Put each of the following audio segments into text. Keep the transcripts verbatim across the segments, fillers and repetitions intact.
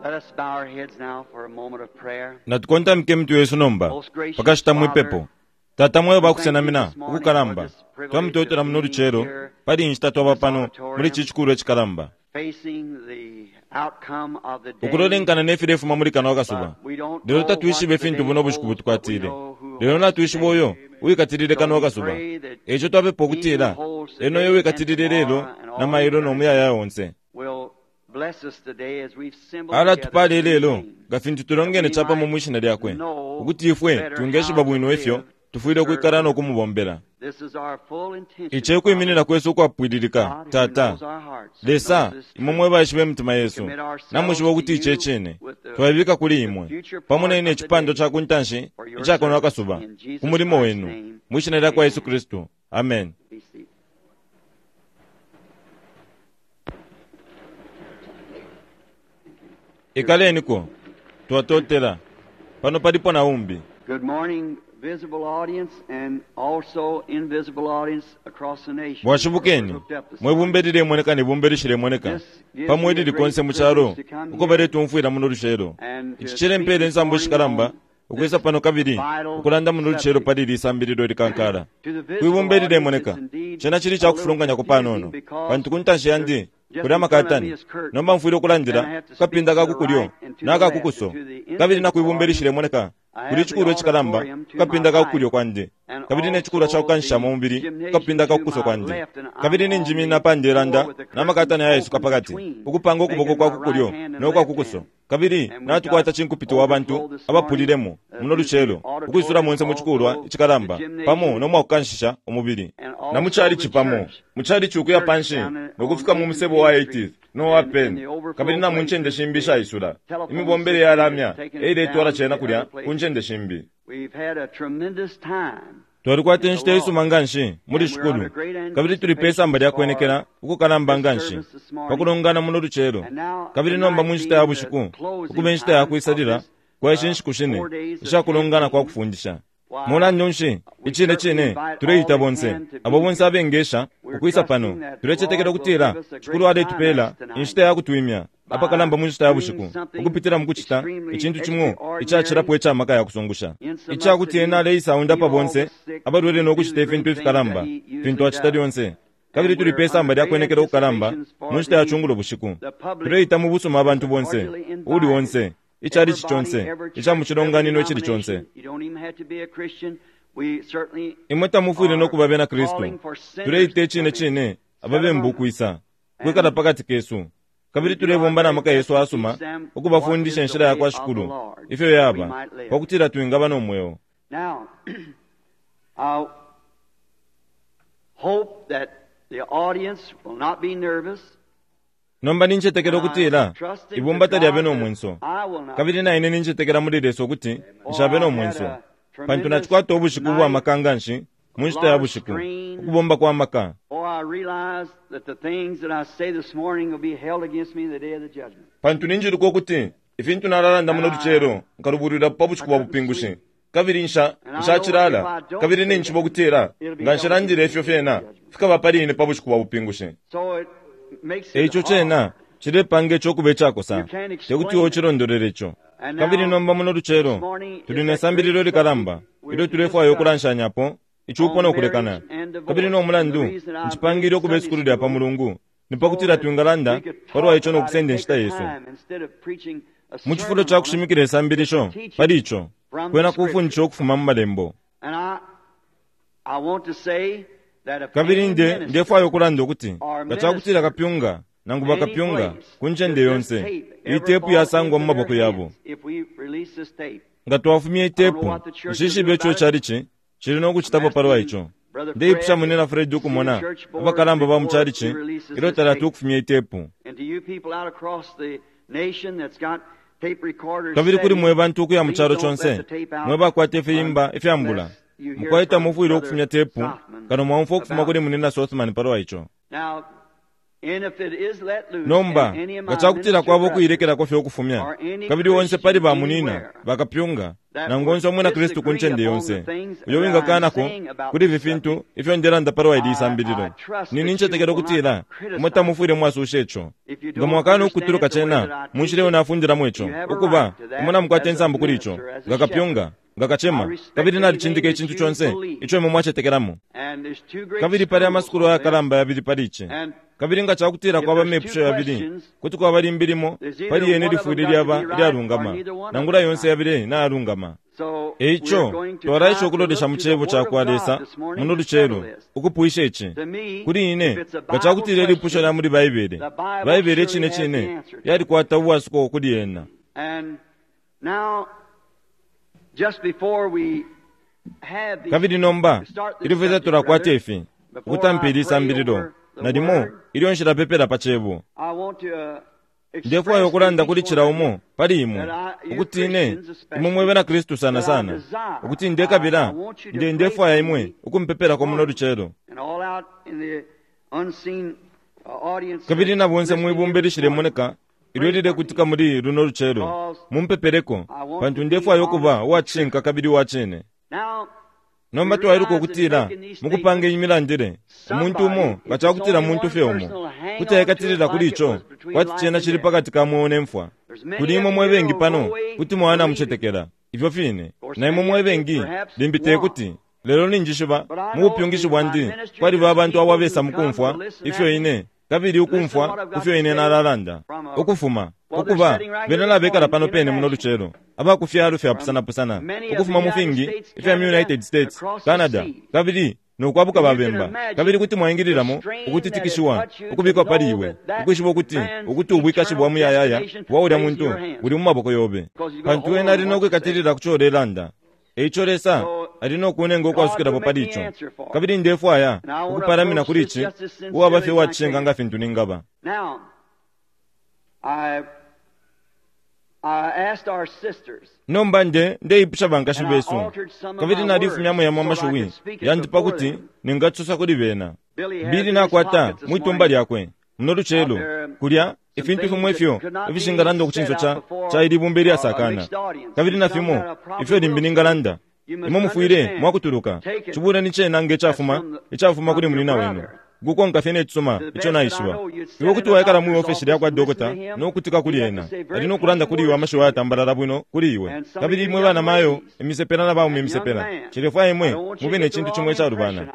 Let us bow our heads now for a moment of prayer. Natukontamike emitwe yesu nomba pakashita mwipepo. Tata mwe bakusenamina ukukalamba twamutotela muno lucelo pali inshita twaba pano muli chikulu echikalamba Facing the outcome of the day. ukulolenkana nefilefuma muli kano akasuba But we don't lelo know tatwishibe what the fintu day buno bushiku holds, but we butukwatile know who lelo holds natwishiba the uyo day. uwikatilile kano akasuba echo twapepa ukutila eno uyo uwikatilile lelo na mailo nomuyaya onse Will bless us today as we've assembled ala together tupale in lelo His name. nga fintu tulongene chapamo mwishina lyakwe ukuti ifwe twingeshiba bwino ifyo tufwile ukwikala nokumubombela This is our full intention. ichi ekwiminina kwesu ukwapwililika God who tata knows our hearts, lesa knows this imwe truth. mwe baishiba emitima yesu namwishiba ukuti ichi echine twabibika kuli imwe pamo naine echipando cha kuntanshi ichakono akasuba ku mulimo wenu mwishina lya kwa Yesu Kristu, amen. Be seated. Ikaleniko twatotela pano palipo na umbi. Good morning, visible audience and also invisible audience across the nation. Bwashibukeni mwe bumbe lilemoneka ne bumbe lishilemoneka pamwe lili konse mu chalo uko baletumfwila muno lucelo. Ichi chilempele nsambo shikalamba ukwisa pano kabili ukulanda muno lucelo pali lisambililo likankala kwibumbe lilemoneka chena chili chakufulunganyako panono pantu kuntanshi yandi kuli amakatani nomba mfwile ukulandila kukapinda kakukulyo nakakukuso kabili nakwibumbe lishilemoneka kuli chikulu echikalamba kukapinda kakukulyo kwandi kabili nechikulu chakukanshishamo umubili kukapinda kakukuso kwandi kabili ninjimina pandelanda namakatani ayesuka pakati ukupanga ukuboko kwakukulyo nokwakukuso kabili natukwata chinkupiti wa bantu abapulilemo muno lucelo ukwisula monse mu chikulwa ichikalamba pamo nomwakukanshisha umubili na muchalichi pamo muchalichi ukuya panshi nokufika mu musebo wa eightieth no wa Penn kabili na mu ncende shimbi ishaisula imibombele yalamya eiletwala chena kulya ku ncende shimbi. We've had a tremendous time. Twalikwata inshita isuma nganshi muli shikulu kabili tuli pe samba lya kwenekela ukukalamba nganshi pakulongana muno lucelo kabili nomba mu nshita ya bushiku ukuba inshita ya kwisalila kwa ishi nshiku shine ishakulongana kwa kufundisha. Mulandu nshi icine cine tuleita bonse abo bonse abengesha ukwisa pano tulechetekela ukutila shikulu aletupela inshita ya kutwimya apakalamba mu nshita ya bushiku ukupitila mukuchita ichintu chimwe ichachilapo echamaka ya kusungusha ichakuti ena aleisa pa bonse abalwele nokuchita ifintu ifikalamba fintu achita lyonse kabili tuli pe samba lya kwenekela ukukalamba mu nshita ya chungulo bushiku tuleita mu busuma abantu bonse uli onse ichalichi chonse icha muchilonganino ichili chonse. You don't even have to be a Christian. We certainly Imwe tamufwile nokuba bena Kristu tuleita echine chine ababembu ukwisa kwikala pakati kesu kabili tulebomba na maka yesu asuma ukubafundisha inshila ya kwa shikulu ifyo yaba pakutila twingaba nomweo. Now, I hope that the audience will not be nervous. Nomba ninchetekela ukutila ibumba talyabe nomwenso kabili naine ninchetekela muli Lesa ukuti nshabe nomwenso pantu nachikwata ubushiku bwa maka nganshi mu nshita ya bushiku ukubomba kwa maka. For I realize that the things that I say this morning will be held against me in the day of the judgment. Pantu ninjiluka ukuti ifintu nalalanda muno lucelo nkalubulwila pa bushiku bwa bupingushi kabili nsha nshachilala kabili ninchiba ukutila nga nshilandile ifyo fyena fikaba pali ine pa bushiku bwa bupingushi. So it makes it Eicho hard. chena chilepanga echokuba echakosa tekuti ochilondolele icho. Kabili nomba muno lucelo tuli nesambililo likalamba ilyo tulefwaya ukulanshanyapo ichupo nokulekana kabili nomulandu nchipangile ukuba isukulu lya pa mulungu nipakutila twingalanda palwa icho nokusenda inshita yesu. Mu chifulo cha kushimikila isambilisho pali icho kwena kufundisha ukufuma mu malembo. And I, I want to say that if Kabili any nde minister ndefwaya ukulanda ukuti nga chakutila kapyunga nangu bakapyunga ku ncende yonse itepu yasangwa mu maboko yabo. If we release this tape, Nga twafumya itepu nshishibe icho chalichi chili nokuchitapo palwa icho. Ndeipusha munena Fred ukumona abakalamba ba muchalichi ilyo talati ukufumya itepu. and to you people out across the nation that's got tape recorders Kabili kuli setting, mwe bantu ukuya mu please chalo don't let chonse the tape out mwe bakwata ifiyimba ifyambula unless you hear mukwaita from mufwile Brother ukufumya tepu Sothman kano mwaumfwa ukufuma about kuli munena Sothman palwa icho. Now, Nomba nga cakutila kwaba ukuilekelako fye ukufumya, kabili onse pali bamunina bakapyunga nangu onse umwina Kristu ku ncende yonse uyo wingakanako kuli ifi fintu ifyo ndelanda palwa ili isambililo, nini ncetekela ukutila imwe tamufwile mwasusha ico. Nga mwakana ukutuluka cena munshila iyo nafundilamo ico, ukuba imwe namukwata insambu kuli ico nga kapyunga, nga kacema, kabili nalicindika icintu conse ico imwe mwacetekelamo. Kabili pali amasukulu ayakalamba yabili pali ici. Kabili nga cakutila kwaba amepusho yabili, kuti kwaba limbi limo pali yene lifwile lyaba ilyalungama, nangula yonse yabili nayalungama. Eico twalaisha ukulolesha mu cebo cakwa Lesa muno lucelo ukupwisha ici. Kuli ine, nga cakutila ilipusho lya muli Baibele, Baibele icine cine yalikwata ubwasuko kuli yena. Kabili nomba ilyo fye tulakwata ifi ukutampa ili isambililo, nalimo ilyo nshilapepela pa cebo, ndefwaya ukulanda kuli cila umo pali imwe ukuti ine imwe mwe bena Kristu sana sana, ukuti ndekabila nde ndefwaya imwe ukumpepelako muno lucelo. Kabili na bonse mwibumba ilishilemoneka ilyo lilekutika muli luno lucelo, mumpepeleko, pantu ndefwaya ukuba uwacishinka kabili uwacine. Nomba twailuka ukutila mukupanga imilandile umuntu umo nga cakutila muntu fye umo kuti aikatilila kuli ico kwati cena cili pakati ka mweo ne mfwa. Kuli imwe mwe bengi pano kuti mwana mucetekela ifyo fine, na imwe mwe bengi limbi te kuti. Lelo ninjishiba mu bupyungishi bwandi kwaliba abantu abo abesa mukumfwa ifyo ine, kabili ukumfwa kufyo ine nalalanda ukufuma ukuba bena nabekala pano pene muno lucelo abakufyalo fyapusanapusana ukufuma mu fingi ifya mu United States, Canada, kabili nokwabuka babemba. Kabili kuti mwaingililamo ukutitikishiwa ukubikwa pali iwe, ukwishiba ukuti ukuti ubwikashi bwa muyayaya bwa ulya muntu buli mu maboko yobe, pantu ena ali nokwikatilila ku colelanda. Eico Lesa ali nokunenga ukwasukilapo pali ico. Kabili ndefwaya ukupalamina kuli ici uwaba fye uwacishinka nga fintu ningaba. Nomba nde ndeipusha bankashi besu, kabili nalifumyamo yamo amashiwi yandi pakuti ningasosa kuli bena. Bili nakwata mwitumba lyakwe muno lucelo kulya ifintu fimwe ifyo ifishingalanda kucinso ca ca ilibumba ilyasakana, kabili na fimo ifyo limbi ningalanda. Imwe mufwile mwakutuluka cibula ni cena nge cafuma icafuma kuli munina wenu, gukonka fye necisuma ico naishiba. Iwe kuti waikala mwi ofesi lyakwa dokota nokutika kuli ena, ali nokulanda kuli iwe amashiwi ayatambalala bwino kuli iwe. Kabili imwe bana mayo imisepela na baume imisepela, cilefwaya imwe mube ne cintu cimwe icalubana.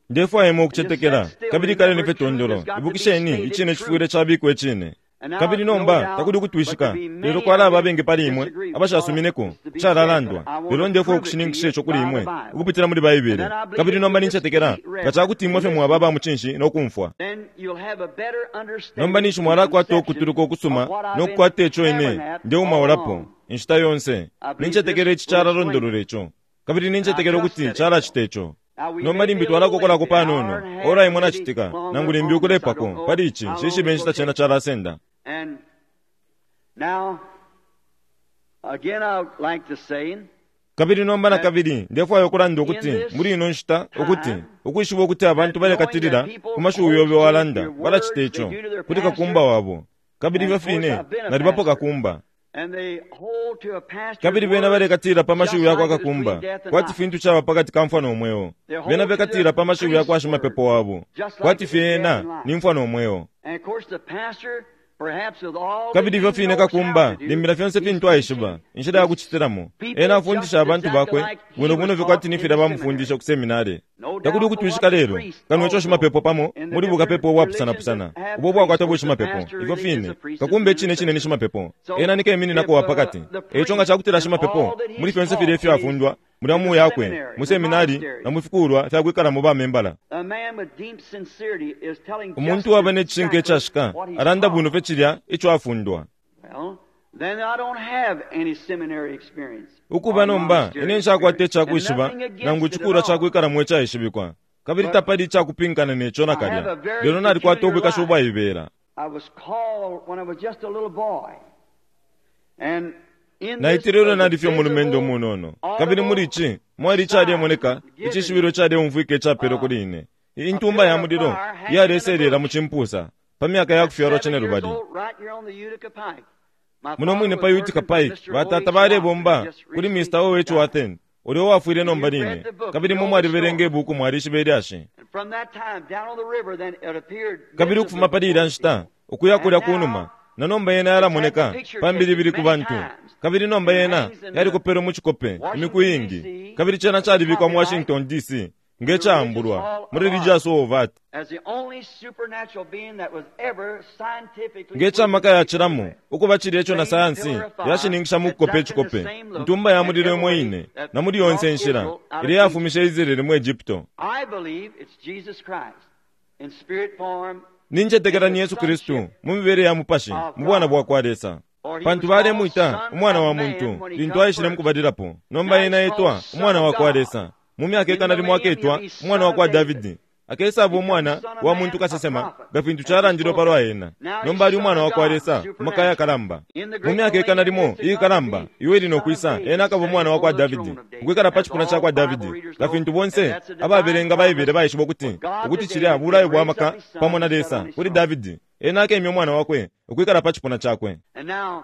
Ndefwaya imwe ukucetekela, kabili kaleni fye tondolo. Ibukisheni icine cifwile cabikwa icine. Kabili nomba takuli ukutwishika, lelo kwalaba abengi pali imwe abashasumineko calalandwa. Lelo ndefwaya ukushininkisha ico kuli imwe ukupitila muli Baibele. Kabili nomba nincetekela nga cakuti imwe fye mwaba aba mucinshi nokumfwa. Nomba ninshi mwalakwata ukutuluka ukusuma nokukwata ico ine ndeumaulapo inshita yonse. Nincetekela ici calalondolola ico, kabili nincetekela ukuti calacita ico. Nomba limbi twalakokolako panono ora imwe nacitika, nangu limbi ukulepako pali ici shishibe inshita cena calasenda. Kabili nomba na kabili ndefwaya ukulanda ukuti muli ino nshita ukuti ukwishiba ukuti abantu balekatilila ku mashiwi yobe walanda balacita ico kuli kakumba wabo. Kabili ifyo fine nalibapo kakumba. Kabili bena balekatilila pa mashiwi yakwa kakumba kwati fintu caba pakati ka mfwa nomweo. Bena bekatilila pa mashiwi yakwa shimapepo wabo kwati fye ena ni mfwa nomweo. Kabili ifyo fine kakumba limbila fyonse fintu aishiba inshila yakucitilamo. Ena afundisha abantu bakwe bwino bwino fye kwati ni filya bamufundisha ku seminari. Takuli ukutwishika lelo kano ico shimapepo pamo muli bukapepo ubwapusanapusana ubo bwakwata bushimapepo. Ifyo fine kakumba icine cine ni shimapepo, ena ni kemininako wa pakati. Eico nga cakutila shimapepo muli fyonse filya ifyo afundwa muli amu yakwe mu seminari na mu fikulwa fyakwikalamo bamembala. Umuntu waba ne cishinka icashika alanda bwino fye cilya ico afundwa. Ukuba nomba ine nshakwata icakwishiba nangu icikulwa cakwikalamo icaishibikwa, kabili tapali icakupinkana neco nakalya. Lelo nalikwata ubwikashi ubwaibela. Naitile ilyo nali fye umulumendo umunono, kabili muli ici mwali icalemoneka icishibilo icaleumfwika icapelwe kuli ine. Intumba ya mulilo iyaleselela mu cimpusa pa myaka ya kufyalwa Seven years cinelubali. old, right here on the Utica Pike. My Muno father mwine was pa Utica working for Pike, Mister batata O H balebomba Watson, just kuli recently Mister O H died. Watson ulyo uwafwile nomba line, kabili mwe mwalibelenga ibuku mwalishiba ilyashi. And from that time down on the river, then it appeared Kabili ukufuma pali ilya nshita ukuya kulya kunuma, na nomba yena yalamoneka pa mbilibili ku bantu, kabili nomba yena yalikopelwe mu cikope imiku iingi, kabili cena calibikwa mu Washington D C nge caambulwa mu Religious Hall of Art as the only supernatural being that was ever scientifically nge camaka yacilamo ukuba cilya ico na sayansi yashininkisha mu kukopa icikope. Ntumba ya mulilo imo ine na muli yonse inshila ilya yafumishe Israeli mu Egypto. I believe it's Jesus Christ in spirit form, Nincetekela ni Yesu Kristu mu mibele ya mupashi mu bwana bwa kwa Lesa, pantu balemwita umwana wa muntu lintu aishile mukubalilapo. Nomba ena etwa umwana wa kwa Lesa mu myaka ikana limo aketwa umwana wa kwa Davidi, akesaba umwana wa muntu kasesema nga fintu calandilwe palwa ena. Nomba ali umwana wa kwa Lesa mu maka yakalamba. Mu myaka ikana limo iikalamba iwe ili nokwisa, ena akaba umwana wa kwa Davidi ukwikala pa cipuna ca kwa Davidi, nga fintu bonse ababelenga Baibele baishiba ukuti ukuti cilya bulayo bwa maka pamo na Lesa kuli Davidi. Ena akemya umwana wakwe ukwikala pa cipuna cakwe. And now,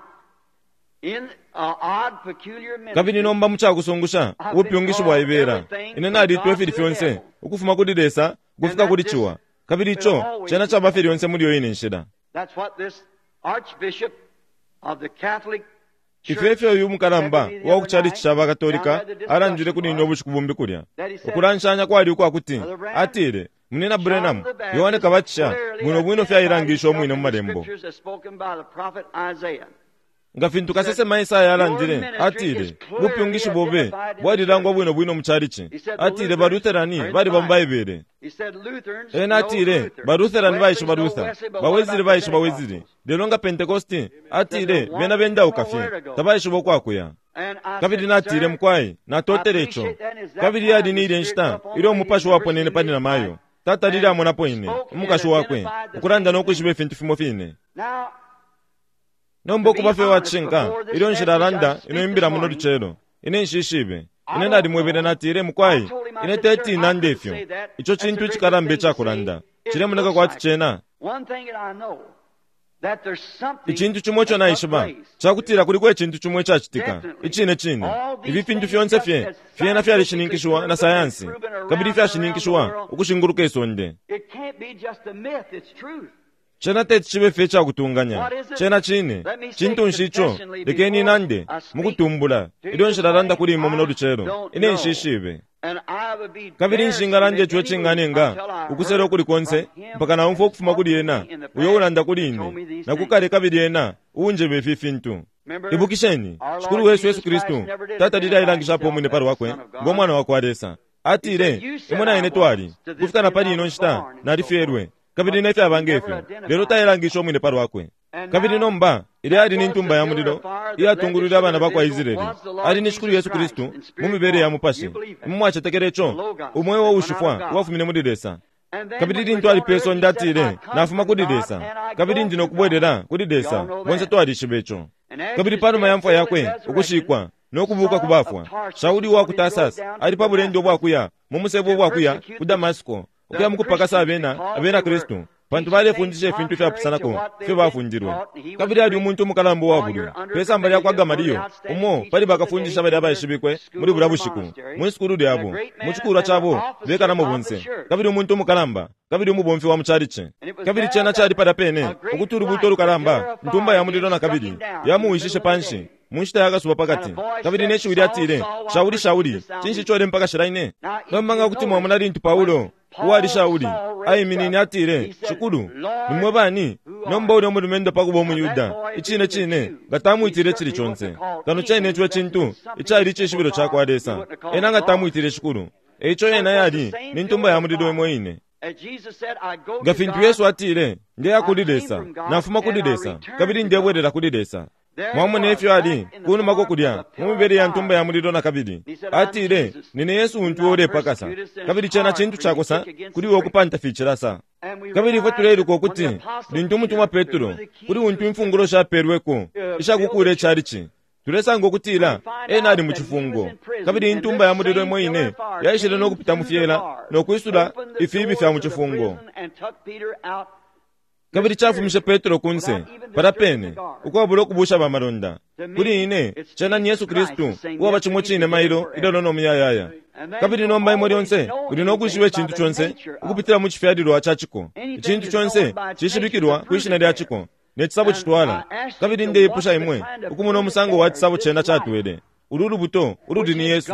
in a odd, peculiar ministry, Kabili nomba mucakusungusha ubupyungishi bwaibela, ine nalitwa ifili fyonse ukufuma kuli Lesa ukufika kuli ciwa, kabili ico cena caba fye lyonse muli yo ine nshila. that's what this archbishop of the Catholic Ifyo efyo uyu mukalamba uwa ku chalichi ca bakatolika alandile kuli ine ubushiku bumbi kulya. Ukulanshanya kwali ukwakuti atile, Munina Branham, Yohane Kabatisha bwino bwino fyailangisha umwine mu malembo. Nga fintu kasesema Esaya alandile, atile, bupyungishi bobe bwalilangwa bwino bwino mu chalichi. Atile ba Lutherani baliba mu Baibele. Ena atile ba Lutherani baishiba Luther, ba Wesley baishiba Wesley, lelo nga Pentecosti atile bena bendauka fye, tabaishiba ukwakuya. Kabili natile mukwai, natotele ico. Kabili yali ni ilya nshita ilyo umupashi waponene pali na mayo. Tata lili amonapo ine, umukashi wakwe, ukulanda no kwishiba ifintu fimo fine. Now, Nomba ukuba fye wacishinka, ilyo nshilalanda ino imbila muno lucelo, ine nshishibe. Ine nalimwebele natile mukwai, ine teti nande ifyo. Ico cintu icikalamba icakulanda. Cilemoneka kwati cena. one thing that I know, that there's something Icintu cimo ico that took naishiba, place. cakutila kuliko icintu cimo icacitika, icine cine. Ifi fintu fyonse fye, fyena fyalishininkishiwa na sayansi, kabili fyashininkishiwa ukushinguluka isonde. It can't be just a myth, it's truth. Cena teti cibe fye icakutunganya, cena cine. Cintu nshi ico? Lekeni nande mukutumbula ilyo nshilalanda kuli imwe muno lucelo, ine nshishibe. And I would be Kabili embarrassed to nshingalanda make ico any icinganenga until I ukusela heard ukuli konse from him mpaka naumfwa ukufuma kuli ena in the past uyo ulanda kuli told me ine these na kukale kabili ena uunjeba ifi fintu. Remember, Ibukisheni, our Shikulu Lord wesu Yesu Jesus Kristu Christ never did tatalile identify ailangishapo himself umwine as pali the wakwe Son of God. ngo mwana wa kwa Lesa. Atile, imwe na ine twali kufika na pali ino nshita nalifyelwe, kabili ne fyaba ngefyo, lelo tailangisha umwine pali wakwe. Kabili nomba ilya ali ni ntumba ya mulilo iyatungulwile abana ba kwa Israeli, ali ni Shikulu Yesu Kristu mu mibele ya mupashi. Imwe mwacetekela ico, umweo ushifwa uwafumine muli Lesa. And then Kabili when he lintu was on ali pe earth, sonde he said, atile, I come nafuma from kuli God Lesa, and I kabili go ndi to nokubwelela God. kuli We Lesa. all know Bonse that. twalishiba ico. And after Kabili his panuma ya death, mfwa burial, yakwe, and resurrection, ukushikwa nokubuka Saul ku of bafwa, Tarsus Shauli wa ku on his road Tarsus down to ali pa bulendo Damascus bwakuya mu musebo bwakuya to persecute ku Damasiko, ukuya the mukupakasa Christians abena because abena they were Kristu, pantu teaching balefundisha things ifintu contrary to ifyapusanako what they ifyo had been bafundilwe. taught, and he was Kabili a ali great umuntu umukalamba uwabulwi lawyer under pe samba lya kwa Gamaliel, one Gamaliyo, of the outstanding umo teachers pali of the bakafundisha day bali in their abaishibikwe school muli bulya or bushiku monastery, mu sukulu and a lyabo, great mu man cikulwa and an cabo officer bekalamo of the bonse, church. kabili umuntu umukalamba, kabili umubomfi wa mu chalichi. And it was Kabili there cena that cali palya pene a great ukuti ulubuuto light, a pillar lukalamba, of ntumba fire, ya mulilo again na struck kabili him down in the yamuwishishe middle of the panshi day. mu nshita ya kasuba And a pakati. voice Kabili said, ne shiwi Saul, lyatile, Saul, why Shauli, Shauli, persecutest thou cinshi me? ico ulempakashila ine? Now, if Nomba you nga kuti mwamona notice, lintu Paulo when uwali Paul Shauli Saul raised aiminine up, atile, he said, Shikulu, Lord, nimwe bani? who are Nomba you? ulya mulumendo pakuba Now that umuyuda, boy icine being a cine Jew, nga he tamwitile cili certainly wasn't conse. called Kano cene anything ico except cintu something icali icishibilo simple ca kwa God, he Lesa, wouldn't have called ena it nga Lord. tamwitile Shikulu. Eico So it ena was the yali same ni ntumba pillar ya of mulilo fire. imo ine. As Jesus said, I go Nga to fintu God, Yesu atile, ndeya I kuli came Lesa, from God, nafuma kuli and I Lesa, return kabili to God. ndebwelela kuli Lesa. There he Mwamona was, ifyo ali back in the kunumako form of kulya a mu pillar mibele of ya ntumba ya fire. mulilo na kabili. He said, I'm Atile, Jesus, nine Yesu whom untu thou ulepakasa, persecutest, and kabili it's cena hard cintu for you to cakosa kick against kuli the iwe prick. ukupanta ficilasa. And we Kabili ifwe realize that tuleiluka when the ukuti apostle lintu umutumwa Peter, to Petro whom the kuli keys untu was imfungulo shapelweko uh, build ishakukuula the church, icalici, Tulesanga ukutila ena ali mu cifungo, kabili intumba ya mulilo imo ine yaishile no kupita mu fyela no kwisula ifiibi fya mu cifungo, kabili cafumishe Petro kunse pala pene ukwabula ukubusha bamalonda. Kuli ine cena ni Yesu Kristu uwaba cimo cine mailo ilelo no muyayaya. Kabili nomba imwe lyonse uli no kwishiba icintu conse ukupitila mu cifyalilwa ca ciko. Icintu conse cishibikilwa kwishina lya ciko ne cisabo citwala. Kabili ndeipusha imwe ukumona umusango wa cisabo cena catwele ulu lubuto ululi ni Yesu,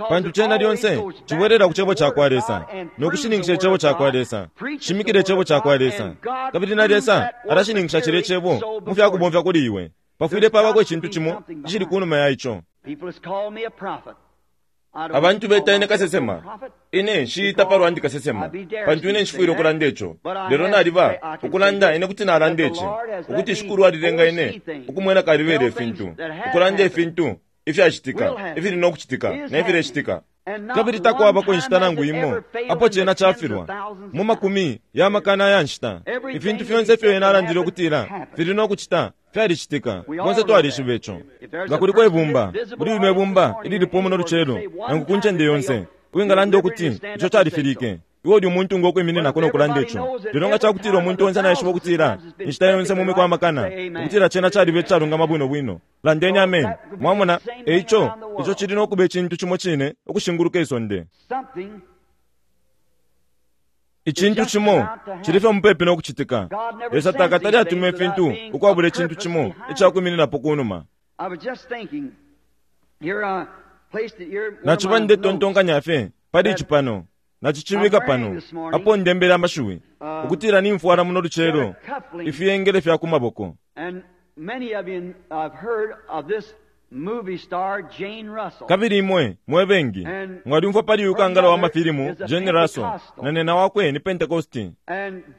pantu cena lyonse cibwelela ku cebo cakwa Lesa no kushininkisha icebo cakwa Lesa, shimikile icebo cakwa Lesa, kabili na Lesa alashininkisha cilya icebo mu fya kubomfya kuli iwe. Pafwile pabako icintu cimo icili kunuma ya ico. Abantu beta ine kasesema. Ine nshiita palwa ndi kasesema, pantu ine nshifwile ukulanda ico. Lelo naliba ukulanda ine kuti nalanda ici, ukuti Shikulu alilenga ine ukumwena kalibele ifintu, ukulanda ifintu ifyacitika, ifili no kucitika, na ifilecitika. Kabili takwabako inshita nangu imo apo cena cafilwa mu makumi ya makana ya nshita. Ifintu fyonse ifyo ena alandile ukutila fili no kucita fyalicitika. Bonse twalishiba ico. Nga kuliko ibumba muli lino ibumba ililipo muno lucelo nangu ku ncende yonse uwingalanda ukuti ico califilike, iwe uli umuntu ngokwiminina no kulanda ico. Lelo nga cakutila umuntu onse naishiba ukutila inshita yonse mu miku amakana ukutila cena calibe icalungama bwino bwino, landeni amen. Mwamona? Eico ico cili no kuba icintu cimo cine ukushinguluka isonde. Icintu cimo cili fye mupepi no kucitika. Lesa takatali atuma ifintu ukwabula icintu cimo icakwimininapo kunuma. Naciba ndetontonkanya fye pali ici pano, nacicibika pano apo ndembele amashiwi ukutila nimfwala muno lucelo ifiyengele fya ku maboko. Kabili imwe mwe bengi mwalyumfwa pali uyu kangala wa mafilimu Jane Russell, na nena wakwe ni Pentecosti,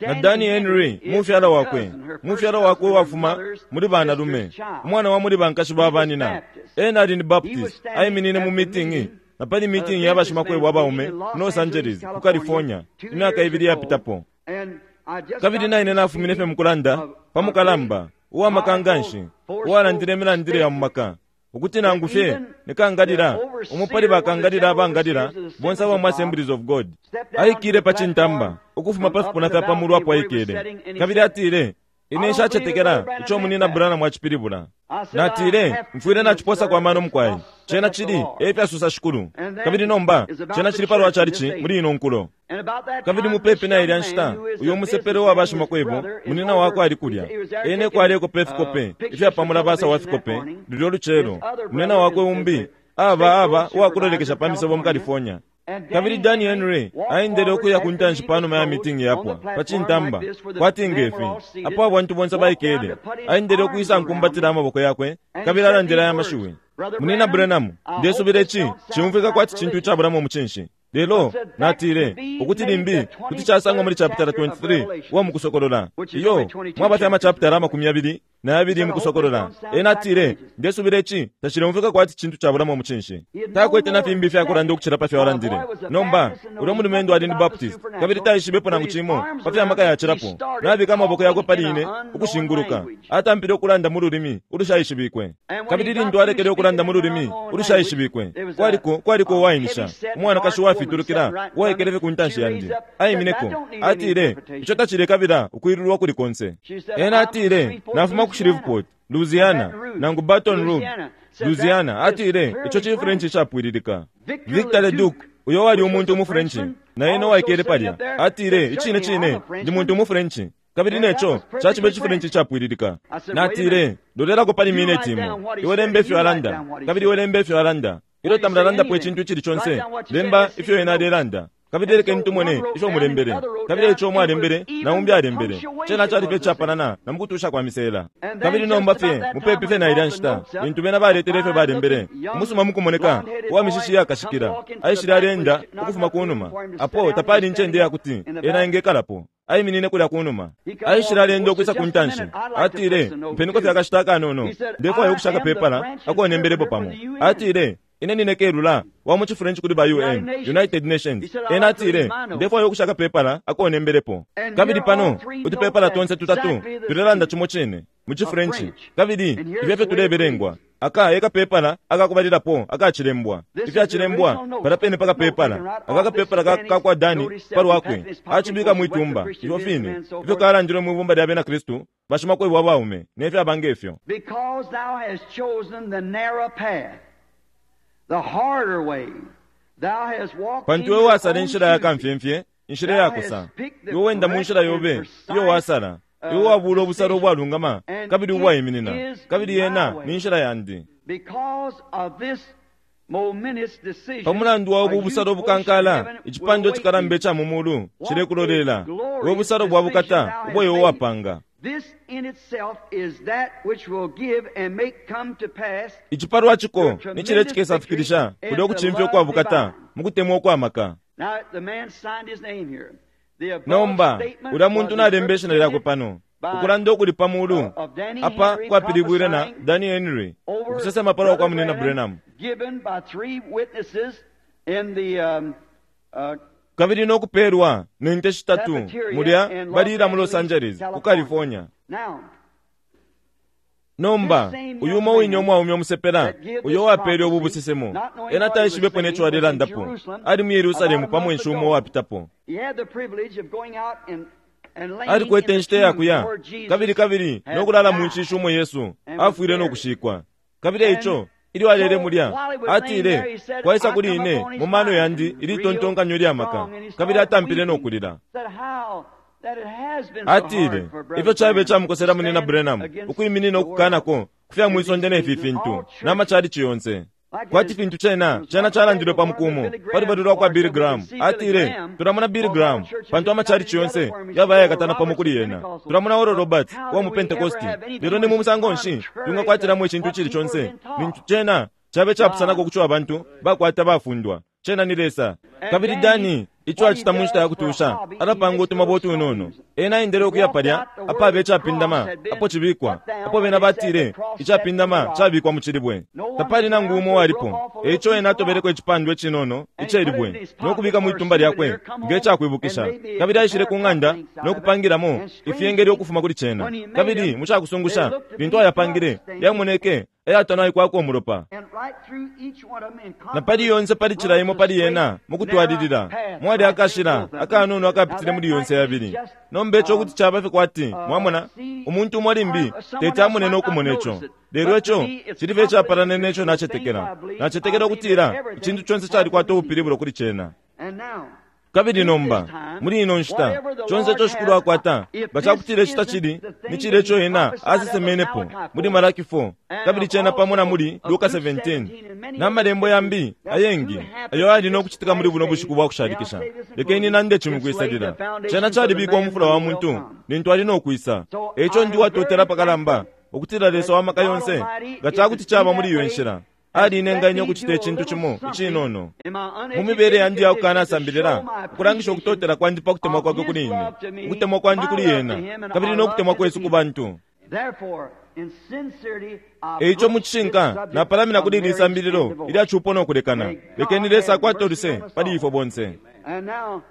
na Danny Henry mufyala wakwe mufyala wakwe wafuma muli banalume, umwana wa muli bankashi ba banina. Ena ali ni Baptist, aiminine mu meeting na pali meeting ya bashimakwebo abaume mu Los Angeles ku California imyaka ibili yapitapo. Kabili naine nafumine fye mukulanda pa mukalamba uwamakanganshi uwalandile imilandile ya mumaka, ukuti nangu fye nikangalila umo pali bakangalila abangalila bonse aba mu Assemblies of God aikile pa cintamba ukufuma pa fipuna fya pamulu apo aikele, kabili atile, ine nshacetekela ico munina Branham mwacipilibula. Natile, mfwile naciposa kwa mano mukwai, cena cili efyasusa Shikulu. Kabili nomba cena cili palwa chalichi muli ino nkulo. Kabili mupepi na ilya nshita uyo musepele wa bashimakwebo munina wakwe ali kulya, ene kwaleko fikope ifyapamula basa wa fikope lulyo lucelo. Munina wakwe umbi aba aba uwakulolekesha pa misebo mu California. Kabili Danny Henry aendele ukuya ku ntanshi panuma ya meeting yapwa pa cintamba kwati ngefi apo abantu bonse baikele, aendele ukwisa nkumbatila amaboko yakwe kabili alandile aya mashiwi: Munina Branham, ndesubila ici cimfwika kwati cintu icabulamo umucinshi, lelo natile ukuti limbi kuti casangwa muli chapitala twenty-three uwa mukusokolola, iyo mwaba fye amachapitala amakumi yabili na yabili mukusokolola. Ena atile, ndesubila ici tacilemfwika kwati cintu cabulamo umucinshi. Takwete na fimbi ifyakulanda ukucila pa fyo alandile. Nomba ulya mulumendo ali ni Baptist kabili taishibepo nangu cimo pa fya maka yacilapo. Nabika amaboko yakwe pali ine ukushinguluka, atampile ukulanda mu lulimi ulushaishibikwe. Kabili lintu alekele ukulanda mu lulimi ulushaishibikwe, kwaliko kwaliko uwainisha umwanakashi uwafitulukila uwaikele fye ku ntanshi yandi. Aimineko atile, ico tacilekabila ukwilulwa kuli konse. Ena atile, nafuma ku Shreveport, Louisiana, nangu Baton Rouge, Louisiana. Atile, ico ci French icapwililika. Victor Leduc, uyo wali umuntu mu French, na ena waikele palya, atile, icine cine ndi muntu mu French, kabili neco cacibe ci French icapwililika. Natile, lolelako pali mineti imo, iwe lembe ifyo alanda, kabili iwe lembe ifyo alanda. Ilyo tamulalandapo icintu icili conse, lemba ifyo ena alelanda, kabili lekeni tumone ifyo mulembele. Kabili ico mwalembele na umbi alembele, cena cali fye icapalana na mukutusha kwa misela. Kabili nomba fye mupepi fye na ilya nshita lintu bena baletele ifyo balembele, umusuma mukumoneka uwa mishishi yakashikila aishile alenda ukufuma kunuma, apo tapali incende yakuti ena engekalapo. Aiminine kulya kunuma, aishile alenda ukwisa ku ntanshi. Atile, mpeniko fye akashita akanono, ndefwaya ukushaka pepala akonembelepo pamo. Atile, ine nine kelula wa mu French kuli ba U N, United Nations. Ena atile, ndefwaya ukushaka pepala akonembelepo. Kabili pano utupepala tonse tutatu tulelanda cimo cine mu French, kabili ifyo fye tulebelengwa. Aka e kapepala akakubalilapo akacilembwa. Ifyacilembwa pala pene pa kapepala. Aka kapepala ka, ka kwa Dani palwakwe acibika mwitumba ifyo fine ifyo kalandilwe mwibumba lya bena Kristu bashimakwebo abaume nefyaba ngefyo. Because thou hast chosen the narrow path, the harder way, thou hast walked Pantu in iwe your wasala own inshila ya choosing. kamfyemfye, inshila yakosa. Iwe wenda mu nshila yobe iyo wasala. Iwe wabula obusalo ubwalungama kabili ubwaiminina, kabili yena ni nshila yandi. Because of this momentous decision, Pa mulandu wa a ubu huge busalo portion of bukankala, heaven will icipando await cikalamba thee. ica mu mulu What cilekulolela. a glorious We busalo bwa decision bukata thou ubwo hast iwe made. wapanga. This in itself is that which will give and make come to pass Icipalwa ciko ni cile cikesafikilisha kulya ukucimfya ukwa bukata mu kutemwa ukwamaka. Now the man signed his name here. The above Nomba statement ulya muntu was nalemba ishina lyakwe interpreted pano. by Ukulanda ukuli pa mulu of Danny apa Henry kwapilibwile na prophesying Danny Henry over ukusesema palwa kwa Brother munina Branham, Branham. given by three witnesses in the um, uh, Kabili nokupelwa ne nte shitatu cafeteria mulya in Los balila mu Los Angeles, Angeles ku California. California. Now, Nomba this same uyu young umo wine man umwaume omusepela that gave uyo this wapele ubu prophecy, busesemo not knowing ena what he was taishibepo saying, neco was in alelandapo. Jerusalem Ali mu Yerusalemu about a pa month mwenshi umo ago. wapitapo. He had the privilege of going out and, and laying in Alikwete the inshita tomb yakuya where Jesus kabili kabili had nokulala mu died nshishi umo Yesu and was afwile buried. nokushikwa. Kabili And eico ilyo alele so mulya while he was laying there, atile he said, kwaisa I kuli come ine upon his mu mano mind yandi and ili real tontonkanyo lya maka strong, and he kabili started atampile weeping. nokulila. Said how that it has been so Atile hard for Brother ifyo cabe Branham to camukosela munina stand Branham against ukwiminina the world okukanako kufya and mwisonde these nefi things and all fintu churches. n'amachalichi yonse. Like it Kwati is, fintu cena was cena once said calandilwe pa with one of the mukumo Billy pa Graham lubali lwa kwa bars Billy that we can Graham. see Billy Atile Graham tulamona Billy because all Graham churches pantu have amachalichi united together yonse for him. He's yaba Oral ayakatana pamo Roberts kuli and yena. Pentecostals. Tulamona Oral But Roberts how wa do mu we ever Pentecosti. have anything Lelo ni mu which is musango nshi contrary to tungakwatiramu icintu what icili people have conse been taught? nintu cena cabe capusanako God. kuco abantu bakwata bafundwa. Cena ni Lesa. And Kabili Danny, Dani ico what he acita mu nshita ya does for a kutusha hobby, he alapanga makes utumabwe little utunono. stones. Ena aendele He okuya walked palya out the apabe word cross icapindama had been apo cibikwa put down apo when bena they said the batile cross set in the icapindama rock. cabikwa mu cilibwe. No one was Tapali nangu around, umo so he broke walipo. off a little Eico piece ena of rock. atobeleko icipandwa icinono And he put it in icelibwe his pocket nokubika for a mwitumba lyakwe souvenir, come nge home and cakwibukisha. made me a Kabili aishile pair ku of ng'anda cufflinks out of it. nokupangilamo And ifyengeli strangely, ukufuma kuli cena. when he made Kabili them, mu they cakusungusha looked to lintu be ayapangile bloodstains. yamoneke ayatanaikwako umulopa. And right through each one of them in Na pali continuity yonse pali cila runs imo a pali straight, yena mu narrow kutwalilila path mwali right through akashila both of them. akanono Now akapitile that muli might yonse be yabili. just Nomba ico um, kuti caba fye kwati uh, mwamona see, umuntu umo limbi uh, someone teti else amone might not nokumona ico. notice it, Lelo but to ico me it's cili fye icapalana complicated neco to the things nacetekela. I believe. I Nacetekela believe that ukutila everything icintu conse has a calikwata meaning. ubupilibulo kuli cena. And now, Kabili in this nomba time, muli ino nshita whatever the conse Lord ico shikulu has, akwata if nga this cakutila ici isn't tacili the ni thing cile that ico he ena prophesied of in asesemenepo Malachi muli four, Malaki four and kabili cena pamo na also muli of Luka Luke seventeen seventeen and many na other malembo scriptures yambi that do ayengi happen ayo ali in no this kucitika muli last buno day. bushiku bwa May I kushalikisha. say this in Lekeni closing? nande cimwe It's laid kwisalila the foundation cena for the calibikwa man umufula when wa he will muntu come. lintu ali no kwisa. So Eico I ndi am watotela very pakalamba thankful ukutila Lesa that wa maka God yonse Almighty, nga if cakuti it's be caba muli that iyo way, nshila has alinenga let ine me ukucita do a icintu little cimo something icinono in my mu mibele uneducated yandi ya condition to kukanasambilila show my ukulangisha appreciation ukutotela kwandi pa kutemwa of kwakwe His kuli ine love to me, ukutemwa kwandi my kuli love to yena Him, and kabili our no love kutemwa to the kwesu ku people. bantu. Therefore, in sincerity, I Eico mu approach this cishinka subject napalamina of kuli ili marriage and sambililo divorce. ilya cupo no kulekana. May Lekeni God Lesa have akwate mercy uluse on us pali all. ifwe bonse. And now,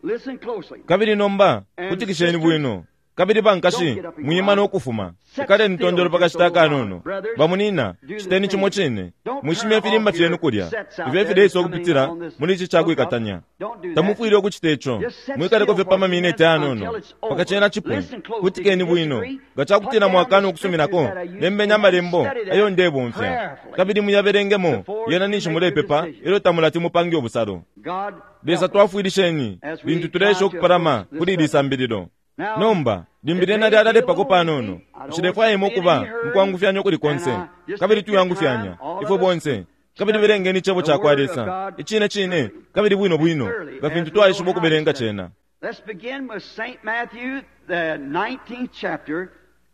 listen closely. Kabili nomba And kutikisheni sisters, bwino. Kabili don't bankashi get up and go mwima out. no kufuma. Sit Ikaleni still tondolo just a pakashita little while. akanono. Brothers, Bamunina do the citeni cimo same. cine. Don't Mwishimye turn ifilimba off fyenu your kulya. sets out Ifyo there that's fileisa coming ukupitila on this muli ici hookup. cakwikatanya. Don't do that. Tamufwile ukucita ico. Just sit Mwikaleko still fye for pa a few mamineti minutes ayanono. until it's Paka over. cena cipwe. Listen closely. If Kutikeni you bwino. disagree, Nga put cakutila down the mwakana scriptures ukusuminako that I use lembeni and then amalembo study ayo them ndebomfya. prayerfully Kabili muyabelengemo before yena you ninshi make your mulepepa decision. ilyo tamulati mupange ubusalo. God Lesa help us twafwilisheni as we lintu try tuleesha to ukupalama approach this kuli ili subject. sambililo. Now, Nomba limbi it lyena may be a lyalalepako little panono. lengthy. I don't want you Nshilefwaya to be in any ukuba hurry. mukwangufyanya ukuli And konse uh, just kabili take your time, tuyangufyanya all ifwe of us, bonse kabili study belengeni icebo the ca kwa Word of Lesa God icine cine truly kabili bwino and bwino thoroughly nga as fintu we know twaishiba how to ukubelenga study. cena. Let's begin with Saint Matthew, the nineteenth chapter,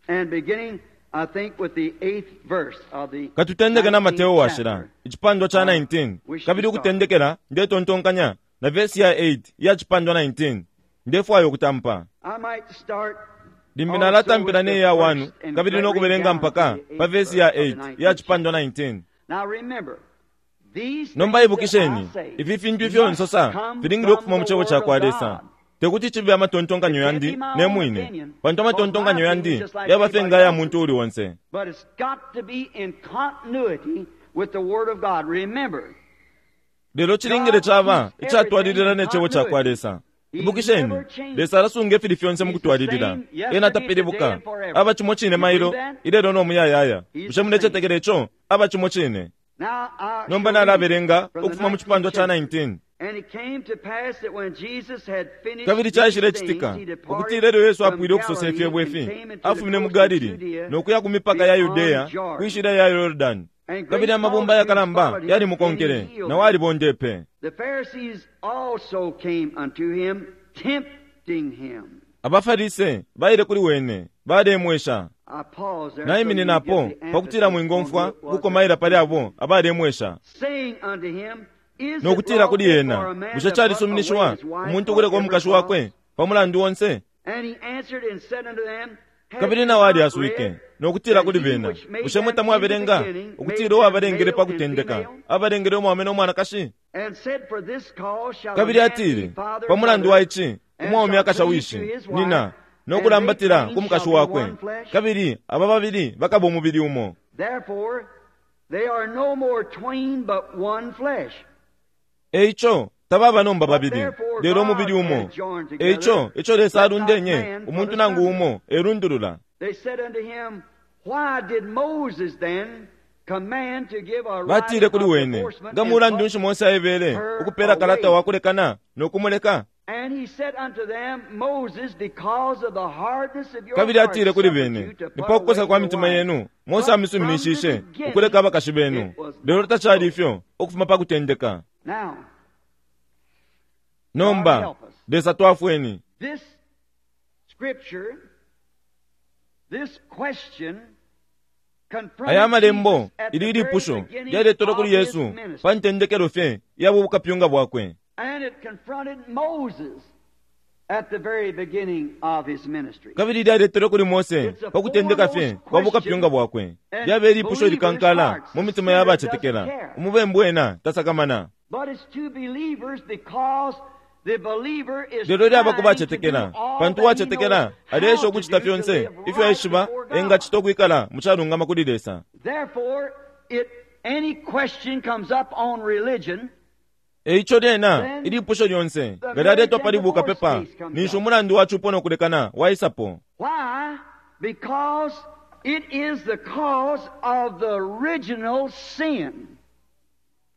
and beginning, I think, with the eighth verse of the Katutendeke na nineteenth Mateo washila chapter. icipandwa ca I nineteen wish to kabili start. ukutendekela ndetontonkanya na vesi ya eight iya cipandwa nineteen ndefwaya ukutampa. I might start Limbi also nalatampila with ne the ya one first and kabili read no kubelenga down to mpaka the pa eighth vesi verse ya of the eight iya nineteenth chapter. cipandwa nineteen. Now remember, these Nomba things that I ibukisheni say ifi fintu ifyo must nsosa come filingile from ukufuma mu the cebo Word ca of kwa Lesa. God. Tekuti chibe amatontonkanyo yandi ne mwine, pantu amatontonkanyo yandi yaba fye nga ya muntu uli onse. But it's got to be in continuity with the Word of God. Remember, Lelo chilingile chaba ichatwalilila ne chebo cha kwa Lesa. Ibukisheni, Lesa alasunga ifili fyonse mukutwalilila. Ena tapilibuka. Aba chimo chine mailo, ilelo no muyayaya. Bushe mulechetekela icho? Aba chimo chine. now I Nomba nalabelenga ukufuma mu chipandwa cha nineteen. And it came to pass that when Jesus had finished Kabili chaishile these chitika things, he departed ukutila elyo Yesu from apwile ukusosa Galilee ifyebo and ifi, came into the afumine mu coast of Galili Judea no kuya ku mipaka ya beyond Yudeya Jordan. kwishila ya Yordani. And great Kabili amabumba yakalamba multitudes followed him, yali mukonkele, and he healed na them. walibondepe. The Pharisees also came unto him, tempting him. Abafarise baile kuli wene balemwesha. I pause there Naimininapo so you get the pakutila emphasis mwingomfwa on who it was kukomaila pali that abo abalemwesha. saying unto him, Is it Nokutila kuli lawful ena, for a man bushe to put away chalisuminishiwa his wife umuntu for ukuleka every omukashi cause? wakwe pamulandu onse? And he answered and said unto them, Have Kabili ye nawo not alyaswike read nokutila that kuli he bena, which made bushe them mwe in the tamwabelenga beginning made ukutila them uwabalengele male pa and kutendeka female? abalengele umwaume n'omwanakashi? And said, For this cause shall a Kabili man atile, leave father pa and mulandu mother, wa ichi and umwaume shall akasha cleave wishi to his wife, nina and nokulambatila they ku twain mukashi shall be wakwe, one flesh. kabili aba babili bakaba umubili umo. Therefore they are no more twain but one flesh. Eicho tababa nomba babili lelo umubili umo. Eicho icho Lesa alundenye umuntu nangu umo erundulula. They said unto him, Why did Moses then command to give a Batile writing kuli of wene, divorcement nga and mulandu put nshi Mose aebele ukupela kalata wakulekana nokumuleka? And he said unto them, Moses, because of the hardness of your Kabili heart, atile kuli suffered bene, you to ni put pakukosa away kwa your mitima wife. yenu Mose But from amisuminishishe the beginning, ukuleka abakashi benu. it was Lelo not tachali so. ifyo ukufuma pa kutendeka. Now, Nomba Lesa twafweni. this scripture, this question confronted Aya malembo Jesus at the ili very lipusho beginning lyaletolwa of kuli his Yesu ministry. pa ntendekelo fye ya bukapyunga bwakwe. And it confronted Moses at the very beginning of his ministry. Kabili lyaletolwa kuli Mose pa kutendeka fye kwa bukapyunga bwakwe. Lyabe lipusho likankala mu mitima ya bachetekela. Umubembu ena tasakamana. But it's to believers because the believer is Lelo lyaba ku trying to do bachetekela, all pantu that he uwachetekela knows how aleesha to ukuchita do to fyonse live ifyo right aishiba before God. engachita ukwikala muchalungama kuli Lesa. Therefore, it, any question comes up on religion, Eicho lyena ilipusho lyonse nga lyaletwa pali bukapepa ninshi umulandu wa chupo nokulekana waisapo. Why? Because it is the cause of the original sin.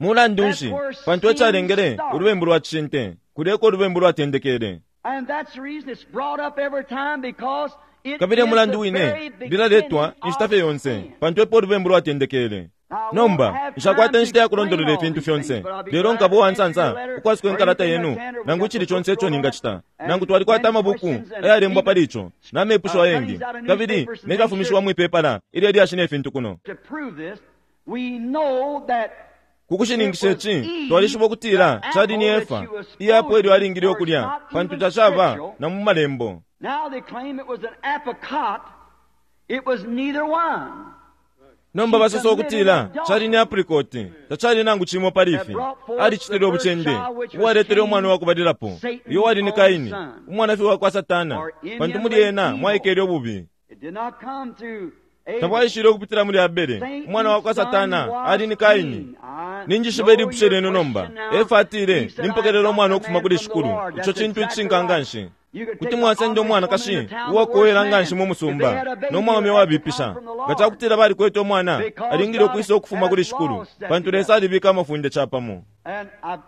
Mulandu nshi pantu echalengele ulubembu lwa chishinte kuleko ulubembu lwatendekele. And that's the reason it's brought up every time, because it Kabili is mulandu the wine very beginning lilaletwa inshita fye of yonse sin. pantu epo ulubembu lwatendekele. Nomba nshakwata inshita ya kulondolola ifintu fyonse, lelo nkaba uwansansa ukwasuka inkalata yenu nangu ichili chonse icho ningachita. Nangu twalikwata amabuku ayalembwa pali icho n'amepusho ayengi kabili nefyafumishiwa mwipepala ilyo lyashina ifintu kuno. To prove this, we know that Kukushininkisha ichi twalishiba ukutila chali ni Efa iyapo elyo alingile ukulya pantu tachaba na mu malembo. now they claim it was an apricot. It was neither one. Nomba basosa ukutila chali ni apricot tachali nangu chimo pali ifi. Alichitile ubuchende uwaletele umwana wakubalilapo iyo wali ni Kaini umwana fye wakwa Satana pantu muli ena mwaikele ububi. It did not come through Abel. Tabwaishile ukupitila muli Abele umwana wakwa Satana ali ni Kaini. Ninjishiba ilipusho lyenu nomba. Efa atile nimpokelela umwana ukufuma kuli shikulu. Icho chintu icishinka nganshi. Kuti mwasenda umwanakashi uwakowela nganshi mu musumba n'omwaume wabipisha nga chakutila balikwete umwana alingile ukwisa ukufuma kuli shikulu pantu Lesa alibika amafunde chapamo. And I,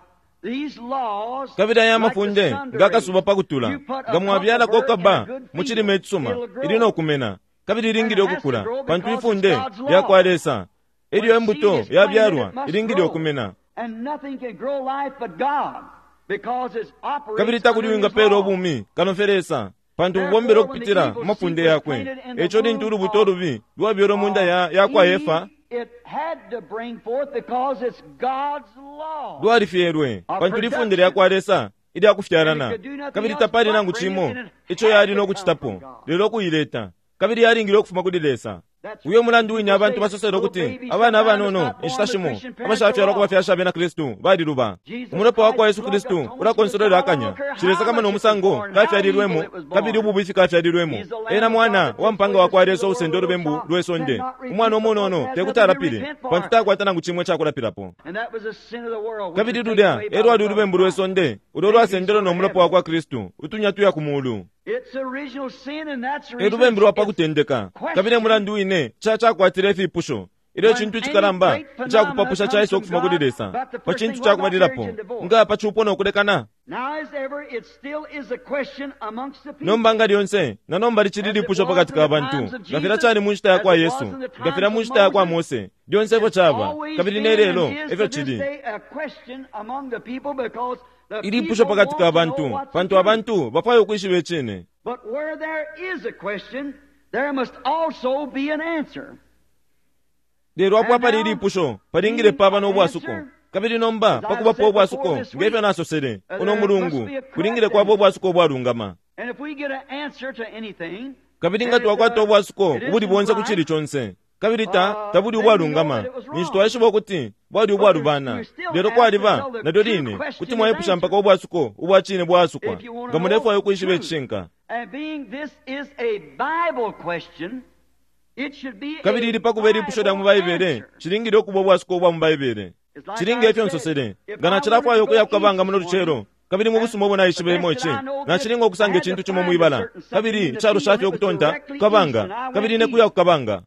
these laws, Kabili aya like the amafunde sun nga akasuba rays, pakutula you put a nga mwabyalako clump of kaba burr in a good mu chilime field, ichisuma it'll grow. ili nokumena kabili ilingile ukukula pantu ifunde lyakwa Lesa. Elyo embuto yabyalwa ilingile ukumena. And nothing can grow life but God, because it operates Kabili takuli under his wingapela law. ubumi kano fye Lesa pantu bubombela ukupitila mu mafunde yakwe. Echo lintu ulubuto olubi lwabyalwa munda ya, yakwa Efa It had to bring forth because it's God's law. lwalifyelwe pantu lifunde lyakwa Lesa ilyakufyalana kabili tapali nangu chimo icho yali nokuchitapo lelo kuyileta kabili yalingile ukufuma kuli Lesa. Uyo mulandu wine abantu basosele ukuti abana abanono inshita shimo abashafyalwa ku bafyashi abena Kristu baliluba. Umulopa wa kwa Yesu Kristu ulakonsolwela akanya. Shilesakama umusango kafyalilwemo kabili ububifi kafyalilwemo. Ena mwana wa mpanga wa kwa Lesa usenda ulubembu lwe sonde. Umwana umunono tekuti alapile pantu takwata nangu chimwe chakulapilapo. Kabili lulya e lwali ulubembu lwe sonde ulo lwasendelwe no mulopa wa kwa Kristu utunya tuya ku mulu. E lubembu lwa pa kutendeka kabili mulandu wine chachakwatile ifipusho ilyo chintu chikalamba chakupapusha chaisa okufuma kuli Lesa pa chintu chakubalilapo nga pa chupo nokulekana. Nomba nga lyonse na nomba lichili lipusho pakati ka bantu ngafira chali mu nshita ya kwa Yesu ngafira mu nshita ya kwa Mose lyonse efyo chaba kabili ne lelo efyo chili ilipusho pakati ka bantu pantu abantu bafwayo ukwishiba icine. But where there is a question, there must also be an answer. Lero apo apali ilipusho palingile paba n'obwasuko kabili nomba pakubapo obwasuko ngefyo nasosele uno mulungu kulingile kwaba obwasuko obwalungama. And if we get an answer to anything, kabili nga twakwata obwasuko ubuli bonse ku chili chonse kabili ta tabuli ubwalungama ninshi twaishiba ukuti bwali ubwalubana. Lero kwaliba nalyo line kuti mwaipusha mpaka obwasuko ubwachine bwasukwa nga mulefwayo ukwishiba icishinka. And being this is a Bible question, it should be kabili ili pakuba ilipusho lya mu Baibele chilingile okuba obwasuko obwa mu Baibele. Chilinga efyo nsosele nga nachilafwayo okuya kukabanga muno lucelo kabili mu busuma obo naishibemo ichi nachilinga okusanga echintu chimo mwibala kabili ichalo shafye okutonta kukabanga kabili ne kuya kukabanga.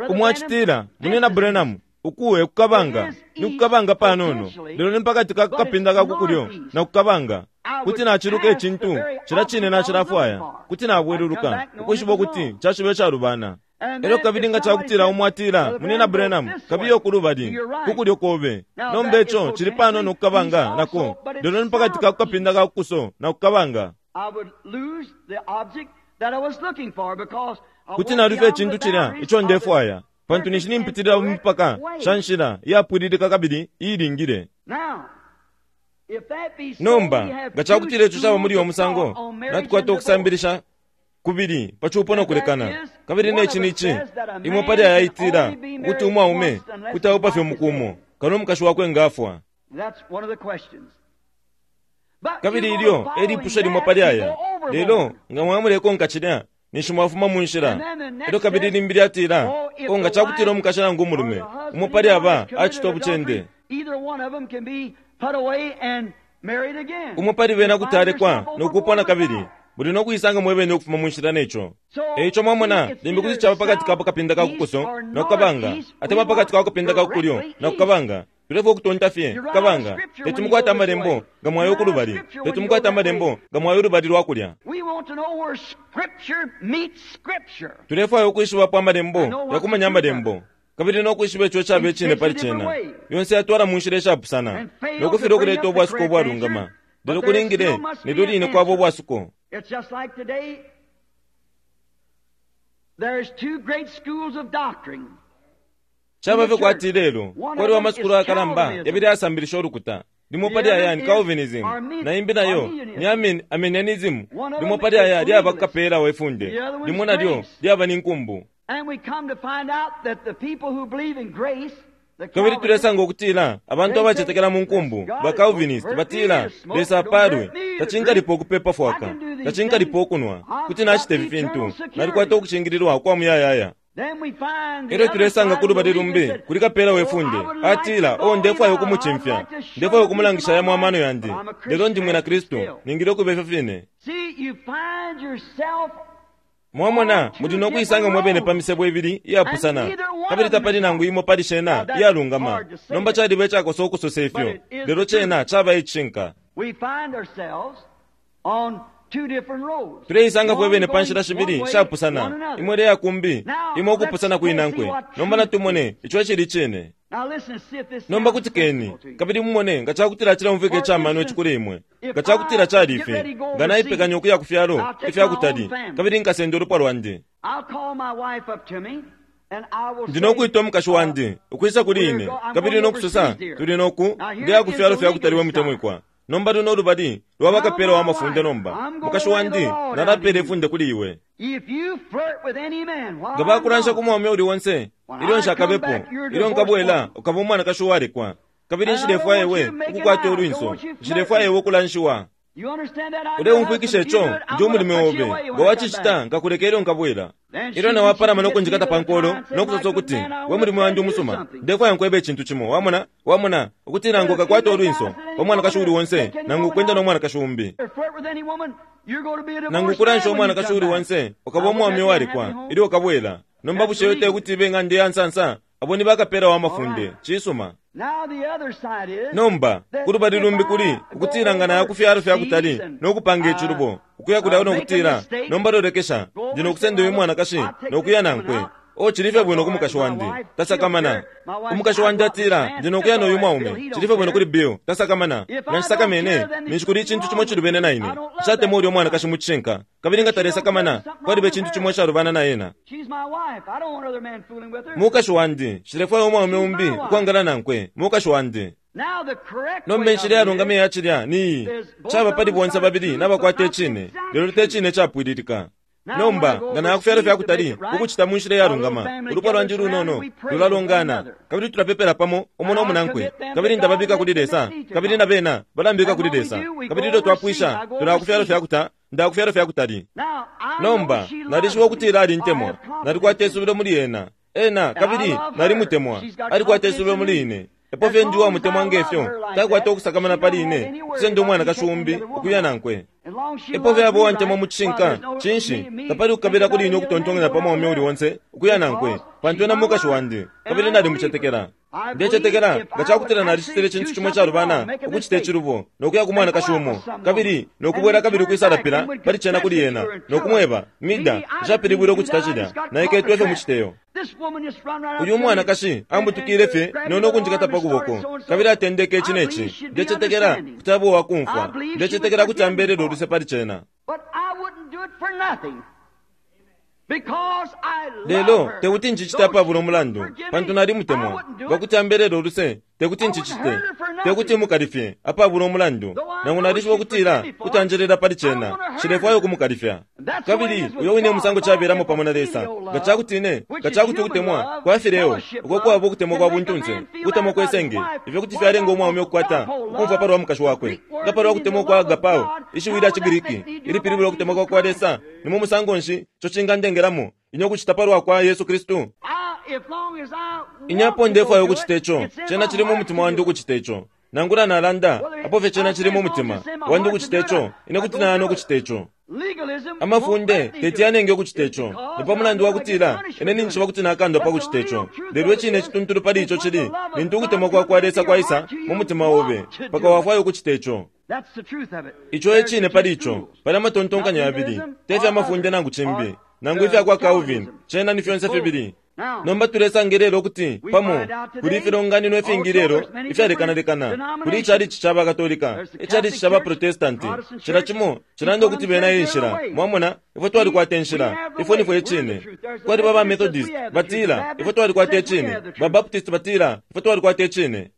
Umwachitila munena Branham ukuwe kukabanga ni kukabanga panono lero ni mpakati kakapinda kakukulyo na kukabanga kuti nachiluka echintu chila chine nachilafwaya kuti nabweluluka ukwishiba ukuti chashibe chalubana. Elyo kabili nga chakutila umwatila munena Branham kabiyo kulubali kukulyo kobe nomba echo chili panono kukabanga nako lero ni pakati kakukapinda kakukuso na kukabanga. Kuti nalufa echintu chilya icho ndefwaya pantu ninshi nimpitilila mumipaka shanshila iyapwililika kabili iilingile. Nomba nga chakutila icho chaba muli omusango natukwata okusambilisha kubili pachupo nokulekana kabili nechi nichi imwe pali ayaitila ukuti umwaume kuti aupa fye mukumo kano omukashi wakwe ngafwa. Kabili ilyo elipusho limwe pali aya lelo nga mwamulekonka chilya ninshi mwafuma mu nshila. Elyo kabili limbi lyatila o nga chakutila omukashi nangu umulume umwe pali aba achita obuchende umwe pali bena kuti alekwa nokupwa na kabili buli nokuyisanga mwebene okufuma mu nshila necho. Eicho mwamona limbi kuti chaba pakati kapo kapinda kakukuso nokukabanga atemwa pakati kakupinda kakukulyo nokukabanga tulefwa okutonta fye kukabanga tetumukwata amalembo nga mwayo okulubali tetumukwata amalembo nga mwayo olubali lwakulya. Tulefwayo okwishibapo amalembo yakumanya amalembo kabili nokwishiba echo chaba echine pali chena yonse yatwala mu nshila eshapusana nokufira okuleta obwasuko obwalungama lero kulingile nelyo line kwaba obwasuko. It's just like today, there's two great schools of doctrine. Chaba fye kwati lelo kwaliwa amasukulu akalamba yabili asambilisha olukuta limo pali aya ni Calvinism na imbi nayo ni Armin, Arminianism limo pali aya lyaba kukapela wefunde limo nalyo lyaba ni nkumbu. And we come to find out that the people who believe in grace, kabili tulesanga okutila abantu abachetekela mu nkumbu ba Calvinist batila Lesa apalwe tachinkalipo okupepa fwaka tachinkalipo okunwa kuti nachita ifi fintu nalikwata okuchingililwa kwa muyayaya. Elyo tulesanga kulubali lumbi kuli kapela wefunde atila o ndefwayo okumuchimfya ndefwayo okumulangisha yamwe amano yandi lelo ndi mwina Kristu ningile okuba ifyo fine. Mwamona muli nokuyisanga mwebene pa misebo ibili iyapusana kabili tapali nangu imo pali shena iyalungama nomba chaliba echakosa okusosa ifyo lelo chena chaba echinka. Tuleyisanga fwebene pa nshila shibili shapusana imwe leyakumbi imwe okupusana kwinankwe nomba natumone icho echili chine. Nomba kutikeni kabili mumone nga chakutila chilamuvika echamano echikuli imwe nga chakutila chali ife nga naipekanya okuya ku fyalo ifyakutali kabili nkasenda olupwa lwandi. Ndi nokwita omukashi wandi ukwisa kuli ine kabili nokusosa tuli noku ndeya ku fyalo fyakutali we mutemwikwa. Nomba luno lubali lwa bakapela wa mafunde nomba. Mukashi wandi nalapela ifunde kuli iwe. Nga bakulansha ku mwaume uli onse, ilyo nshakabepo, ilyo nkabwela, ukaba umwanakashi uwalekwa. Kabili nshilefwaya iwe ukukwata ulwinso, nshilefwaya iwe ukulanshiwa. Uleumfwikisha ico, ndi umulume obe. Nga wacicita, nkakuleka ilyo nkabwela. Ilyo nawapalama nokunjikata pa nkolo, nokusosa ukuti, we mulimo wandi umusuma, ndefwaya nkwebe icintu cimo. Wamona, wamona, ukuti nangu ukakwata ulwinso pa mwanakashi uli onse, nangu ukwenda no mwanakashi umbi, nangu ukulansha umwanakashi uli onse, ukaba umwaume uwalekwa ilyo ukabwela. Nomba bushe yote kuti ibe ng'anda ya nsansa? Abo ni bakapela wa mafunde. Cisuma. Nomba kulubali lumbi kuli ukutila nga naya ku fyalo fya kutali nokupanga icilubo, ukuya kulya nokutila, nomba lolekesha, ndi nokusenda uyu mwanakashi nokuya nankwe. O cili fye bwino ku mukashi wandi, tasakamana. Umukashi wandi atila, ndi nokuya n'uyu mwaume, cili fye bwino kuli Bill, tasakamana. Nga nshisakamene, ninshi kuli icintu cimo cilubene na ine. Nshatemwa ulya umwanakashi mu cishinka, kabili nga talesakamana, kwaliba icintu cimo icalubana na ena. Mukashi wandi, nshilefwaya umwaume umbi ukwangala nankwe, mukashi wandi. Nomba inshila yalungama iya cilya ni iyi, caba pali bonse babili nabakwata icine, lelo te cine capwililika. Nomba nga naya ku fyalo fya kutali ukucita mu nshila iyalungama, ulupwa lwandi lunono lulalongana, kabili tulapepela pamo umo no munankwe, kabili ndababika kuli Lesa, kabili na bena balambika kuli Lesa. Kabili ilyo twapwisha, tulaya ku fyalo fya kuta, ndaya ku fyalo fya kutali. Nomba nalishiba ukutila alintemwa, nalikwata isubilo muli ena ena, kabili nalimutemwa, alikwata isubilo muli ine. Epo fye ndi uwamutemwa ngefyo, takwata ukusakamana pali ine, kusenda umwanakashi umbi ukuya nankwe. Epo fye abo uwantemwa mu cishinka, cinshi, tapali kukabila kuli ine ukutontonkanya pa mwaume uli onse ukuya nankwe, pantu ena mukashi wandi, kabili nalimucetekela. Ndecetekela nga cakutila nalicitile icintu cimo icalubana, ukucita icilubo, nokuya ku mwanakashi umo, kabili nokubwela kabili ukwisalapila pali cena kuli ena, nokumweba, Mida, nshapilibwile ukucita cilya, naiketwe fye muciteyo. Uyu mwanakashi ambutukile fye no nokunjikata pa kuboko, kabili atendeke ici neci. Ndecetekela kuti abo uwakumfwa, ndecetekela kuti ambelele uluse pali cena. Lelo tekuti ncicite apabula umulandu, pantu nalimutemwa. Nga kuti ambelele uluse, tekuti ncicite, tekuti mukalifye apabula umulandu, nangu nalishiba ukutila kuti anjelela pali cena, nshilefwaya ukumukalifya. Kabili uyo wine musango cabelamo pamo na Lesa. Nga cakuti ine, nga cakuti ukutemwa kwa fileo, uko kwaba ukutemwa kwa buntunse, ukutemwa kwe senge, ifyo kuti fyalenga umwaume ukukwata ukumfwa palwa mukashi wakwe. Nga palwa kutemwa kwa agapao, ishiwi lya ciGriki ilipilibula ukutemwa kwa kwa Lesa, ni mu musango nshi ico cingandengelamo ine ukucita palwa kwa Yesu Kristu? Inyapo ndefwaya ukucita ico, cena cili mu mutima wandi ukucita ico. Nangula nalanda, apo fye cena cili mu mutima wandi ukucita ico, ine kuti nayana ukucita ico. Amafunde teti yanenge ukucita ico, ni pa mulandu wa kutila ine ninjishiba kuti nakandwa pa kucita ico. Lelo icine cituntulu pali ico cili lintu ukutemwa kwa kwa Lesa kwaisa mu mutima obe, mpaka wafwaya ukucita ico. Ico e cine pali ico. Pali amatontonkanyo yabili, te fya mafunde nangu cimbi, nangu ifya kwa Calvin, cena ni fyonse fibili. Nomba tulesanga lelo ukuti pamo kuli ifilonganino ifingi lelo ifyalekanalekana. Kuli icalici ca Bakatolika, icalici ca Baprotestanti, cila cimo cilanda ukuti bena e nshila. Mwamona, ifwe twalikwata inshila, ifwe nifwe icine. Kwaliba ba Methodist batila ifwe twalikwata icine, ba Baptist batila ifwe twalikwata icine.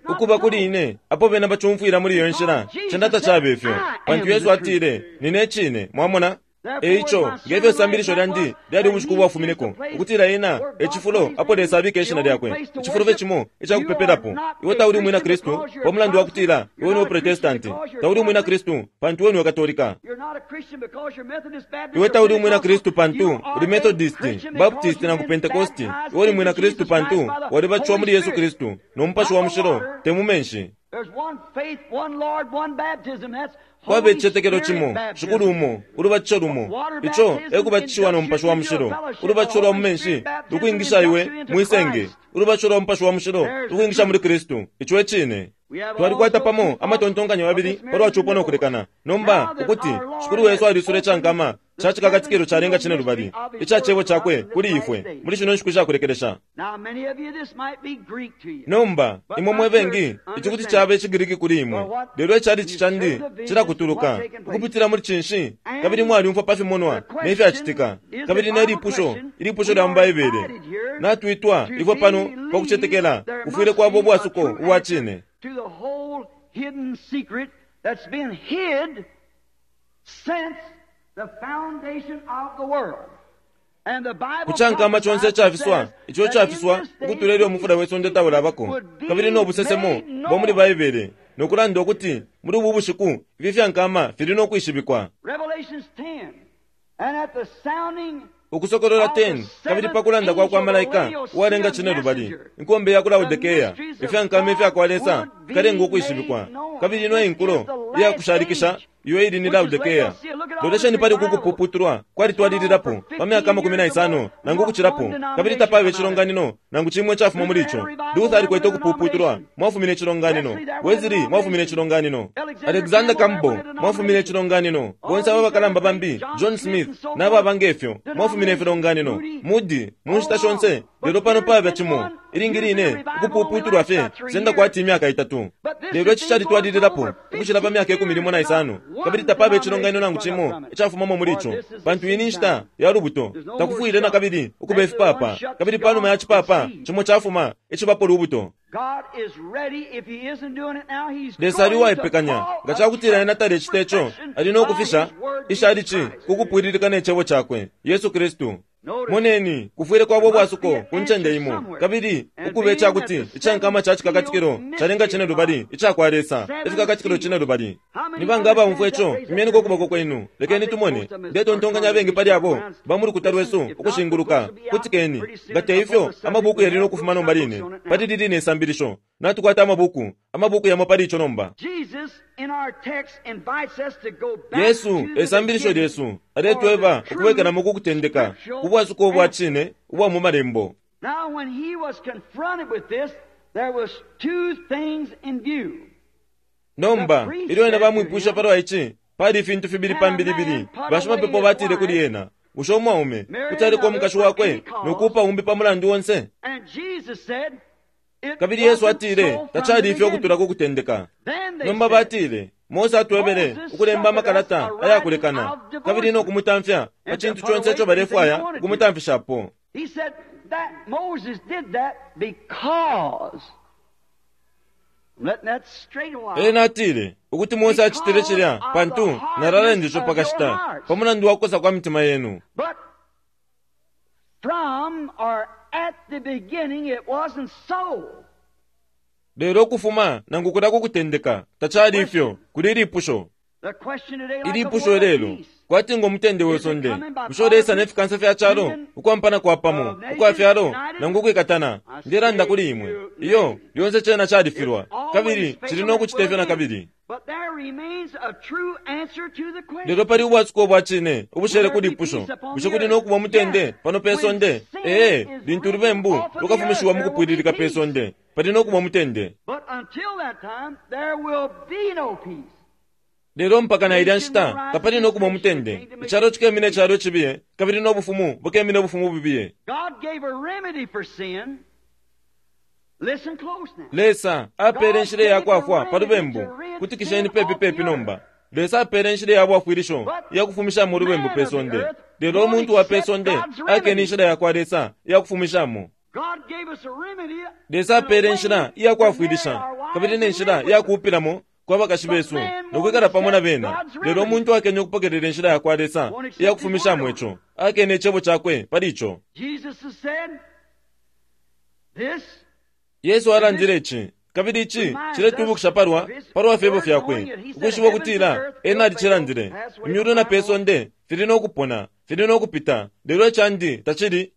Ukuba kuli ine, apo bena bacumfwila muli iyo nshila, cena tacabe ifyo, pantu Yesu atile, nine icine. Mwamona? Eico, ngefyo isambilisho lyandi lyali ubushiku bwafumineko, ukutila ena e cifulo apo Lesa abika ishina lyakwe, icifulo fye cimo icakupepelapo. Iwe tauli umwina Kristu pa mulandu wa kutila iwe niwe Protestanti, tauli umwina Kristu pantu iwe niwe Katolika. Iwe tauli umwina Kristu pantu uli Methodist, Baptist nangu Pentecost. Iwe uli mwina Kristu pantu walibatishiwa muli Yesu Kristu no Mupashi wa Mushilo, te mu menshi. Kwaba icicetekelo cimo, Shikulu umo, ulubatisho lumo. Ico e kubatishiwa no Mupashi wa Mushilo. Ulubatisho lwa mu menshi lukwingisha iwe mwisenge, ulubatisho lwa Mupashi wa Mushilo lukwingisha muli Kristu. Ico e cine. Twalikwata pamo amatontonkanyo yabili palwa cupo no kulekana. Nomba ukuti Shikulu wesu alisula icankama ca cikakatikilo calenga cine lubali ica cebo cakwe kuli ifwe muli shino nshiku shakulekelesha. Nomba imwe mwe bengi ici kuti caba iciGriki kuli imwe, lelo icalici candi cilakutuluka ukupitila muli cinshi, kabili mwalyumfwa pa fimonwa ne fyacitika, kabili ne lipusho ilipusho lya mu Baibele. Natwitwa ifwe pano pa kucetekela kufwile kwaba ubwasuko ubwa cine kucankama conse icafiswa ico icafiswa ukutula ilyo umufula we sonde taulabako, kabili no busesemo bwa muli Baibele nokulanda ukuti muli ubu bushiku ifi fyankama fili no kwishibikwa. Ukusokolola ten, kabili pakulanda kwa kwa malaika uwalenga cine lubali inkombe ya ku Laodikea, ifyankama ifyakwa Lesa fikalenga ukwishibikwa. Kabili ino inkulo iyakushalikisha iyo ili ni Laodikea. Lolesheni pali uku kupuputulwa kwalitwalililapo pa myaka amakumi na isano nangu ukucilapo, kabili tapaba icilonganino nangu cimwe cafuma muli ico. Luther alikwete ukupuputulwa, mwafumine icilonganino. Wesley mwafumine icilonganino. Alexander Campbell mwafumine icilonganino. Bonse aba bakalamba bambi, John Smith n'ababa ngefyo, mwafumine ifilonganino. Moody mu nshita shonse, lelo pano paba cimo ilingi line ukupuputulwa fye senda kwati imyaka itatu. Lelo ici calitwalililapo ukucila pa myaka ikumi limo na isano, kabili tapaba icilonganino nangu cimo icafumamo muli ico, pantu iyi ni nshita ya lubuto. Takufwile na kabili ukuba ifipapa, kabili panuma ya cipapa cimo cafuma icibapo lubuto. Lesa ali uwaipekanya nga cakutila ena talecita ico, ali no kufisha ishalici kukupwililika ne cebo cakwe Yesu Kristu. Moneni, kufwile kwaba ubwasuko ku ncende imo, kabili ukube icakuti icankama ca cikakatikilo calenga cine lubali icakwa Lesa, ifikakatikilo cine lubali. Ni banga abaumfwa ico? Imyeniko ukuboko kwenu, lekeni tumone. Ndetontonkanya abengi pali abo ba mu lukuta lwesu ukushinguluka. Kutikeni, nga te ifyo amabuku yali no kufuma nomba line pali lili ne sambilisho. Natukwata amabuku amabuku yamo pali ico nomba. Yesu esambilisho lyesu aletweba ukubwekelamo ku kutendeka ubwasuko ubwa cine ubwa mu malembo. Nomba ilyo ena bamwipusha palwa ici, pali ifintu fibili pambilibili. Bashimapepo batile kuli ena, bushe umwaume kuti aliko umukashi wakwe nokuupa umbi pa mulandu onse? Kabili Yesu atile tacali ifyo ukutula ku kutendeka. Nomba batile Mose atwebele ukulemba amakalata ayakulekana kabili no kumutamfya pa cintu conse ico balefwaya ukumutamfishapo. Ena atile ukuti Mose acitile cilya pantu nalalanda ico pakashita pa mulandu wa kukosa kwa mitima yenu. Lelo ukufuma nangu kulya ku kutendeka tacali ifyo. Kuli ilipusho ilipusho lelo kwati ngo mutende we sonde, bushe ulesa ne fikansa fya calo ukwampana kwa pamo ukwa fyalo nangu ukwikatana? Ndelanda kuli imwe, iyo lyonse cena califilwa kabili cili no kucita ifyo na kabili. Lelo pali ubwasuko ubwa cine ubushele kuli ipusho, bushe kuli no kuba mutende pano pe sonde? Ee, lintu ulubembu lukafumishiwa mu kupwililika pe sonde, pali no kuba mutende. Lelo mpaka na ilya nshita tapali no kuba mutende. Icalo cikemine icalo cibiye, kabili no bufumu bukemine ubufumu bubiye. Lesa apele inshila ya kwafwa pa lubembu. Kutikisheni pepi pepi nomba. Lesa apele inshila ya bwafwilisho ya kufumishamo ulubembu pe sonde. Lelo umuntu wa pe sonde akene inshila ya kwa Lesa ya kufumishamo. Lesa apele inshila iya kwafwilisha kabili ne nshila ya kuupilamo kwa bakashi besu nokwikala pamo na bena. Lelo umuntu akene ukupokelela inshila ya kwa Lesa iya kufumishamo ico, akene icebo cakwe pali ico. Yesu alandile ici, kabili ici ciletwibukisha palwa palwa fyebo fyakwe, ukwishiba ukutila ena alicilandile. Imyulu na pe sonde fili no kupona, fili no kupita, lelo icandi tacili.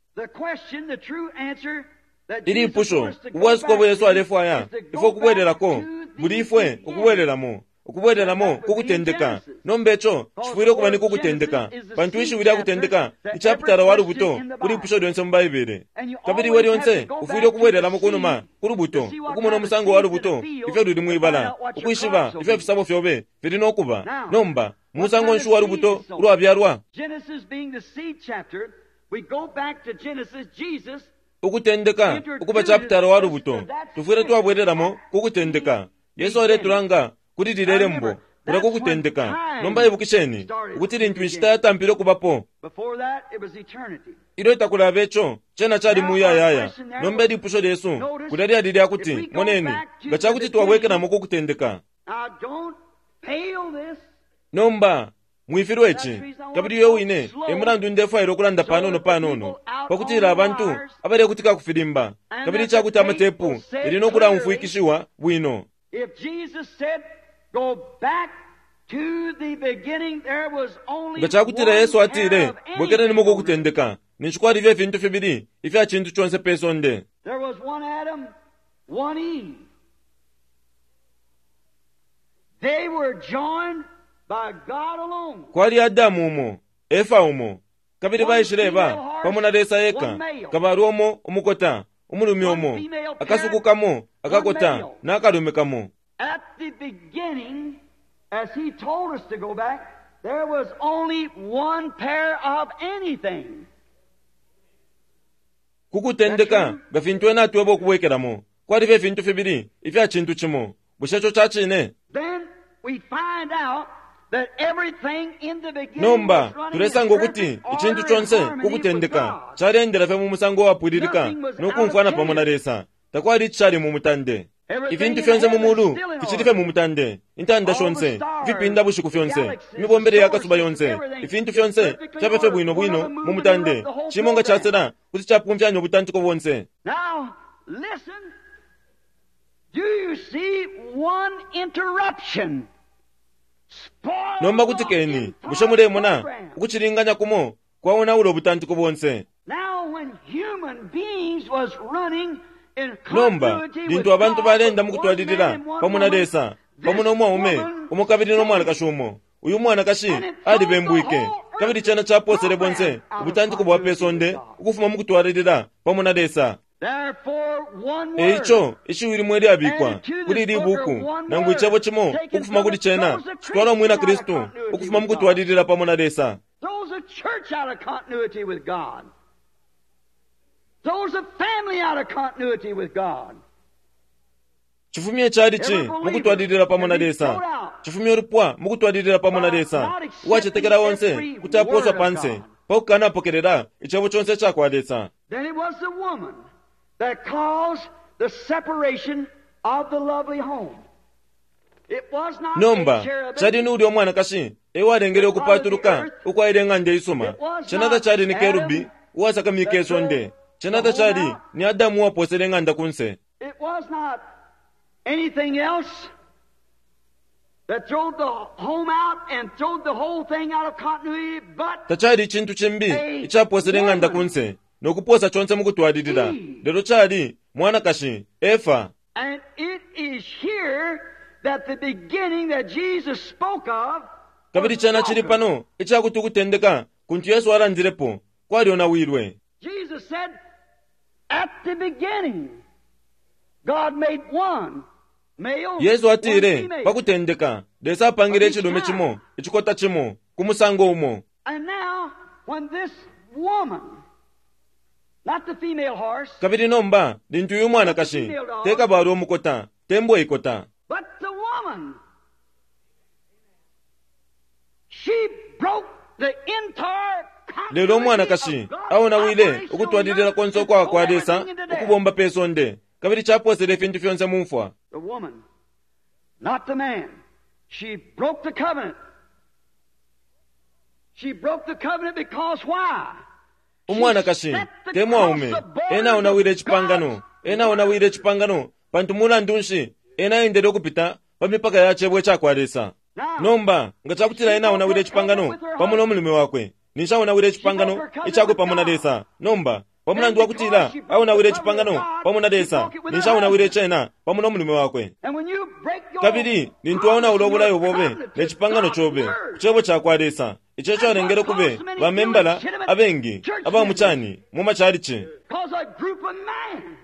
Ilipusho ubwasuko bwe Yesu alefwaya ifwe ukubwelelako, buli ifwe ukubwelelamo ukubwelelamo kukutendeka. Nomba ico cifwile ukuba ni kukutendeka, pantu ishiwi lya kutendeka ichapitala wa lubuto kuli ipusho lyonse mu Baibele. Kabili iwe lyonse ufwile ukubwelelamo kunuma ku lubuto, ukumona umusango wa lubuto ifyo luli mwibala, ukwishiba ifyo ifisabo fyobe fili no kuba. Nomba Musango nshi wa lubuto ulwabyalwa? Genesis being the seed chapter, we go back to Genesis, Jesus Ukutendeka ukuba chapitala wa lubuto, tufwile twabwereramo ku kutendeka. Yesu aletulanga kuli lile lembo kula ku kutendeka. Nomba ibukisheni ukuti lintu inshita yatampile okubapo, before that it was eternity. ilyo takulaba ico cena cali muyayaya. Nomba ilipusho lyesu kulya lyali lyakuti, moneni, nga cakuti twabwekelamo ku kutendeka. Now don't fail this. Nomba mwifilwe ici, kabili uyo wine e mulandu ndefwaila ukulanda panono panono pakutila abantu abalekutika kufilimba, kabili icakuti amatepu yali nokulaumfwikishiwa bwino. If Jesus said, go back to the beginning, there was only Nga cakutila one Yesu pair atile, of anything bwekelenimo ku on earth. kutendeka, ninshi kwalibe ifintu fibili ifya cintu conse pe sonde. There was one Adam, one Eve. They were joined by God alone. Kwali Adamu umo, Efa umo, kabili baishileba pamo na Lesa eka, kabalwe umo umukota, umulume umo, akasuku kamo akakota na akalume kamo. At the beginning, as he told us to go back, there was only one pair of anything. Kukutendeka nga fintu ena atweba okubwekelamo, kwalibe ifintu fibili ifya cintu cimo. Bushe ico ca cine? Then we find out that everything in the beginning Nomba was running tulesanga in ukuti perfect icintu order and conse harmony with kukutendeka God. calendela fye mu musango wapwililika nokumfwana pamo na Lesa. Takwali icali mu mutande. Ifintu fyonse mu mulu ficili fye mu mutande, intanda shonse, ifipinda bushiku fyonse, imibombele ya kasuba yonse, ifintu fyonse fyaba fye bwino bwino mu mutande. Cimo nga casela kuti capumfyanya ubutantiko bonse. Now, listen. Do you see one interruption? Spoil Nomba the kutikeni, entire bushe mulemona program. ukucilinganya kumo kwaonaula ubutantiko bonse. Now, when human beings was running in Nomba continuity with lintu abantu God, balenda with mu one kutwalilila man and one pamo na woman, Lesa, pamo this n'omwaume woman umo kabili n'omwanakashi umo, uyu mwanakashi alibembwike, kabili cena caposele bonse ubutantiko bwa pe sonde ukufuma mu kutwalilila pamo na Lesa. Therefore, one word Eico ishiwi limwe lyabikwa kuli ili buku, nangu icebo cimo ukufuma kuli cena citwala umwina Kristu ukufuma mu kutwalilila pamo na Lesa. throws a church out of continuity with God. Throws a family out of continuity with God. Chifumye chalichi mu kutwalilila pamo na Lesa. Chifumye ulupwa mu kutwalilila pamo na Lesa. Uwacetekela onse kuti aposwa panse pakukanapokelela icebo conse icakwa Lesa. Then it was the woman that caused the separation of the lovely home. It was not Nomba a cherubim. cali ni ulya umwanakashi ewalengele ukupatuluka ukwaile eng'anda isuma. Cenata cali ni kerubi uwasakamike isonde. Cenata cali ni Adamu uwaposele eng'anda kunse. It was not anything else that drove the home out and drove the whole thing out of continuity, but Tacali icintu cimbi icaposele eng'anda kunse nokuposa conse mu kutwalilila. Lelo cali mwanakashi Efa. And it is here that the beginning that Jesus spoke of Kabili cena cili pano icakuti ukutendeka kuntu Yesu alandilepo kwalyonawilwe. Jesus said, at the beginning, God made one male, Yesu one atile female. pakutendeka Lesa apangile icilume cimo icikota cimo ku musango umo. And now, when this woman, not the female horse, Kabili nomba lintu uyu mwanakashi tekabalwe umukota tembwa ikota, but the woman, she broke the entire lelo umwanakashi aonawile ukutwalilila konse ukwa kwa Lesa ukubomba pe sonde, kabili caposele ifintu fyonse mu mfwa. The woman, not the man. She broke the covenant. She broke the covenant because why? Umwanakashi te mwaume ena aonawile icipangano, ena aonawile icipangano pantu mulandu nshi ena aendele ukupita pa mipaka ya cebo icakwa Lesa. Nomba nga cakutila ena aonawile icipangano pamo n'omulume wakwe, ninshi aonawile icipangano icakwe pamo na Lesa. Nomba pamulandu wakutila aonawile icipangano pamo na Lesa, ninshi aonawile cena pamo n'omulume wakwe. And when you break your Kabili lintu aonaula obulayo bobe ne cipangano cobe ku cebo cakwa Lesa, ico calengele kube bamembala abengi abamucani mu macalici. Because a group of men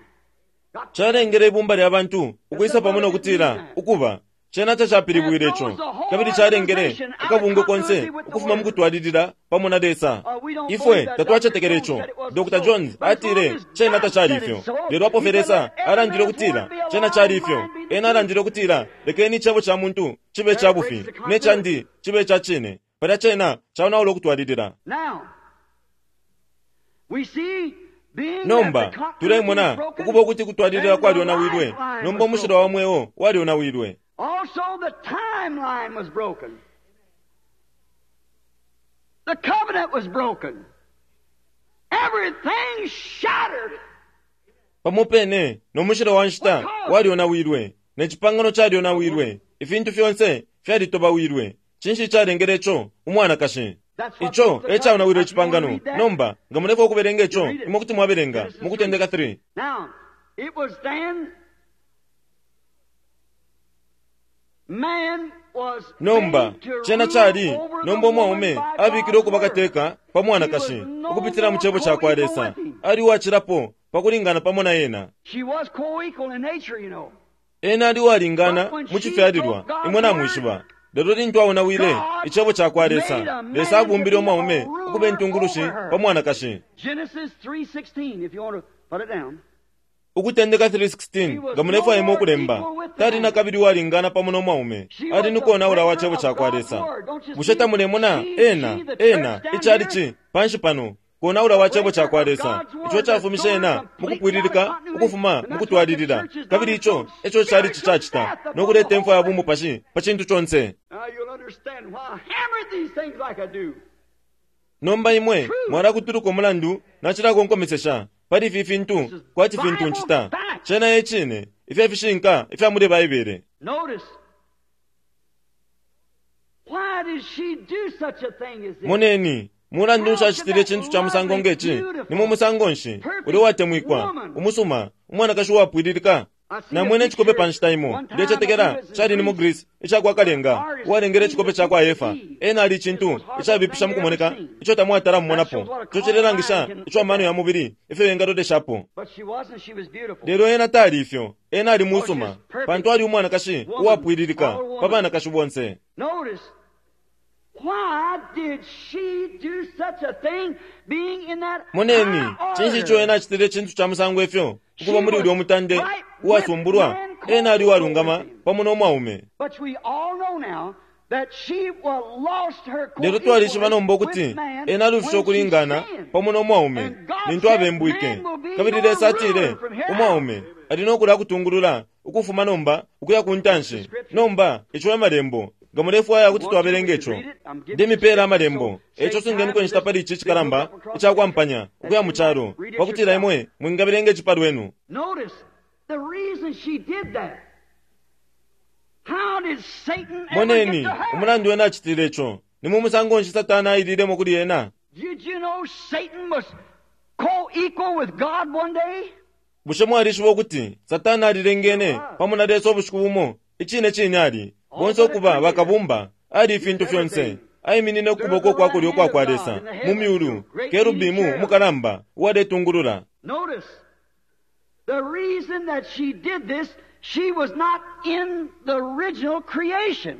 got Calengele ibumba lya bantu ukwisa pamo nokutila ukuba Cena tacapilibwile ico, kabili calengele akabungwe konse ukufuma mu kutwalilila pamo na Lesa. Ifwe tatwacetekela ico. Doctor Jones atile cena tacali ifyo, lelo apo fye Lesa alandile ukutila cena cali ifyo, ena alandile ukutila lekeni icebo ca muntu cibe ca bufi ne candi cibe ca cine. Palya cena caonaula ukutwalilila. Nomba tulemona ukuba ukuti kutwalilila kwalyonawilwe, nomba umushilwa wa mweo walyonawilwe. Also, the timeline was broken. The covenant was broken. Everything shattered. Pamo pene no mushilo wa nshita walyonawilwe, ne cipangano calyonawilwe, ifintu fyonse fyalitobawilwe. Cinshi calengele ico? Umwanakashi. Ico e caonawilwe icipangano. Nomba nga mulefwaya ukubelenga ico, imwe kuti mwabelenga mu Kutendeka three. Now, it was then man was Nomba cena cali nomba umwaume abikile ukuba kateka pa mwanakashi ukupitila mu cebo ca kwa Lesa. Ali uwacilapo pakulingana pamo na ena. She was co-equal in nature, you know. Ena ali uwalingana mu cifyalilwa, imwe namwishiba. Lelo lintu aonawile icebo ca kwa Lesa, Lesa abumbile umwaume ukuba intungulushi pa mwanakashi. Genesis three sixteen, if you want to put it down. Ukutendeka three sixteen, nga mulefwaya imwe ukulemba, tali na kabili uwalingana pamo no mwaume, ali ni konaula wa cebo ca kwa Lesa. Bushe tamulemona ena, ena, icalici, panshi pano, konaula wa cebo ca kwa Lesa, ico cafumishe ena mukupwililika ukufuma mukutwalilila, kabili ico eco calici cacita, no kuleta imfwa ya bumupashi pa cintu conse. Now you'll understand why I hammered these things like I do. Nomba imwe mwalakutuluka umulandu nacilakonkomesesha pali ifi fintu kwati fintu ncita. Cena e cine, ifya fishinka ifya muli Baibele. Notice. Why did she do such a thing as this? Moneni, mulandu nshi acitile icintu ca musango ngeci? Ni mu musango nshi uli uwatemwikwa, umusuma, umwanakashi uwapwililika? Namwene icikope pa nshita imo, ndecetekela cali ni mu Greece, icakwa Kalenga, uwalengele icikope ca kwa Efa. Ena ali icintu icabipisha mukumoneka, ico tamwatala mumonapo. Ico cilelangisha ico amano ya mubili ifyo yengaloleshapo. But she wasn't, she was beautiful. Lelo ena tali ifyo, ena ali musuma, pantu ali umwanakashi uwapwililika pa banakashi bonse. Notice, why did she do such a thing being in that Moneni, high cinshi ico order? ena acitile icintu ca musango ifyo, ukuba muli ulya umutande uwasumbulwa, ena ali uwalungama pamo no mwaume. But we all know now that she well, lost her Lelo twalishiba nomba ukuti with man ena alufishe when she ukulingana sinned. pamo no mwaume And God lintu said, abembwike. "Man will be Kabili your Lesa atile, ruler from here out." umwaume ali no kulakutungulula ukufuma nomba ukuya ku ntanshi. Nomba ico e malembo, nga mulefwaya kuti twabelenga ico. Ndemipela amalembo, eco sungeniko inshita pali ici cikalamba icakwampanya ukuya mu calo, pakutila imwe mwingabelenga ici palwenu. Notice the reason she did that. How did Satan ever Moneni, get to her? umulandu wena acitile ico, ni mu musango nshi Satana aililemo kuli ena? Did you know Satan was co-equal with God one day? Bushe mwalishiba ukuti Satana alilengene pamo na Lesa ubushiku bumo? Icine cine ali bonse ukuba bakabumba, ali ifintu fyonse. Aiminine ukuboko kwa kulyo kwa kwa Lesa mu myulu, kerubimu umukalamba uwaletungulula. Notice, the reason that she did this, she was not in the original creation.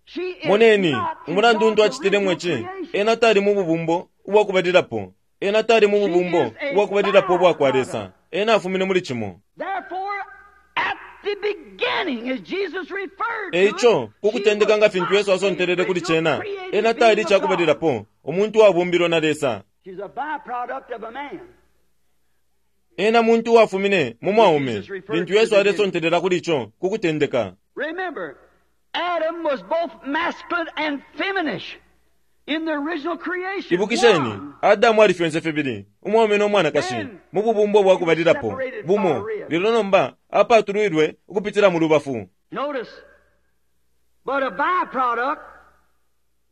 She is Moneni, not in umulandu untu God's acitilemo original ici, creation. ena tali mu bubumbo ubwakubalilapo. Ena tali mu bubumbo ubwakubalilapo ubwa kwa Lesa. Ena afumine muli cimo. Therefore, at the beginning, as Jesus referred to E ico, it, ku kutendeka she nga was fintu not Yesu asontelele kuli the cena, created ena tali being of God. icakubalilapo, umuntu uwabumbilwe na Lesa. She's a byproduct of a man. Ena muntu uwafumine mu mwaume, lintu Yesu alesontelela kuli ico, ku kutendeka. Remember, Adam was both masculine and feminine in the original creation. Ibukisheni, One. Adamu ali fyonse fibili, umwaume no mwanakashi, mu bubumbo bwakubalilapo, bumo, lelo nomba apatulwilwe ukupitila mu lubafu. Notice, but a byproduct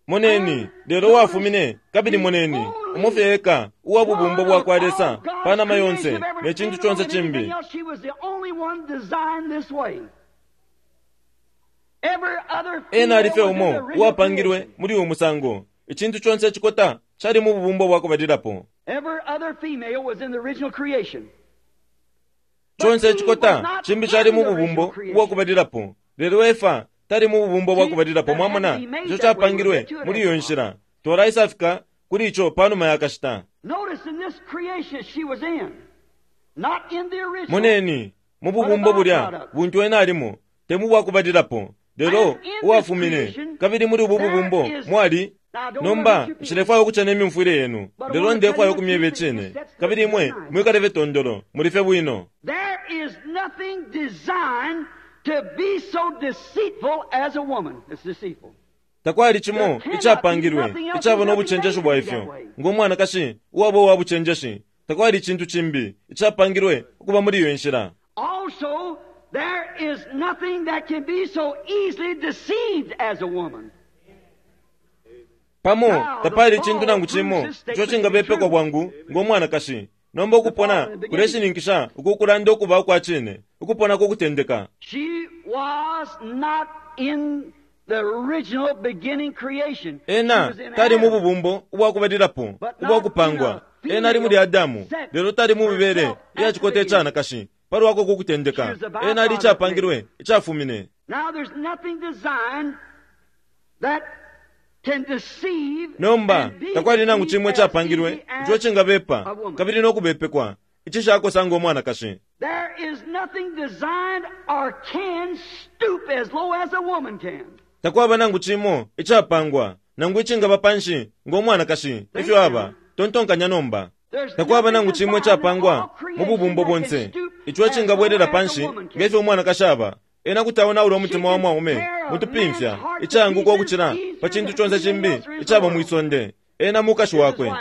Moneni, lelo uwafumine, kabili moneni, umofye eka, uwa bubumbo bwa kwa Lesa, pa nama yonse, ne cintu conse cimbi. She was the only one designed this way. Every other Ena ali fye female was in the umo, original uwapangilwe creation. muli uyu musango. Icintu conse cikota, cali mu bubumbo bwakubalilapo. Every other female was in the original creation. Chonse icikota chimbi chali mu bubumbo ubwakubalilapo, lelo Efa tali mu bubumbo bwakubalilapo. Mwamona ico chapangilwe muli iyo nshila. Twalaisafika kuli ico panuma yakashita. Moneni mu bubumbo bulya buntu ena alimo, te mu bwakubalilapo, lelo uwafumine. Kabili muli ubu bubumbo mwali. Nomba nshilefwaya ukucena imyumfwile yenu, lelo ndefwaya ukumyeba icine. Kabili imwe mwikaleve tondolo, mulife bwino. There is nothing designed to be so deceitful as a woman. It's deceitful. Takwali chimo icapangilwe icaba n'obuchenjeshi bwa ifyo ng'omwanakashi uwaba uwa buchenjeshi. Takwali chintu chimbi icapangilwe ukuba muli iyo nshila. Also, there is nothing that can be so easily deceived as a woman. Pamo tapali chintu nangu chimo ico chingabepekwa bwangu ng'omwanakashi. Nomba ukupona kuleshininkisha ukukulanda ukuba ukwa chine, ukupona kukutendeka. She was not in the original beginning creation. Ena tali mu bubumbo ubwakubalilapo ubwakupangwa. Ena ali muli Adamu, lelo tali mu mibele iyacikota icanakashi palwako kukutendeka. Ena ali icapangilwe icafumine. Now there's nothing designed that can deceive. Nomba takwali nangu chimwe icapangilwe ico cingabepa kabili nokubepekwa icishakosa ng'omwanakashi. There is nothing designed or can stoop as low as a woman can. Takwaba nangu chimo icapangwa nangu icingaba panshi ng'omwanakashi ifyo aba. Tontonkanya nomba. Takwaba nangu chimo icapangwa mu bubumbo bonse ico icingabwelela panshi ngefyo umwanakashi aba. Ena kuti aonaula umutima wa mwaume mutupimfya icayanguka ukucila pa chintu chonse chimbi icaba mwisonde. Ena mukashi wakwe.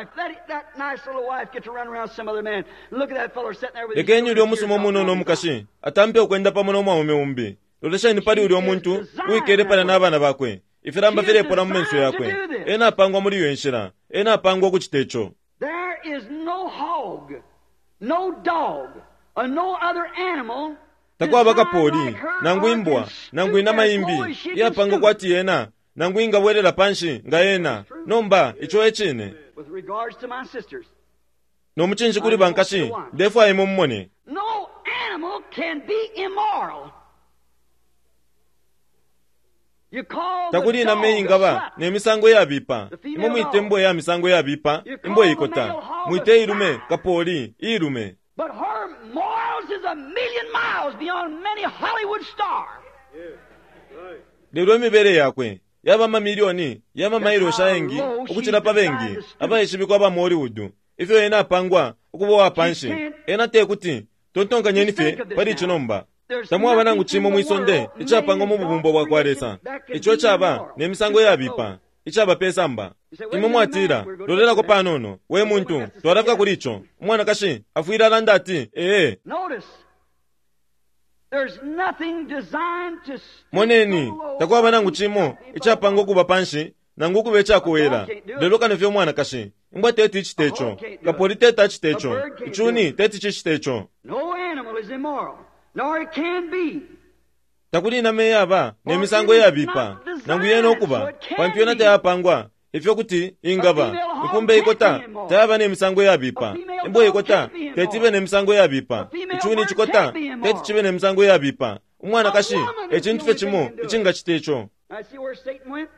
Lekeni ulya omusuma omunono omukashi atampe ukwenda pamo n'omwaume umbi. Lolesheni pali ulya omuntu uwikele pala n'abana bakwe, ifilamba filepola mu menso yakwe. Ena apangwa muli iyo nshila. Ena apangwa ukuchita ico. There is no hog, no dog, or no other animal. Takwaba kapoli, nangu imbwa, nangu inama imbi iyapangwa kwati yena, nangu ingabwelela panshi nga yena. Nomba ico ecine. With regards to my sisters, Nomuchinshi kuli bankashi, ndefwaya imwe mumone. No animal can be immoral. You call the Takuli inama dog a ingaba slut. nemisango yabipa. Imwe mwite imbwa ya misango yabipa, imbwa ikota. Mwite ilume kapoli ilume. But her morals is a million miles beyond many Hollywood stars. Lelo imibele yakwe yaba mamilioni yamamailo ayengi ukuchila pa bengi abaishibikwa aba mu Hollywood. Ifyo ena apangwa ukuba wa panshi. Ena tekuti tontonkanyeni fye pali ico nomba. Tamwaba nangu chimo mwisonde icapangwa mu bubumbo bwa kwa Lesa ico caba nemisango yabipa icaba pesamba. Imwe mwatila, lolelako panono we muntu, twalafika kuli ico. Umwanakashi afwile alanda ati ee. Notice, there's nothing designed to stoop Moneni, so low takwaba nangu chimo icapangwa ukuba panshi nangu ukuba icakuwela. Lelo kano fye umwanakashi, imbwa teti icite ico, kapoli teti acite ico, icuni teti cicite ico. No animal is immoral, nor it can be. Takuli inama iyaba nemisango iyabipa nangu yena ukuba, pantu yena tayapangwa ifyo kuti ingaba. Ikumbe ikota tayaba nemisango iyabipa, imbwa ikota teti ibe nemisango iyabipa, icuni icikota teti cibe nemisango iyabipa. Umwanakashi ecintu fye cimo icingacita ico. I see where Satan went.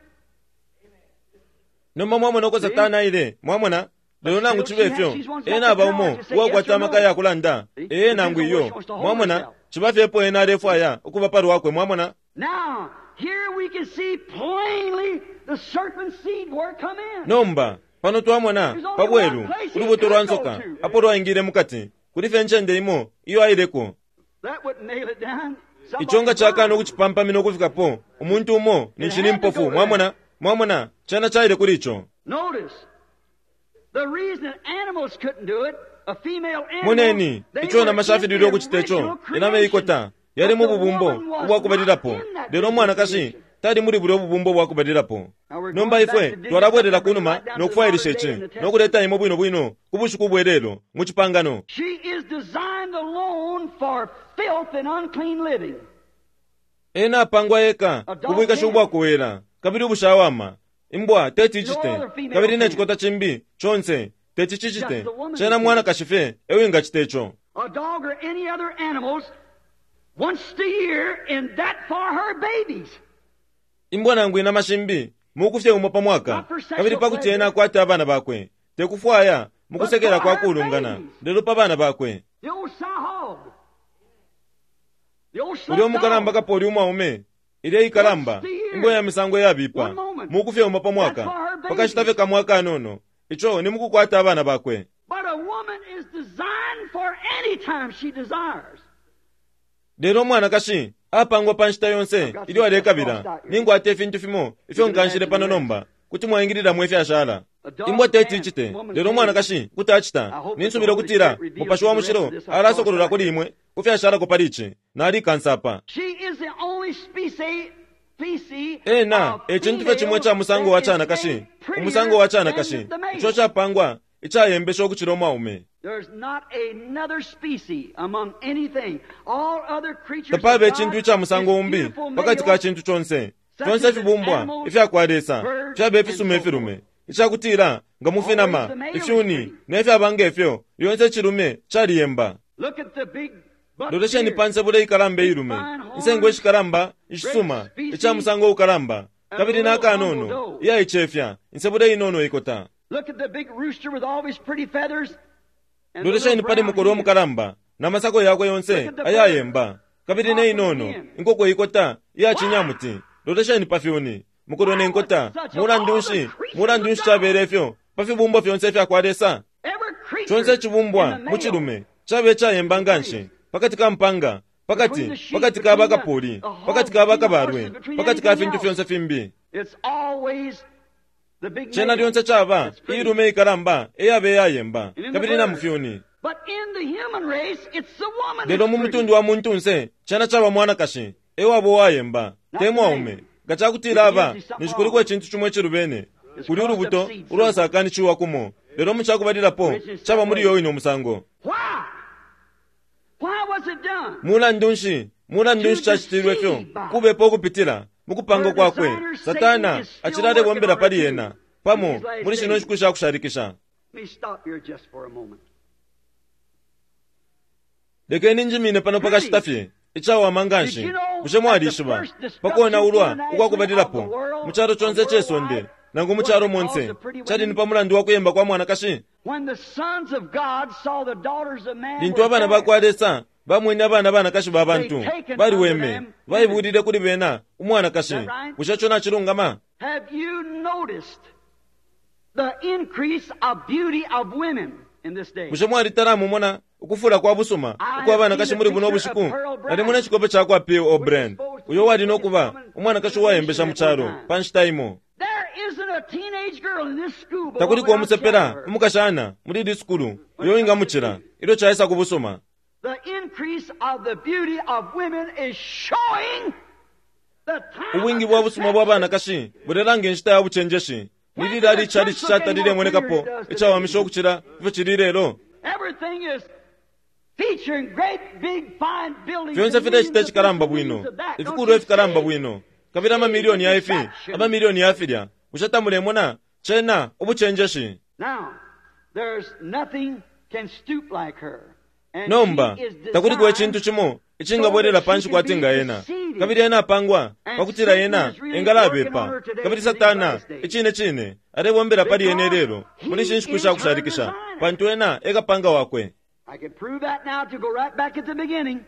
Nomba mwamona uko Satana aile, mwamona? Lelo nangu cibe ifyo, ena aba umo uwakwata amaka yakulanda ee nangu iyo. Mwamona, ciba fyepo ena alefwaya ukuba palwakwe, mwamona? Now, here we can see plainly the serpent seed where it come in. Nomba pano twamona pabweru ulubuto lwa nsoka apo lwaingile mukati. Kuli fye ncende imo iyo aileko. That wouldn't nail it down. Ico nga cakana ukucipampamina ukufikapo umuntu umo ninshi ni mpofu, mwamona? Mwamona, cena caile kuli ico. Notice, the reason that animals couldn't do it, a female animal, Moneni, they ico were nama in shafilile the ukucita ico, original inama creation. ikota yali mu But the bubumbo woman was ubwakubalilapo, not in that lelo umwanakashi creation. tali muli bulya ububumbo bwakubalilapo. Now we're Nomba going back ifwe to dig twalabwelela it up and kunuma right down to the nokufwailisha modern day ici in the Testament. nokuleta imwe bwino bwino ku bushiku bwelelo mu cipangano. She is designed alone for filth and unclean living. Ena apangwa eka kubwikashi ubwakuwela kabili ubushawama. Imbwa teti icite kabili necikota chimbi chonse teti cicite. Cena mwanakashi fye ewingacita ico. A dog or any other animals once a year and that for her babies. Imbwa nangu inama shimbi mukufye umo pa mwaka kabili pakuti ena akwate abana bakwe tekufwaya mukusekela kwa kulungana lelo pa bana bakwe. The old sow hog. The old Ulya umukalamba dog. kapoli umwaume ilya ikalamba imbwa ya misango yabipa mukufye umo pa mwaka pakashita fye kamwe akanono ico ni mukukwata abana bakwe. But a woman is designed for any time she desires. Lelo umwanakashi apangwa pa nshita yonse ilyo alekabila ningwata ifintu fimo ifyo nkanshile pano nomba kuti mwaingililamo ifyashala. Imbwa teti icite lelo umwanakashi kuti acita. Ninsubila ukutila Mupashi wa Mushilo alasokolola kuli imwe kufyashalako pali ici nalikansa apa. She is the only species, species Ena of ecintu fye cimwe ca musango wa canakashi umusango wa canakashi ico capangwa icayembesha ukucila umwaume. There's not another species among anything. All other creatures Tapaba of icintu God ica musango is umbi beautiful pakati ka male, cintu conse fyonse ifibumbwa ifya Lesa fyaba ifisuma ifilume icakutila nga mufinama ifyuni nefyaba ngefyo lyonse icilume caliyemba. Look at the big buck Lolesheni deer. pa nsebula ikalamba ilume insengo ishikalamba ishisuma ica musango ukalamba kabili nakanono iyaicefya insebula inono ikota. Look at the big rooster with all his pretty feathers. And the Lolesheni little pali brown mukolo hen. umukalamba na masako yakwe yonse ayayemba kabili ne inono inkoko ikota iyacinyamuti. Lolesheni pa fyuni mukolo ne nkota mulandu nshi mulandu nshi cabele ifyo pa fibumbwa fyonse ifya kwa Lesa. Every creature Conse icibumbwa in the male mu cilume cabe icayemba nganshi pakati ka mpanga pakati pakati ka bakapuli pakati ka bakabalwe pakati ka fintu fyonse fimbi. It's always the big Cena male. lyonse caba It's pretty. ilume ikalamba eyabe eyayemba And in the kabili na bird. mu fyuni. But in the human race, it's the woman Lelo that's mu pretty. mutundu wa muntunse cena caba mwanakashi ewaba uwayemba te mwaume. Nga cakutila aba nishikuliko icintu cimwe icilubene kuli ulubuto ulwasakanishiwa kumo lelo mu cakubalilapo caba muli yo ino musango. Why? Why was it done? Mulandu nshi mulandu nshi cacitilwe ifyo kubepo ukupitila mukupanga kwakwe Satana acilale pali ena pamo muli shino nshiku shakushalikisha. Let me stop here just for a moment. Lekeni njimine pano pakashita fye icawama nganshi bushe mwalishiba pakonaulwa ukwakubalilapo mu calo conse cesonde nangu mu calo monse cali ni pa mulandu wa kuyemba kwa mwanakashi. When the sons of God saw the daughters of man Lintu were abana fair, ba kwa Lesa bamwene abana banakashi ba bantu baliweme baibulile kuli bena umwanakashi. Bushe co nacilungama? Have you noticed the increase of beauty of women in this day? Bushe mwalitala mumona ukufula kwa busuma ukwa banakashi muli buno bushiku? Nalimona icikope ca kwa P O Brand uyo wali nokuba umwanakashi uwayembesha mu calo pa nshita imo. There isn't a teenage girl in this school but Takuliko what would umusepela outshine her. umukashana muli ili sukulu uyo wingamucila ilyo caisa ku busuma. The increase of the beauty of women is showing the time Ubwingi of bwa busuma bwa deception. banakashi bulelanga inshita ya bucenjeshi. Nililali icali cishatalilemonekapo icawamisha ukucila ifyo cili lelo. Everything is featuring great big fine buildings. Fyonse and filecita millions of icikalamba this and bwino millions of that. Don't ifikulu you ifikalamba see? bwino kabili amamiliyoni ya ifi amamiliyoni ya filya. Bushe tamulemona cena ubucenjeshi? Now, there's nothing can stoop like her. And Nomba she is takuliko icintu designed cimo icingabwelela panshi kwati nga ena kabili ena apangwa pakutila ena engalabepa kabili Satana icine cine alebombela pali ena ilelo muli ishi nshiku shakushalikisha pantu ena ekapanga wakwe. I can prove that now to go right back at the beginning.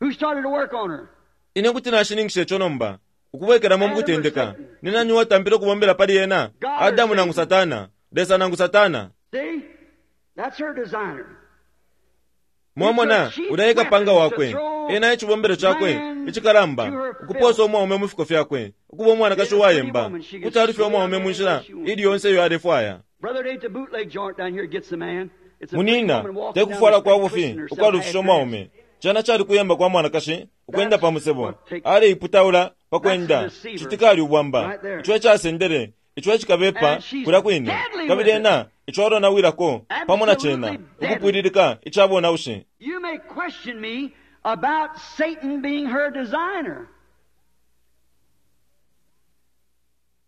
Who started to work on her? Ine kuti nashininkisha ico nomba ukubwekelamo mukutendeka ni nani uwatampile ukubombela pali ena? Adamu nangu Satana? Lesa nangu Satana? See? That's her designer. Mwamona ulya ekapanga wakwe ena icibombelo cakwe icikalamba ukuposa umwaume mu fiko fyakwe ukuba umwanakashi uwayemba kuti alufya umwaume mu nshila ili yonse iyo alefwaya. Brother, it ain't the bootleg joint down here gets the man. It's a pretty Munina woman walking down the tekufwala kwa street bufi twisting herself ukwalufisha half dressed. umwaume cana cali kuyemba kwa mwanakashi ukwenda pa musebo aleiputaula pakwenda citikali ubwamba ico ecasendele ico ecikabepa kulya kwine kabili ena ico alonawilako pamo na cena ukupwililika icabonaushi. You may question me about Satan being her designer.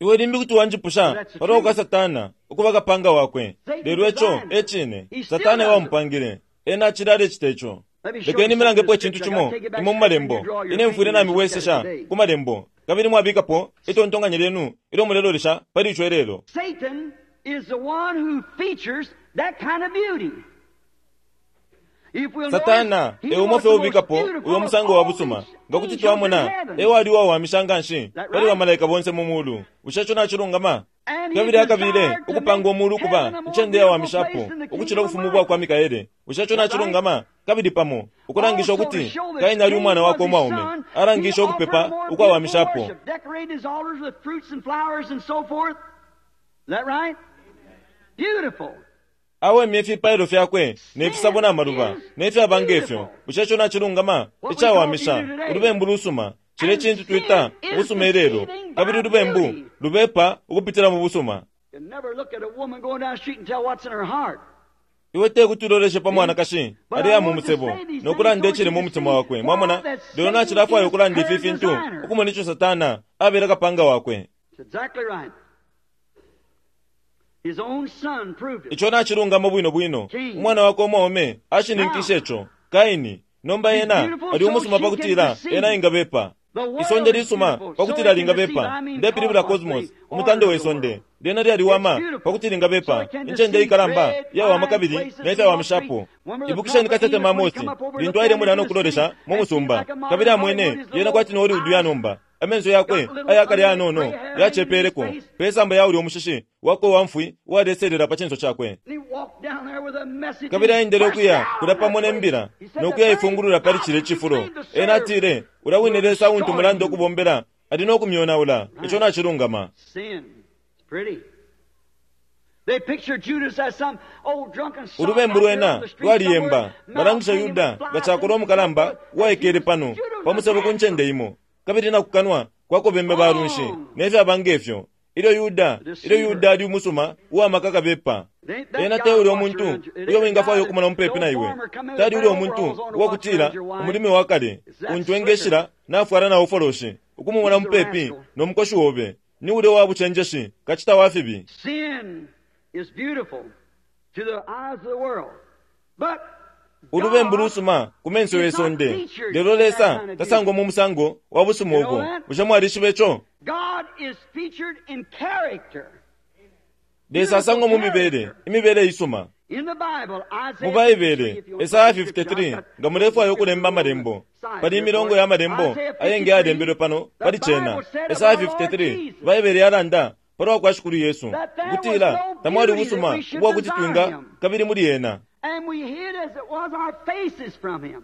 Iwe limbi kuti wanjipusha palwa kwa Satana ukuba kapanga wakwe lelo ico ecine Satana ewamupangile Ena acili alecita ico. Lekeni milangepo icintu cimo imwe mu malembo. Ine mfwile namibwesesha ku malembo kabili mwabikapo itontonkanyo lyenu ilyo mulelolesha pali ico ilelo. Satan is the one who features that kind of beauty. If we'll Satana notice, he e umo was fye the ubikapo most beautiful uyo of musango wa all busuma. these Nga kuti angels twamona in heaven. e wali uwawamisha nganshi That pali right? bamalaika bonse mu mulu. Bushe ico nacilungama? And he Kabili akabile desired to ukupanga make umulu ukuba heaven a more incende beautiful yawamishapo place than the ukucila kingdom of ubufumu bwa kwa Michael. Mikaele. Bushe ico nacilungama? Kabili pamo ukulangisha Also to ukuti show that Kaini ali Cain umwana was wakwe his umwaume, son, he alangisha offered ukupepa more beautiful ukwawamishapo. worship, decorated his altars with fruits and flowers and so forth. Is that right? Beautiful. Awemye ifipailo fyakwe nefisabo na maluba nefyaba ngefyo. Bushe ico nacilungama? Icawamisha ulubembu lusuma cile cintu twita ubusuma ilelo, kabili ulubembu lubepa ukupitila mu busuma. You never look at a woman going down the street and tell what's in her heart. Iwe te kuti uloleshe pa mwanakashi aliya mu musebo nokulanda icili mu mutima wakwe. Mwamona, lelo nacilafwaya ukulanda ifi fintu ukumona ico Satana abele kapanga wakwe. It's exactly right. His own son proved it. Ico nacilungama bwino bwino. Umwana wakwe umwaume ashininkishe ico. Kaini nomba ena ali umusuma pakutila ena ingabepa. Isonde lisuma pakutila lingabepa. Ndepilibula cosmos, umutande we sonde. Lyena lyaliwama pakuti lingabepa. Incende ikalamba yawama kabili nefyawamishapo. Ibukisheni katete Amosi lintu aile mulya nokulolesha mu musumba kabili amwene yena kwati ni Hollywood ya nomba. Amenso yakwe ayakale yanono yacepeleko pesamba ya ulya umushishi wakwe wamfwi uwaleselela pa cinso cakwe. And he walked down there with a message. Kabili aendele and ukuya burst kulya down pamo that nembila place. He said, nokuya "The ifungulula pali very cile God cifulo. who claimed to Ena serve atile ulya wine Lesa untu will mulanda destroy you." ukubombela ali nokumyonaula. Ico nacilungama. Sin. It's pretty. They picture Judas as some old drunken sot Ulubembu out there on lwena the street lwaliyemba. somewhere, Balangisha mouth hanging Yuda with flies nga cakolwa and umukalamba so forth. uwaikele pano Judas was pamusebo ku handsome. ncende imo kabili nakukanwa kwakobembe balunshi nefyaba ngefyo. Ilyo Yuda ilyo Yuda ali umusuma uwamaka kabepa. Ena te ulya umuntu uyo wingafwaya ukumona mupepi na iwe. Tali ulya umuntu uwakutila umulimi wa kale untu engeshila nafwala na ufoloshi ukumumona mupepi no mukoshi wobe. Ni ulya wa bucenjeshi kacita wa fibi. Sin is beautiful to the eyes of the world. But Ulubembu God lusuma ku menso ye sonde. Lelo Lesa tasangwa mu musango wa busuma ubo. Bushe mwalishiba ico? God is featured in character. Lesa asangwa mu mibele, imibele isuma. In the Bible, Isaiah Mu Baibele, fifty-three, if you want to Esaya put the scripture, fifty-three, I've got nga mulefwaya ukulemba amalembo. Pali imilongo ya malembo ayengi yalembelwe pano pali cena. Esaya fifty-three, Baibele yalanda palwa kwa Shikulu Yesu ukutila tamwali ubusuma ubwa kuti twinga kabili muli ena. And we hid as it was our faces from him.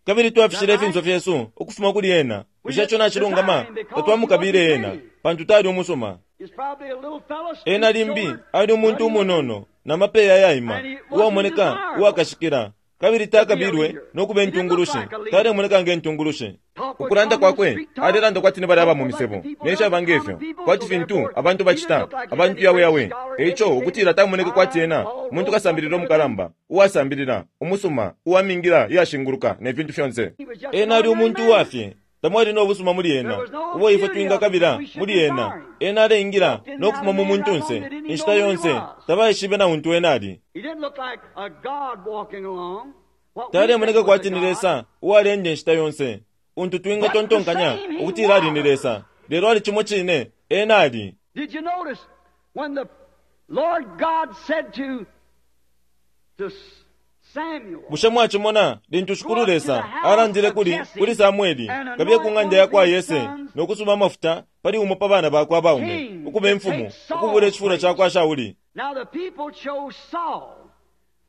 Kabili twafishile ifinso fyesu ukufuma kuli ena. Bushe ico nacilungama? Tatwamukabile ena pantu tali umusuma. He's probably a little fellow, Ena limbi stoop-shouldered, ali umuntu umunono na mapeya ayaima uwamoneka uwakashikila kabili takabilwe nokuba intungulushi. Talemoneka nge ntungulushi. Ukulanda kwakwe alelanda kwati ni balya aba mu misebo nefyaba ngefyo kwati fintu abantu bacita abantu yawe yawe. Eico ukutila tamoneke kwati ena muntu kasambilila umukalamba uwasambilila umusuma uwamingila iyashinguluka ne fintu fyonse. Ena ali umuntu uwafye. Tamwali no busuma muli ena ubo ifwe twingakabila muli ena. Ena aleingila nokufuma mu muntunse inshita yonse tabaishibe na untu ena ali. He didn't look like a God walking along. What we Talemoneka think was a kwati ni God. Lesa uwalenda inshita yonse untu twingatontonkanya ukutila ali ni Lesa, lelo ali cimo cine ena ali. Did you notice when the Lord God said to, to Samuel, Bushe mwacimona lintu Shikulu Lesa alandile kuli kuli Samueli kabiye ku ng'anda ya kwa Yese nokusuma amafuta pali umo pa bana bakwe abaume ukuba imfumu ukubula icifulo ca kwa Shauli. Now the people chose Saul.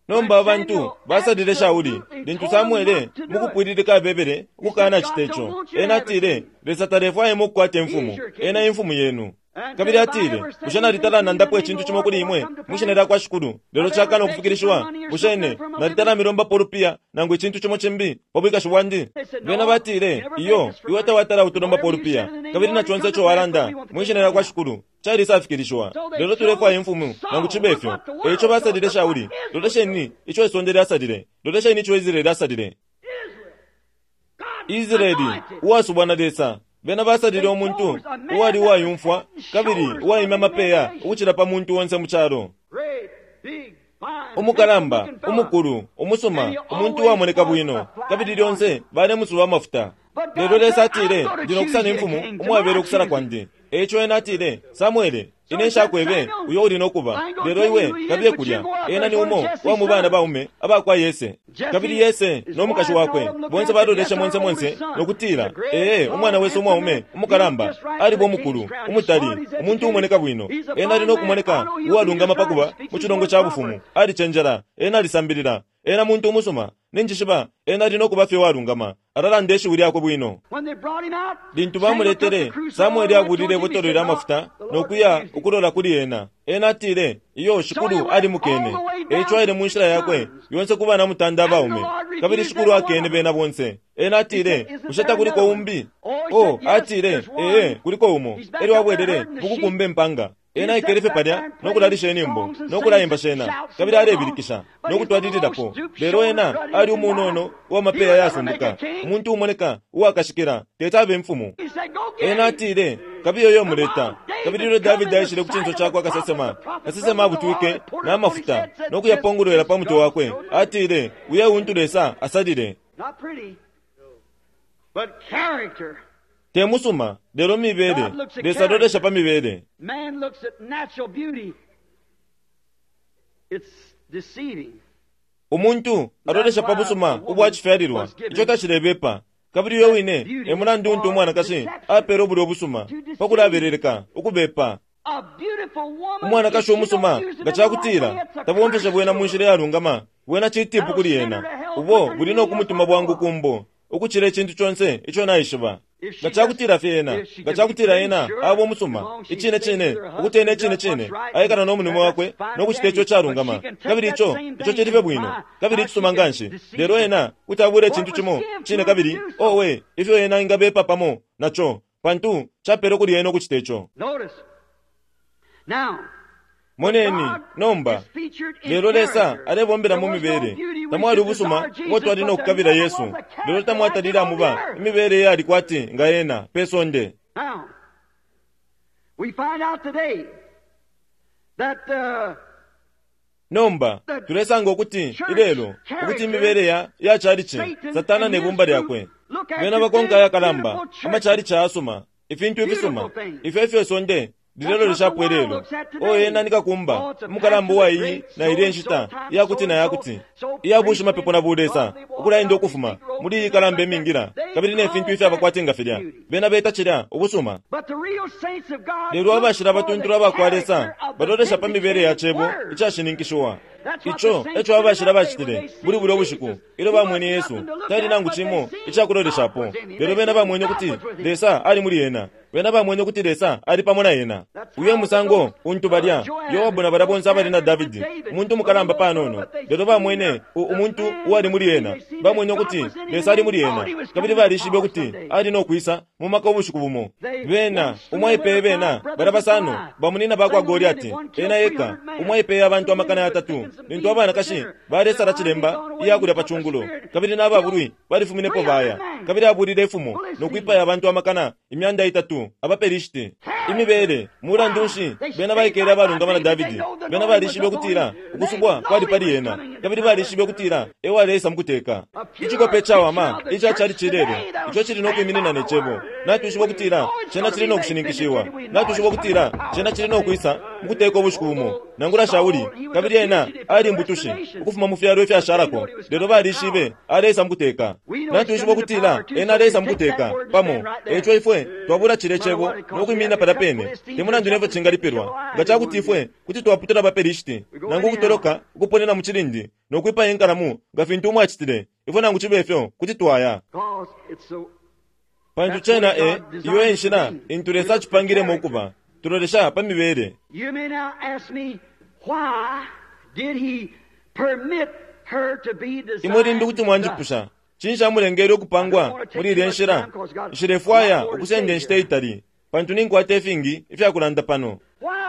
Nomba abantu basalile Shauli lintu Samuele mukupwililika abebele ukukana cita ico. Ena atile Lesa talefwaya ukukwata imfumu, ena imfumu yenu. Kabili atile bushe nalitala nandapo icintu cimo kuli imwe mwishina lya kwa Shikulu lelo cakana ukufikilishiwa? Bushe ine nalitala milombapo ulupiya nangu icintu cimo cimbi pa bwikashi bwandi? Bena batile iyo, iwe tawatala utulombapo ulupiya kabili na conse ico walanda mwishina lya kwa Shikulu calisafikilishiwa. Lelo tulefwaya imfumu nangu cibe ifyo. Eico basalile Shauli. Lolesheni ico isonde lyasalile, lolesheni ico Israeli asalile. Israeli uwasubwa na Lesa. Bena basalile umuntu uwali uwayumfwa kabili uwaima amapeya ukucila pa muntu onse mu calo. Great, big, fine Umukalamba, umukulu, umusuma, umuntu uwamoneka bwino, kabili lyonse balemusuba amafuta. Lelo Lesa atile, ndi nokusala imfumu umwabele ukusala kwandi. Eico ena atile, Samuele, ine nshakwebe uyo uli nokuba, lelo iwe kabiye kulya. Ena ni umo wa mu bana baume abakwa Yese. Kabili Yese no mukashi wakwe bonse baloleshe monse monse nokutila, ee, umwana wesu umwaume umukalamba aliba umukulu, umutali, umuntu umoneka bwino. Ena ali nokumoneka uwalungama pakuba mu chilongo cha bufumu. Alicenjela, ena alisambilila, ena muntu umusuma. Ninjishiba ena ali nokuba fye walungama. Alalanda ishiwi lyakwe bwino. Lintu bamuletele, Samueli abulile ibotolo lya mafuta nokuya ukulola kuli ena. Ena atile, iyo shikulu ali mukene. Eico aile mu nshila yakwe yonse ku bana mutanda abaume, kabili shikulu akene bena bonse. Ena atile, bushe takuliko umbi? Oh, atile, ee, kuliko umo. Elyo abwelele mukukumba impanga. Ena aikele fye palya nokulalisha inyimbo nokulaimba shena, kabili alebilikisha nokutwalililapo. Lelo ena ali umunono uwamapeya yasumbuka, umuntu umoneka uwakashikila, tete abe imfumu. Ena atile, kabiye yo muleta. Kabili ilyo Davidi aishile ku cinso cakwe akasesema, kasesema abutwike n'amafuta nokuyapongolwela pa mutwe wakwe. Atile, uye untu Lesa asalile. Te musuma, lelo mibele. Lesa alolesha pa mibele. Man looks at natural beauty. It's deceiving. Umuntu alolesha pa busuma ubwacifyalilwa, ico tacilebepa. Kabili uyo wine e mulandu untu umwanakashi apele ubulyo busuma pakulabeleleka ukubepa. A beautiful woman, Umwanakashi umusuma nga cakutila tabomfeshe bwena mu nshila yalungama, bwena citipu kuli ena. Ubo buli nokumutuma bwangu kumbo ukucila icintu conse ico naishiba. Nga cakutila fye ena, nga cakutila ena aba umusuma icine cine, ukuti ena icine cine aikala no mulimo wakwe nokucita ico calungama, kabili ico ico cili fye bwino kabili icisuma nganshi. Lelo ena kuti abula icintu cimo cine, kabili owe ifyo ena ingabepa pamo naco, pantu capele kuli ena ukucita ico. Notice. Now, Moneni nomba, lelo Lesa alebombela mu mibele. Tamwali ubusuma ubo twali nokukabila Yesu, lelo tamwatalile amuba imibele eyali kwati nga ena pe sonde. Now, we find out today that uh, Nomba tulesanga ukuti ilelo ukuti imibele ya ya chalichi Satana ne bumba lyakwe bena bakonka ayakalamba amachalichi ayasuma, ifintu ifisuma ifyo ifyo sonde lilelo lishapo ilelo. O ena nikakumba umukalamba uwa iyi na ilye nshita iyakuti na yakuti iyabushi mapepo na bulesa ukulaenda ukufuma muli iyi kalamba imingila kabili ne fintu ifyo abakwati nga filya bena beta cilya ubusuma. but the real saints of God Lelo abashila abatuntulu abakwa Lesa character of the balolesha pa mibele ya cebo word. icashininkishiwa. Ico eco abashila bacitile buli bulya ubushiku ilyo bamwene Yesu. Tali nangu cimo icakuloleshapo, lelo bena bamwene ukuti Lesa ali muli ena. Bena bamwene ukuti Lesa ali pamo na ena. Uyo musango untu balya Yoabu na balya bonse abali na Davidi, umuntu umukalamba panono, lelo bamwene umuntu uwali muli ena. Bamwene ukuti Lesa ali muli ena, kabili balishibe ukuti ali nokwisa mu maka ubushiku bumo. Bena umwaipeye bena balya basano bamunina bakwa Goliati, ena eka umwaipeye abantu amakana yatatu. Lintu abanakashi balesala cilemba iyakulya pa cungulo, kabili n'ababulwi balifuminepo baya, kabili abulile ifumo nokwipaya abantu amakana imyanda itatu abaPelishiti. Imibele mulandu nshi bena baikele abalungama na Davidi? Bena balishibe ukutila ukusubwa kwali pali ena, kabili balishibe ukutila ewaleisa mukuteka. Icikope cawama ica chalichi ilelo ico cili nokwiminina ne cebo. Natwishiba ukutila cena cili nokushininkishiwa. Natwishiba ukutila cena cili nokwisa mukuteka ubushiku bumo. Nangula Shauli, kabili ena ali imbutushi ukufuma mu fyalo ifyashalako, lelo balishibe aleisa mukuteka. Natwishiba ukutila ena aleisa mukuteka pamo. Eico ifwe twabula cile cebo nokwiminina palya pene. Te mulandu nefyo cingalipilwa, nga cakuti ifwe kuti twaputula abaPelishiti nangu ukutoloka ukuponena mu cilindi nokwipaya inkalamu nga fintu umwacitile, ifwe nangu cibe ifyo kuti twaya. Because it's so Pantu cena e iyo enshila intu Lesa acipangilemo ukuba. Tulolesha pa mibele. You may now ask me, why did he permit her to be designed Imwe limbi kuti mwanjipusha, cinshi amulengele ukupangwa muli ilya nshila? Nshilefwaya ukusenda inshita itali, pantu ninkwata ifingi ifyakulanda pano.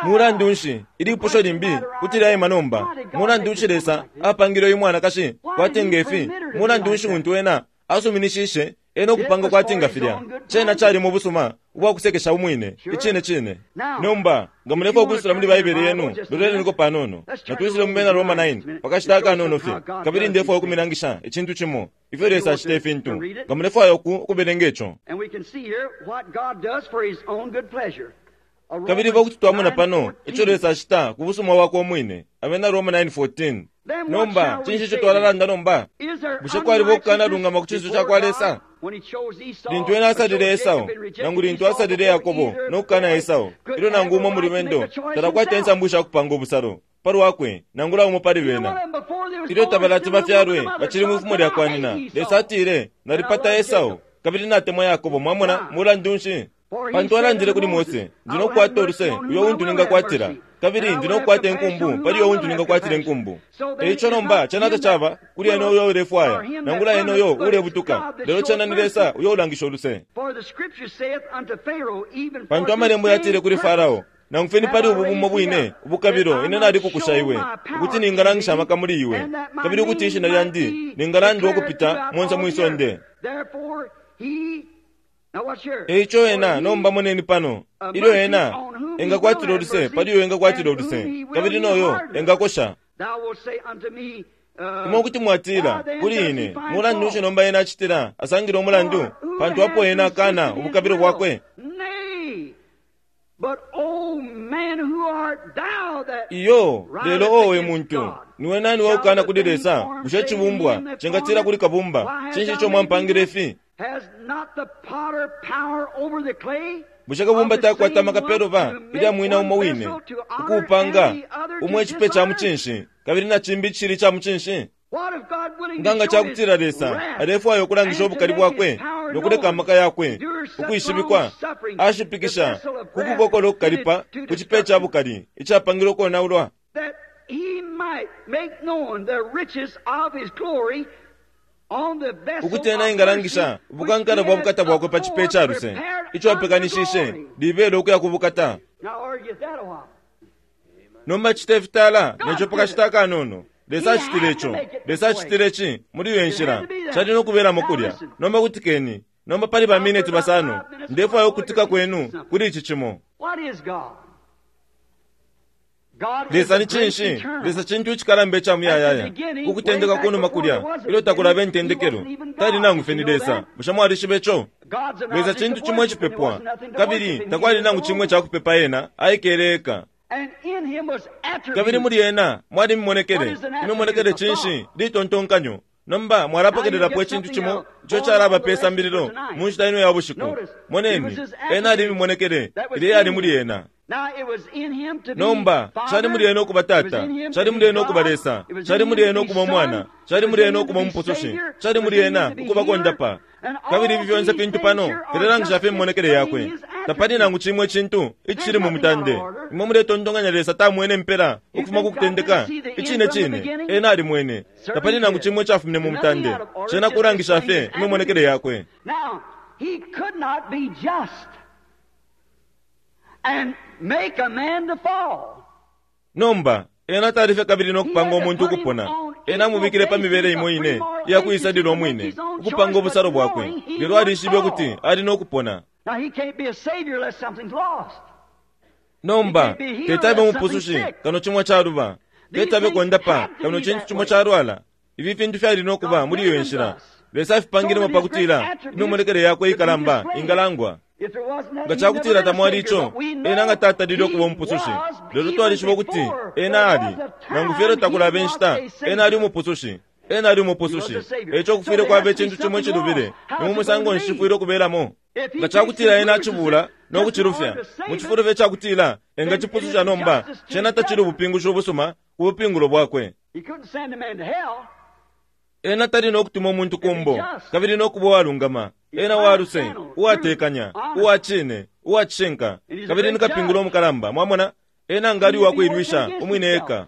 Mulandu nshi ilipusho limbi kuti lyaima nomba? Mulandu nshi Lesa apangile uyu mwanakashi kwati ngefi? Mulandu nshi untu ena asuminishishe Ena ukupanga kwati nga filya cena cali mu busuma ubwakusekesha umwine icine cine. Nomba nga mulefwaya ukwisula muli Baibele yenu, loleleniko panono. Natwisule mu Bena Roma nine pakashita akanono fye, kabili ndefwaya ukumilangisha icintu cimo ifyo Lesa acita ifintu. Nga mulefwaya uku ukubelenga ico, kabili pakuti twamona pano ico Lesa acita ku busuma bwakwe umwine. Abena Roma nine fourteen. Nomba cinshi ico twalalanda nomba? Bushe kwaliba ukukanalungama ku cinso cakwa Lesa? Lintu ena asalile Esau, nangu lintu asalile Yakobo nokukana Esau, ilyo nangu umo muli bendo talakwata insambu ishakupanga ubusalo palwakwe nangula umo pali bena. Ilyo tabalati bafyalwe bacili mwifumo lyakwa nyina, Lesa atile, nalipata Esau kabili natemwa Yakobo. Mwamona, mulandu nshi? Pantu alandile kuli Mose, ndi nokukwata uluse uyo untu ningakwatila, kabili ndi nokukwata inkumbu pali uyo untu ningakwatila inkumbu. Eico nomba cena tacaba kuli ena uyo ulefwaya, nangula ena uyo ulebutuka, lelo cena ni Lesa uyo ulangisha uluse. Pantu amalembo yatile kuli Farao, nangu fye ni pali ubu bumo bwine ubukabilo ine nalikukusha iwe, ukuti ningalangisha amaka muli iwe, kabili ukuti ishina lyandi ningalandwa ukupita monse mwisonde. Eico ena nomba moneni pano, ilyo ena engakwatila uluse pali uyo engakwatila uluse, kabili noyo engakosha. Imwe kuti mwatila kuli ine, mulandu nshi nomba ena acitila asangile umulandu, pantu apo ena akana ubukabilo bwakwe? Iyo, lelo owe muntu, niwe nani waukana kuli Lesa? Bushe cibumbwa cingatila kuli kabumba, cinshi ico mwampangile ifi? Bushe kabumba takwata amaka peluba ilya mwina umo wine ukuupanga umwe icipe ca mucinshi kabili na cimbi icili ca mucinshi? Nga cakutila Lesa alefwaya ukulangisha ubukali bwakwe nokuleka amaka yakwe ukwishibikwa, ashipikisha ku kukokola ukukalipa ku cipe ca bukali icapangilwe ukonaulwa, ukuti ena engalangisha ubukankala bwa bukata bwakwe pa cipe ca luse ico apekanishishe libele ukuya ku bukata. Nomba cite ifitala neco pakashita akanono. Lesa acitile ico, Lesa acitile ici muli iyo nshila cali nokubelamo kulya. Nomba kutikeni nomba pali bamineti basano, ndefwaya ukutika kwenu kuli ici cimo. Lesa ni cinshi? Lesa cintu icikalamba ica muyayaya. Ukutendeka kunuma kulya ilyo takulaba intendekelo tali nangu fye ni Lesa. Bushe mwalishiba ico? Lesa cintu cimo icipepwa, kabili takwali nangu cimwe cakupepa ena aikele eka. Kabili muli ena mwali mimonekele. Imimonekele cinshi? Litontonkanyo. Nomba mwalapokelelapo icintu cimo ico calaba pe sambililo mu nshita ino ya bushiku. Moneni, ena ali mimonekele ilya yali muli ena. Nomba cali muli ena ukuba Tata, cali muli ena ukuba Lesa, cali muli ena ukuba Umwana, cali muli ena ukuba Umupusushi, cali muli ena ukuba kondapa. Kabili ifi fyonse fintu pano filelangisha fye imimonekele yakwe. Tapali nangu cimwe icintu icili mu mutande. Imwe muletontonkanya Lesa tamwene impela ukufuma ku kutendeka? Icine cine ena alimwene. Tapali nangu cimwe icafumine mu mutande. Cena kulangisha fye imimonekele yakwe. Nomba ena talife kabili nokupanga umuntu ukupona. Ena amubikile pa mibele imo ine iyakuisalila umwine, ukupanga ubusalo bwakwe, lelo alishibe ukuti ali nokupona. Nomba tetabe umupusushi kano cimwe caluba, tetabe kondapa kano cintu cimo calwala. Ifi fintu fyali nokuba muli iyo nshila. Lesa afipangilemo pakutila imimonekele yakwe ikalamba ingalangwa. Nga cakutila tamwali ico, ena nga tatalile ukuba umupusushi. Lelo twalishiba ukuti ena ali, nangu fye takulaba inshita, ena ali umupusushi. Ena ali umupusushi. Eico kufwile kwaba icintu cimo icilubile. Ni mu musango nshi cifwile ukubelamo? Nga cakutila ena acibula nokucilufya, mu cifulo fye cakutila engacipususha nomba, cena tacili ubupingushi ubusuma ku bupingulo bwakwe. Ena tali nokutuma umuntu kumbo, kabili nokuba uwalungama. Ena waluse, uwatekanya, uwacine, uwacishinka, kabili ni kapingulo umukalamba. Mwamona, ena ngali uwakuilwisha umwine eka.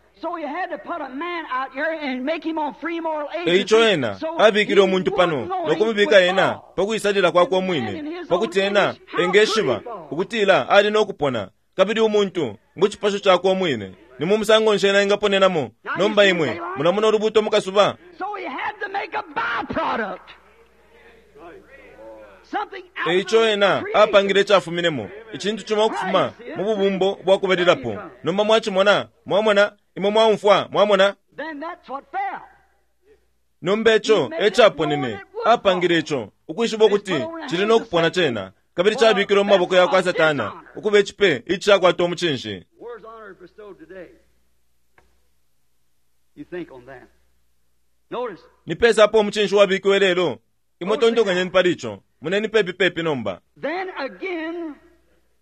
Eico ena abikile umuntu pano nokumubika ena pakuisalila kwakwe umwine, pakuti ena engeshiba ukutila ali nokupona. Kabili umuntu mu cipasho cakwe umwine, ni mu musango nshi ena engaponenamo? Nomba imwe mulamona ulubuto mukasuba. something out E ico of ena creation. apangile icafuminemo icintu cimo ukufuma mu bubumbo bwakubalilapo. Nomba mwacimona, mwamona, imwe mwaumfwa, mwamona. Then that's what fell. Nomba ico ecaponene, apangile ico ukwishiba ukuti cili no kupona cena, kabili cabikilwe mu maboko ya kwa Satana ukuba icipe icishakwata umucinshi. Where's honor bestowed today? You think on that. Notice, Ni pesa apo umucinshi wabikiwe lelo? Imwe tontokanyeni pali ico, muneni pepi pepi nomba. then again,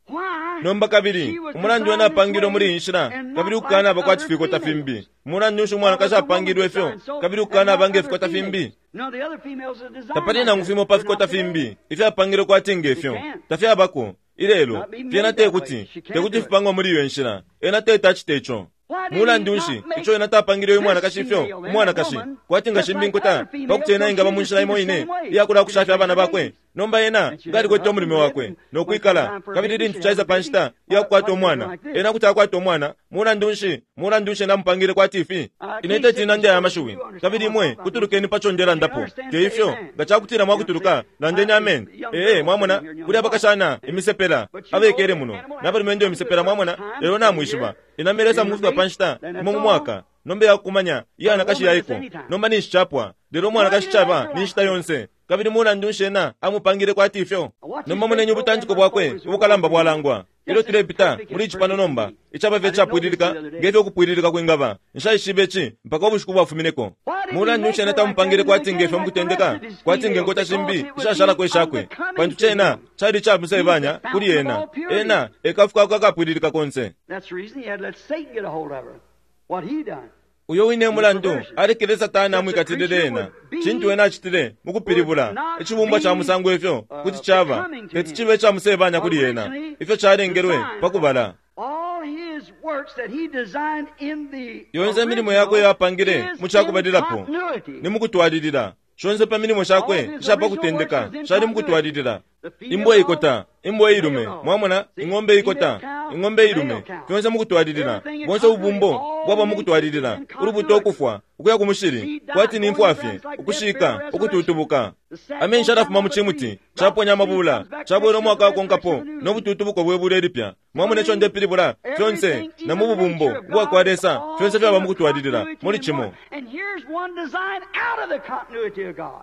why Nomba kabili umulandu wena apangilwe muli iyi nshila, kabili ukukanaba kwa cifikota fimbi. Mulandu nshi umwanakashi apangilwe ifyo, kabili ukukanaba nge fikota fimbi? No, the other females are designed Tapali like nangu that. fimo pa They're fikota not today. fimbi ifyapangilwe kwati ngefyo, tafyabako ilelo. Fyena tekuti tekuti fipangwa muli iyo nshila. Ena tete acite ico. Mulandu nshi ico ena tapangile uyu mwanakashi ifyo umwanakashi kwati nga shimbi nkuta, pakuti ena ingaba mu nshila imo ine iyakulakushafya abana bakwe. Nomba ena ngalikwete umulume wakwe nokwikala, kabili lintu caisa pa nshita iyakukwata umwana, ena kuti akwata umwana. Mulandu nshi mulandu nshi ena amupangile kwati ifi? Ine teti nandi aya mashiwi, kabili imwe kutulukeni paco ndelandapo. Te ifyo, nga cakutila mwakutuluka, landeni amen. Ee, mwamona kuli abakashana imisepela abekele muno nabalumendo imisepela, mwamona. Lelo namwishiba inamelesa mukufika pa nshita imo mu mwaka nomba yakukumanya iyanakashi yaiko. Nomba ninshi capwa, lelo umwanakashi caba ni nshita yonse. Kabili mulandu nshi ena amupangile kwati ifyo? Nomba munenye ubutantiko bwakwe ubukalamba bwalangwa ilyo tulepita muli ici pano nomba, icaba fye capwililika ngefyo ukupwililika kwingaba. Nshaishibe ici mpaka ubushiku bwafumineko. Mulandu nshi ena tamupangile kwati ngefyo mukutendeka, kwati nge nkota shimbi ishashalako ishakwe? Pantu cena cali icamusebanya kuli ena. Ena ekafukako akapwililika konse. That's the reason he had let Satan get a hold of her. What he done. Uyo wine mulandu alekele Satana amwikatilile ena. Cintu ena acitile mukupilibula icibumbwa ca musango ifyo kuti caba teti cibe icamusebanya kuli ena, ifyo calengelwe pakubala. All his works that he designed in the Yonse imilimo yakwe original yapangile is mu cakubalilapo in continuity. ni mukutwalilila. Shonse pa milimo shakwe ishapakutendeka shali mukutwalilila. Imbwa ikota, imbwa ilume, mwamona, ing'ombe ikota, ing'ombe ilume, fyonse mukutwalilila. Bonse ububumbo bwaba mukutwalilila. Ulubuto ukufwa, ukuya ku mushili, kwati ni mfwa fye, ukushika, ukututubuka. Amenshi alafuma mu cimuti, caponya amabula, cabwela umwaka wakonkapo, no bututubuko bwe bula ilipya. Mwamona ico ndepilibula? Fyonse, na mu bubumbo ubwa kwa Lesa, fyonse fyaba mukutwalilila, muli cimo. And here's one designed out of the continuity of God.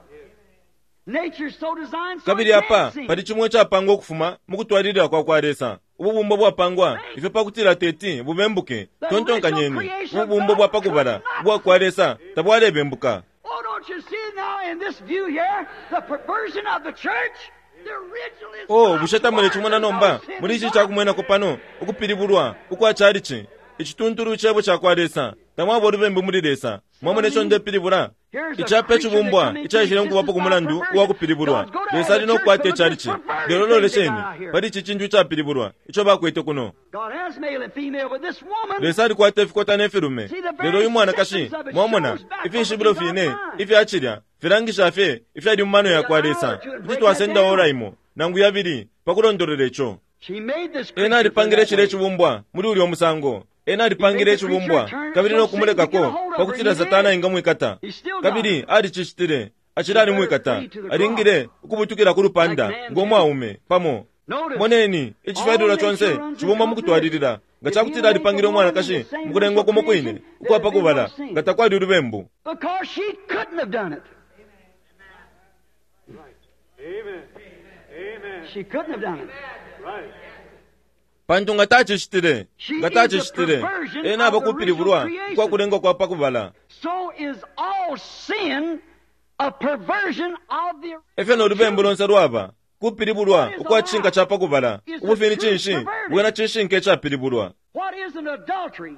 Nature's so designed so Kabili it apa can't sin. pali cimwe icapangwa ukufuma mukutwalilila kwa kwa Lesa. Ububumbo bwapangwa ifyo pakutila teti bubembuke. Tontonkanyeni, ububumbo bwa pakubala ubwa kwa Lesa tabwalebembuka. Oh, don't you see now in this view here the perversion of the church? The original is Oh, God's bushe tamule cimona nomba word. muli ici cakumwenako pano ukupilibulwa ukwa calici, icituntulu cebo ca kwa Lesa. Tamwaba ulubembu muli Lesa. Mwamona ico ndepilibula? Icapa icibumbwa icaishile mukubapo ku mulandu uwa kupilibulwa. Lesa ali no kukwata icalici. Lelo lolesheni pali ici cintu icapilibulwa ico bakwete kuno. God has male and female, but this woman Lesa alikwata ifikota ne filume, lelo uyu mwanakashi, mwamona, ifishibilo fine ifyacilya filangisha fye ifyali mu mano ya kwa Lesa. Kuti twasenda ora imo nangu yabili pakulondolola ico. she made this Ena creature alipangile for cile that way. icibumbwa muli ulyo musango. Ena alipangile icibumbwa kabili no kumulekako pakutila Satana engamwikata, kabili alicicitile. Acila alimwikata, alingile ukubutukila ku lupanda ngo mwaume pamo. Notice, Moneni, icifyalilwa conse cibumba mukutwalilila. Nga cakutila alipangile umwanakashi mukulengwa kumo kwine ukwapakubala, nga takwali ulubembu. because she couldn't have done it. Amen. Amen. She couldn't have done it. Right. Pantu nga tacicitile, nga tacicitile, ena aba kupilibulwa ukwakulengwa kwa pakubala. So is all sin a perversion of the Efyo no lubembu lonse lwaba kupilibulwa ukwa cishinka ca pakubala. Ubufini cinshi bwena cishinka icapilibulwa. What is an adultery?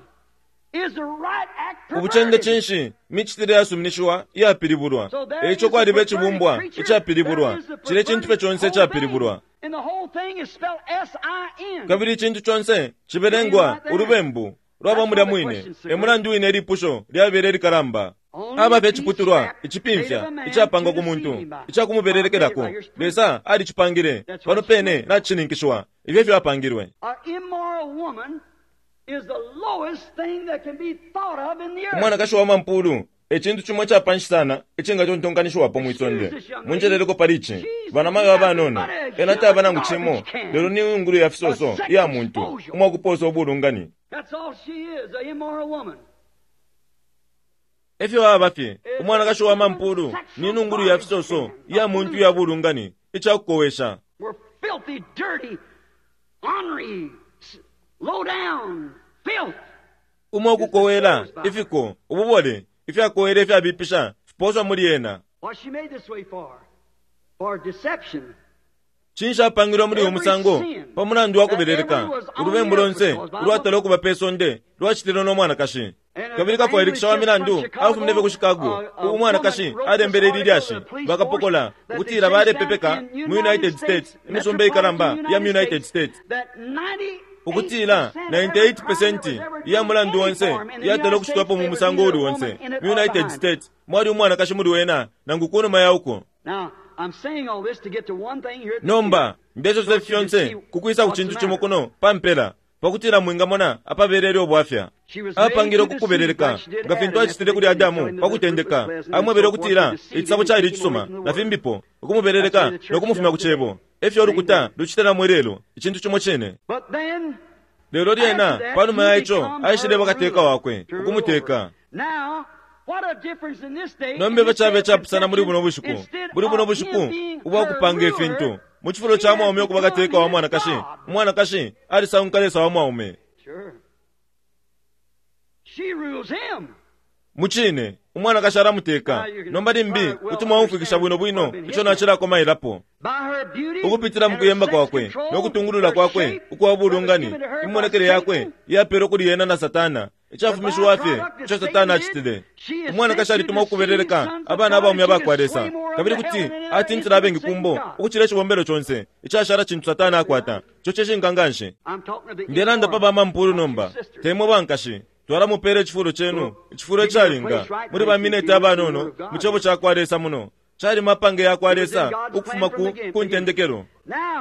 Is the right act Ubucende perverted? cinshi micitile yasuminishiwa iyapilibulwa. So there Eico is a kwaliba perverted icibumbwa creature, icapilibulwa, there is the cile cintu fye perverted conse whole icapilibulwa. thing. And the whole thing is spelled S I N. Kabili icintu conse cibelengwa ulubembu lwaba mulya mwine. E mulandu wine ilipusho lyabele likalamba. Aba fye iciputulwa icipimfya icapangwa ku muntu icakumubelelekelako. Lesa alicipangile pano pene nacishininkishiwa. Ifyo efyo apangilwe. An immoral woman is the lowest thing that can be thought of in the earth. Umwanakashi wa mampulu Ecintu cimo icapanshi sana icingatontonkanishiwapo mwisonde. Munjeleleko pali ici banamayo abanono ena taba nangu cimo lelo ni ngulu ya fisoso iya muntu umwakuposa ubulungani. Efyo aba fye umwanakashi wa mampulu ni nungulu ya fisoso iya muntu ya bulungani icakukowesha. Umwe ukukowela ifiko ububole ifyakowela ifyabipisha fiposwa muli ena. Cinshi apangilwa muli uyu musango pa mulandu wa kubeleleka ulubembu lonse ulwatala ukuba pe sonde lwacitilwe no mwanakashi. Kabili kafwailikisha wa milandu afumine fye ku Chicago umwanakashi alembele ili lyashi bakapokola ukutila balepepeka mu United States imisumba ikalamba ya mu United States ukutila ninety-eight percent ya mulandu onse yatala ukucitwapo mu musango uli onse mu United States mwali umwanakashi muli wena nangu kunuma ya uko. Nomba ndesosa fyonse kukwisa ku cintu cimo kuno pampela pakutila mwingamona apabelele obwafya. Apangile ukukubeleleka nga fintu acitile kuli Adamu pakutendeka amwebele ukutila icisabo cali icisuma na fimbipo ukumubeleleka nokumufumya ku cebo. Efyo olukuta lucitila mwelelo icintu cimo cine. Lelo lyena panuma ya ico aishile bakateka wakwe ukumuteka. Nomba bacabe capusana muli buno bushiku buli buno bushiku ubwakupanga ifintu mu cifulo ca mwaume ukuba kateka wa mwanakashi umwanakashi alisanguka Lesa wa mwaume. Mucine umwanakashi alamuteka nomba limbi kuti mwaumfwikisha bwino bwino ico nacilakomailapo ukupitila mu kuyemba kwakwe nokutungulula kwakwe ukwa bulungani imonekele yakwe iyapelwe kuli yena na Satana icafumishiwa fye ico Satana acitile. Umwanakashi alituma ukubeleleka abana abaume abakwa Lesa kabili kuti atintila abengi kumbo ukucila icibombelo conse icashala cintu Satana akwata ico cishinka nganshi. Ndelanda pa bamampulu nomba temwe bankashi twalamupela icifulo cenu icifulo icalinga muli baminete abanono mu cebo cakwa Lesa muno cali mapange yakwa Lesa ukufuma ku kuntendekelo.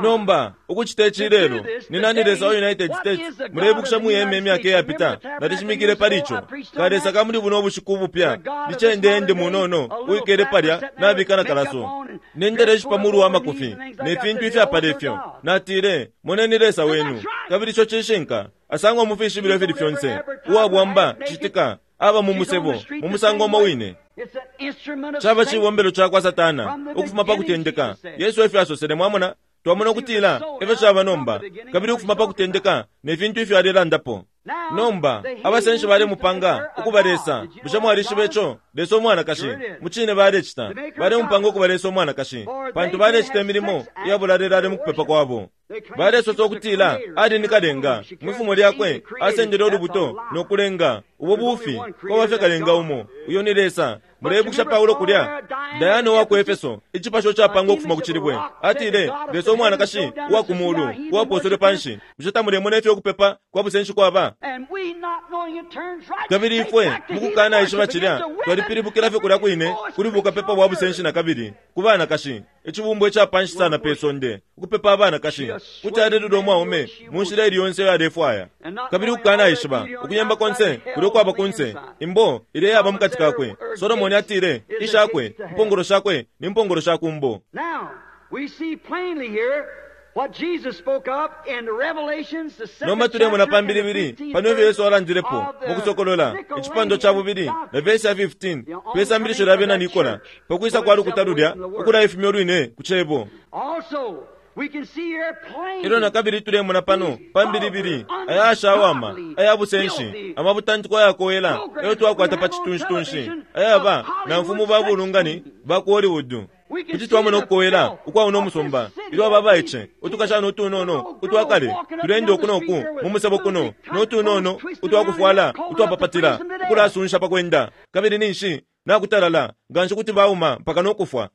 Nomba ukucita ici lelo ni nani Lesa wa United States mulebukisha muyeme imyaka iyapita nalishimikile pali ico ka Lesa kamuli buno ubushiku ubupya licende munono uikele palya nabika na kalaso nendele ishipa mulu wa makufi ne fintu ifyapala ifyo natile moneni Lesa wenu kabili ico cishinka asangwa mu fishibilo ifili fyonse uwabwamba citika aba mu musebo mu musango umo wine. Caba cibombelo cakwa Satana ukufuma pa kutendeka. Yesu efyo asosele mwamona twamona ukutila efyo caba nomba kabili ukufuma pa kutendeka ne fintu ifyo alelandapo. Nomba abasenshi balemupanga ukuba Lesa. Bushe mwalishiba ico? Lesa umwanakashi mucine balecita balemupanga ukuba Lesa umwanakashi pantu balecita imilimo iyabulalelale mu kupepa kwabo. Balesosa ukutila ali ni kalenga mwifumo lyakwe asendele olubuto nokulenga ubo bufi kwaba kalenga umo uyo ni Lesa. Mulebukisha Paulo kulya Dayana wa ku Efeso icipasho capangwa ukufuma ku cilibwe atile Lesa umwanakashi uwa ku mulu uwaposele panshi. Bushe tamulemona ifyo ukupepa kwa busenshi kwaba? Kabili ifwe mukukana ishiba cilya twalipilibukila fye kulya kwine kuli bukapepa bwa busenshi na kabili ku banakashi icibumbwa icapanshi sana pe sonde ukupepa abanakashi kuti alelula umwaume mu nshila ili yonse iyo alefwaya kabili ukukana ishiba ukuyemba konse kuli ukwaba kunse imbo ile yaba mukati kakwe. Solomoni atile ishakwe impongolo shakwe ni mpongolo shakumbo. Nomba tulemona pambilibili pano ifyo Yesu alandilepo mu kusokolola icipando ca bubili na vesi ya fifteen pe sambilisho lya bena Nikola pakwisa kwa lukuta lulya ukulaifumya olwine ku cebo. Elo na kabili tulemona pano pambilibili aya ashawama aya busenshi amabutantiko ayakowela eyo twakwata pa citunshi-tunshi ayaba na mfumu ba bulungani ba ku Hollywood. Kuti twamona ukukowela ukwauna umusumba ilyo aba baice utukashana utunono utwakale tulende uku noku mu musebo kuno notunono utwakufwala utwapapatila ukulasunsha pakwenda kabili ninshi nakutalala nganshi kuti bauma mpaka nokufwa.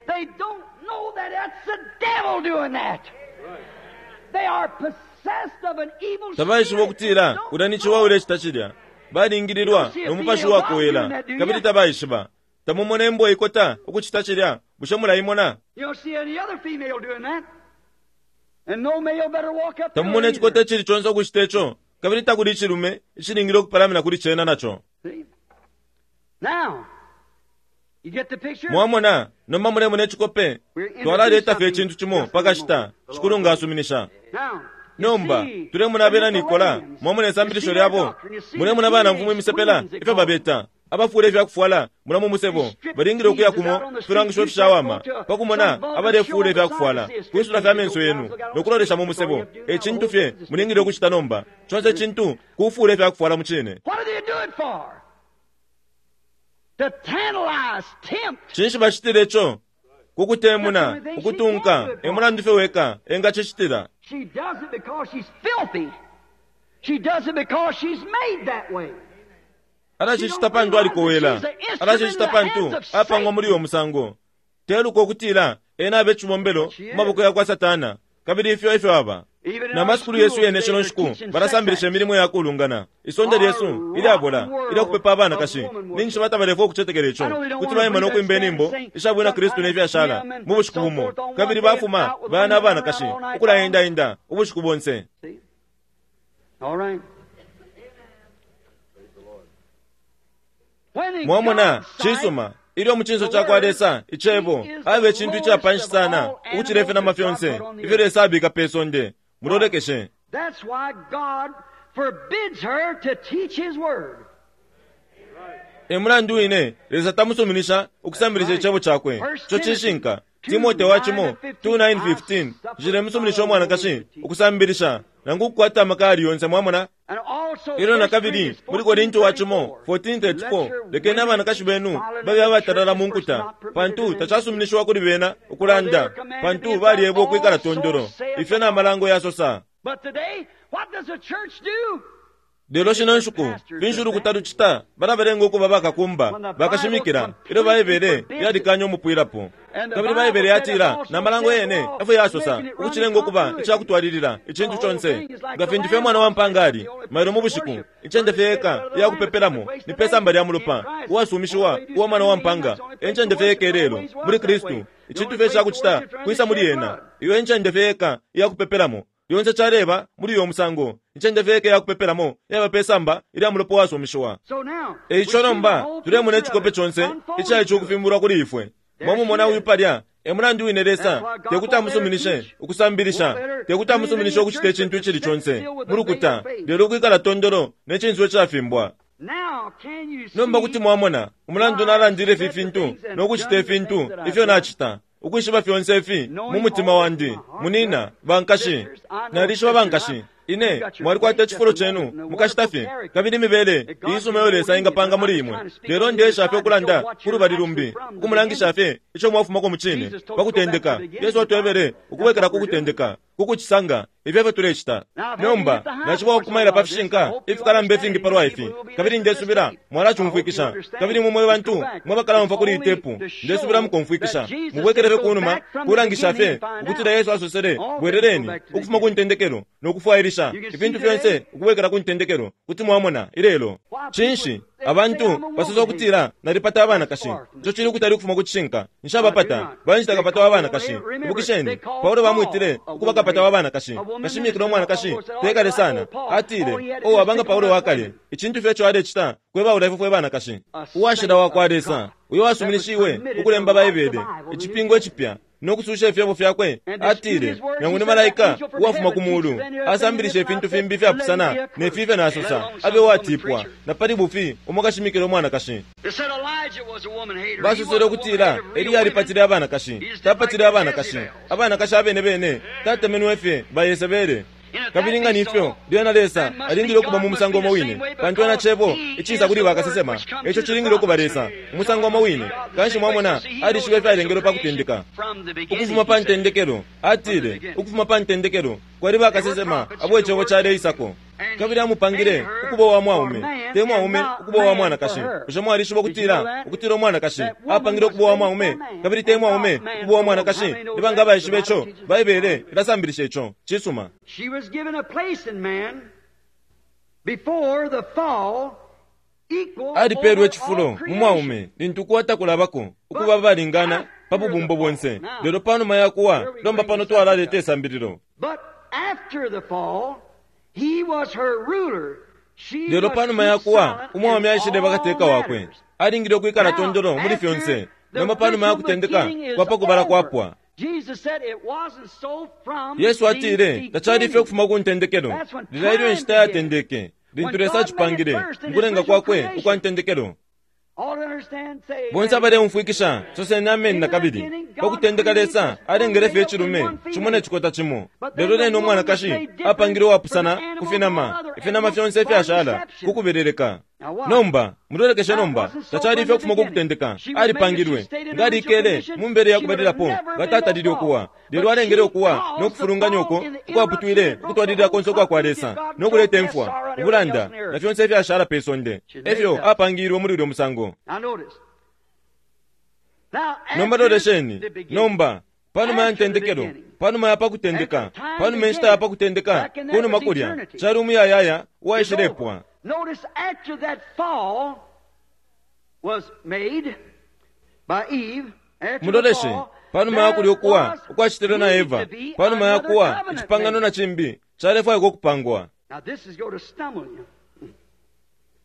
Tabaishiba ukutila ulya ni ciwa ulecita cilya balingililwa nomupashi wakowela kabili tabaishiba. Tamumona imbwa ikota ukucita cilya bushe mulaimona? Tamumona icikota icili conse ukucita ico kabili takuli icilume icilingile ukupalamina kuli cena naco. Mwamona, nomba mulemona icikope, twalaleta fye icintu cimo pakashita, Shikulu nga asuminisha. Nomba tulemona abena Nikola, mwamona isambilisho lyabo, mulemona abana mfumu imisepela ifyo babeta abafula ifyakufwala mulamu musebo, balingile ukuya kumo filangisho fishawama pakumona abalefula ifyakufwala kwisula fya menso yenu nokulolesha mu musebo. Ecintu fye mulingile ukucita nomba conse icintu kufula ifyakufwala mu cine. Cinshi bacitile ico? Kukutemuna, ukutunka, emulandu fye weka engacicitila. She does it because she's filthy. She does it because she's made that way. Alacicita pantu alikowela, alacicita pantu apangwa muri uyo musango. Teluka ukutila ena abe cibombelo mu maboko ya kwa Satana, kabili ifyo ifyo aba. Na masukulu yesu yene shino nshiku balasambilisha imilimo ya kulungana. Isonde lyesu ilyabola ilyakupepa abanakashi ninshi batabalefwa ukucetekela ico kuti baima nokwimba inyimbo ishabwina Kristu nefyashala mu bushiku bumo, kabili bafuma bana abanakashi ukulaendaenda ubushiku bonse. Mwamona, cisuma ilyo mucinso cakwa Lesa icebo abe icintu icapanshi sana ukucila ifinama fyonse ifyo Lesa abika pe sonde. Mulolekeshe. That's why God forbids her to teach his word. Emulandu wine Lesa tamusuminisha ukusambilisha icebo cakwe. Ico cishinka. Timote wa cimo two nine fifteen cilemusuminisha umwanakashi ukusambilisha nangu ukukwata amaka ali yonse. Mwamona? Ilyo na kabili muli Korinto wa cimo fourteen thirty-four lekeni abanakashi benu babe abatalala mu nkuta, pantu tacasuminishiwa kuli bena ukulanda, pantu balyebwa ukwikala tondolo. Ifyo na malango yasosa. Lelo shino nshiku finshi ulukuta lucita? Balabalenga ukuba bakakumba bakashimikila ilyo Baibele yalikanya umupwilapo. Kabili Baibele yatila na malango yene efyo yasosa ukucilenga ukuba icakutwalilila icintu conse. Nga fintu fye mwana wa mpanga ali mailo mu bushiku, incende fye yeka iyakupepelamo ni pe samba lya mulopa uwasumishiwa uwa mwana wa mpanga. Encende fye yeka ilelo muli Kristu, icintu fye cakucita kwisa muli yena. Iyo encende fye yeka iyakupepelamo lyonse caleba muri uyo musango. Incende fye yeka iyakupepelamo yaba pe samba ilya mulopa wasumishiwa. Eico nomba tulemona icikope conse icali ukufimbulwa kuli ifwe. Mwamumona uyu palya, emulandu wine Lesa tekuti amusuminishe ukusambilisha, tekuti amusuminishe ukucita icintu icili conse mu lukuta, lelo ukwikala tondolo ne cinso icafimbwa. Nomba kuti mwamona umulandu nalandile ifi fintu nokucita ifintu ifyo nacita, ukwishiba fyonse ifi mu mutima wandi. Munina bankashi, nalishiba bankashi ine mwalikwata icifulo cenu mukashita fye, kabili imibele iisuma iyo Lesa ingapanga muli imwe. Lelo ndesha fye ukulanda ku lubali lumbi, ukumulangisha fye ico mwafumako mu cine pakutendeka. Yesu atwebele ukubwekela ku kutendeka, kukucisanga ifyo efyo tulecita nomba. Naciba ukumaila pa fishinka ifikalamba ifingi palwa ifi, kabili ndesubila mwalacumfwikisha. Kabili mumwe bantu mwabakalamfa kuli itepu, ndesubila mukomfwikisha. Mubwekele fye kunuma kulangisha fye ukutila Yesu asosele bweleleni ukufuma ku ntendekelo nokufwailisha ifintu fyonse ukubwekela ku ntendekelo. Kuti mwamona ilelo cinshi abantu basosa ukutila nalipata abanakashi. Ico cili ukutali ukufuma ku cishinka. Nshabapata, banjita kapata wa banakashi. Ibukisheni Paulo bamwitile ukuba kapata wa banakashi. Kashimikila umwanakashi tekale sana, atile o abanga Paulo wakale icintu fye ico alecita kwebaula ifwe fwe banakashi. Uwashila wa kwa Lesa uyo wasuminishiwe ukulemba Baibele icipingo icipya nokususha ifyebo fyakwe, atile nangu ni malaika uwafuma ku mulu asambilisha ifintu fimbi ifyapusana ne fifyo nasosa, abe watipwa na pali bufi umukashimikila umwanakashi. Basosele ukutila Eliya alipatile abanakashi. Tapatile abanakashi, abanakashi abene bene tatemenwe fye ba Yesebele. Kabili nga nifyo lyena Lesa alingile ukuba mu musango umo wine, pantu ena cebo icisa kuli bakasesema, ico cilingile ukuba Lesa umusango umo wine. Kanshi mwamona alishiba ifyalengelwe pa kutendeka ukufuma pa ntendekelo. Atile ukufuma pa ntendekelo kwali bakasesema abo icebo caleisako, kabili amupangile ukuba wa mwaume te mwaume ukuba wa mwanakashi. Bushe mwalishiba ukutila ukutila umwanakashi apangile ukuba wa mwaume kabili te mwaume ukuba wa mwanakashi? Ni banga abaishiba ico? Baibele ilasambilisha ico. Cisuma. She was given a place in man before the fall. Alipelwe icifulo mu mwaume lintu kuwa takulabako ukuba balingana pa bubumbo bonse, lelo panuma ya kuwa lomba pano twalaleta isambililo. But after the fall, he was her ruler. She Lelo must panuma keep ya kuwa silent umwaume in aishile all bakateka wakwe, matters. Alingile ukwikala Now, tondolo muli after fyonse. the Nomba panuma ya original kutendeka beginning is kwa pakubala over, kwapwa. Jesus said it wasn't so from Yesu the atile tacali ifyo beginning. ukufuma ku ntendekelo. That's when Lilya ilyo time inshita began. yatendeke. Lintu When Lesa God made it acipangile first in mu his kulenga original kwakwe creation. ukwa ntendekelo. All to understand, say Bonse amen. abaleumfwikisha soseni ameni In na the kabili. beginning, Pa God kutendeka created Lesa one alengele male fye and icilume one cimo ne female. cikota cimo. But then Lelo the lene woman was umwanakashi made different apangile from uwapusana the ku animals and all finama. other Ifinama animals fyonse for ifyashala deception. ku kubeleleka. Now watch. Nomba mulolekeshe That nomba wasn't so tacali from ifyo the ukufuma ku beginning. kutendeka. She was made if she Alipangilwe stayed in nga original alikele condition, mu mbele ya she would have kubalilapo never nga been no tatalile fall. ukuwa. Lelo But alengele she ukuwa no caused the kufulunganya fall uko in the ukwaputwile interruption that broke the ukutwalilila whole konse ukwa kwa continuity Lesa of God no and kuleta drove death, imfwa, sorrow, and everything ubulanda else in the na earth. fyonse ifyashala pe sonde. She made Efyo that. apangilwe muli ulyo musango. Now notice. Now Nomba after lolesheni the beginning, nomba panuma ya after the ntendekelo, beginning, panuma ya pakutendeka, after time panuma inshita ya began, pakutendeka, back in that kunuma was kulya eternity. cali umuyayaya It's uwaishilepwa. over. Notice after that fall was made by Eve, after the Muloleshe fall, panuma ya there kulya ukuwa was ukwacitilwe na need Eva, to be panuma ya another kuwa covenant icipangano made. na cimbi calefwaikwa ukupangwa. Now this is going to stumble you.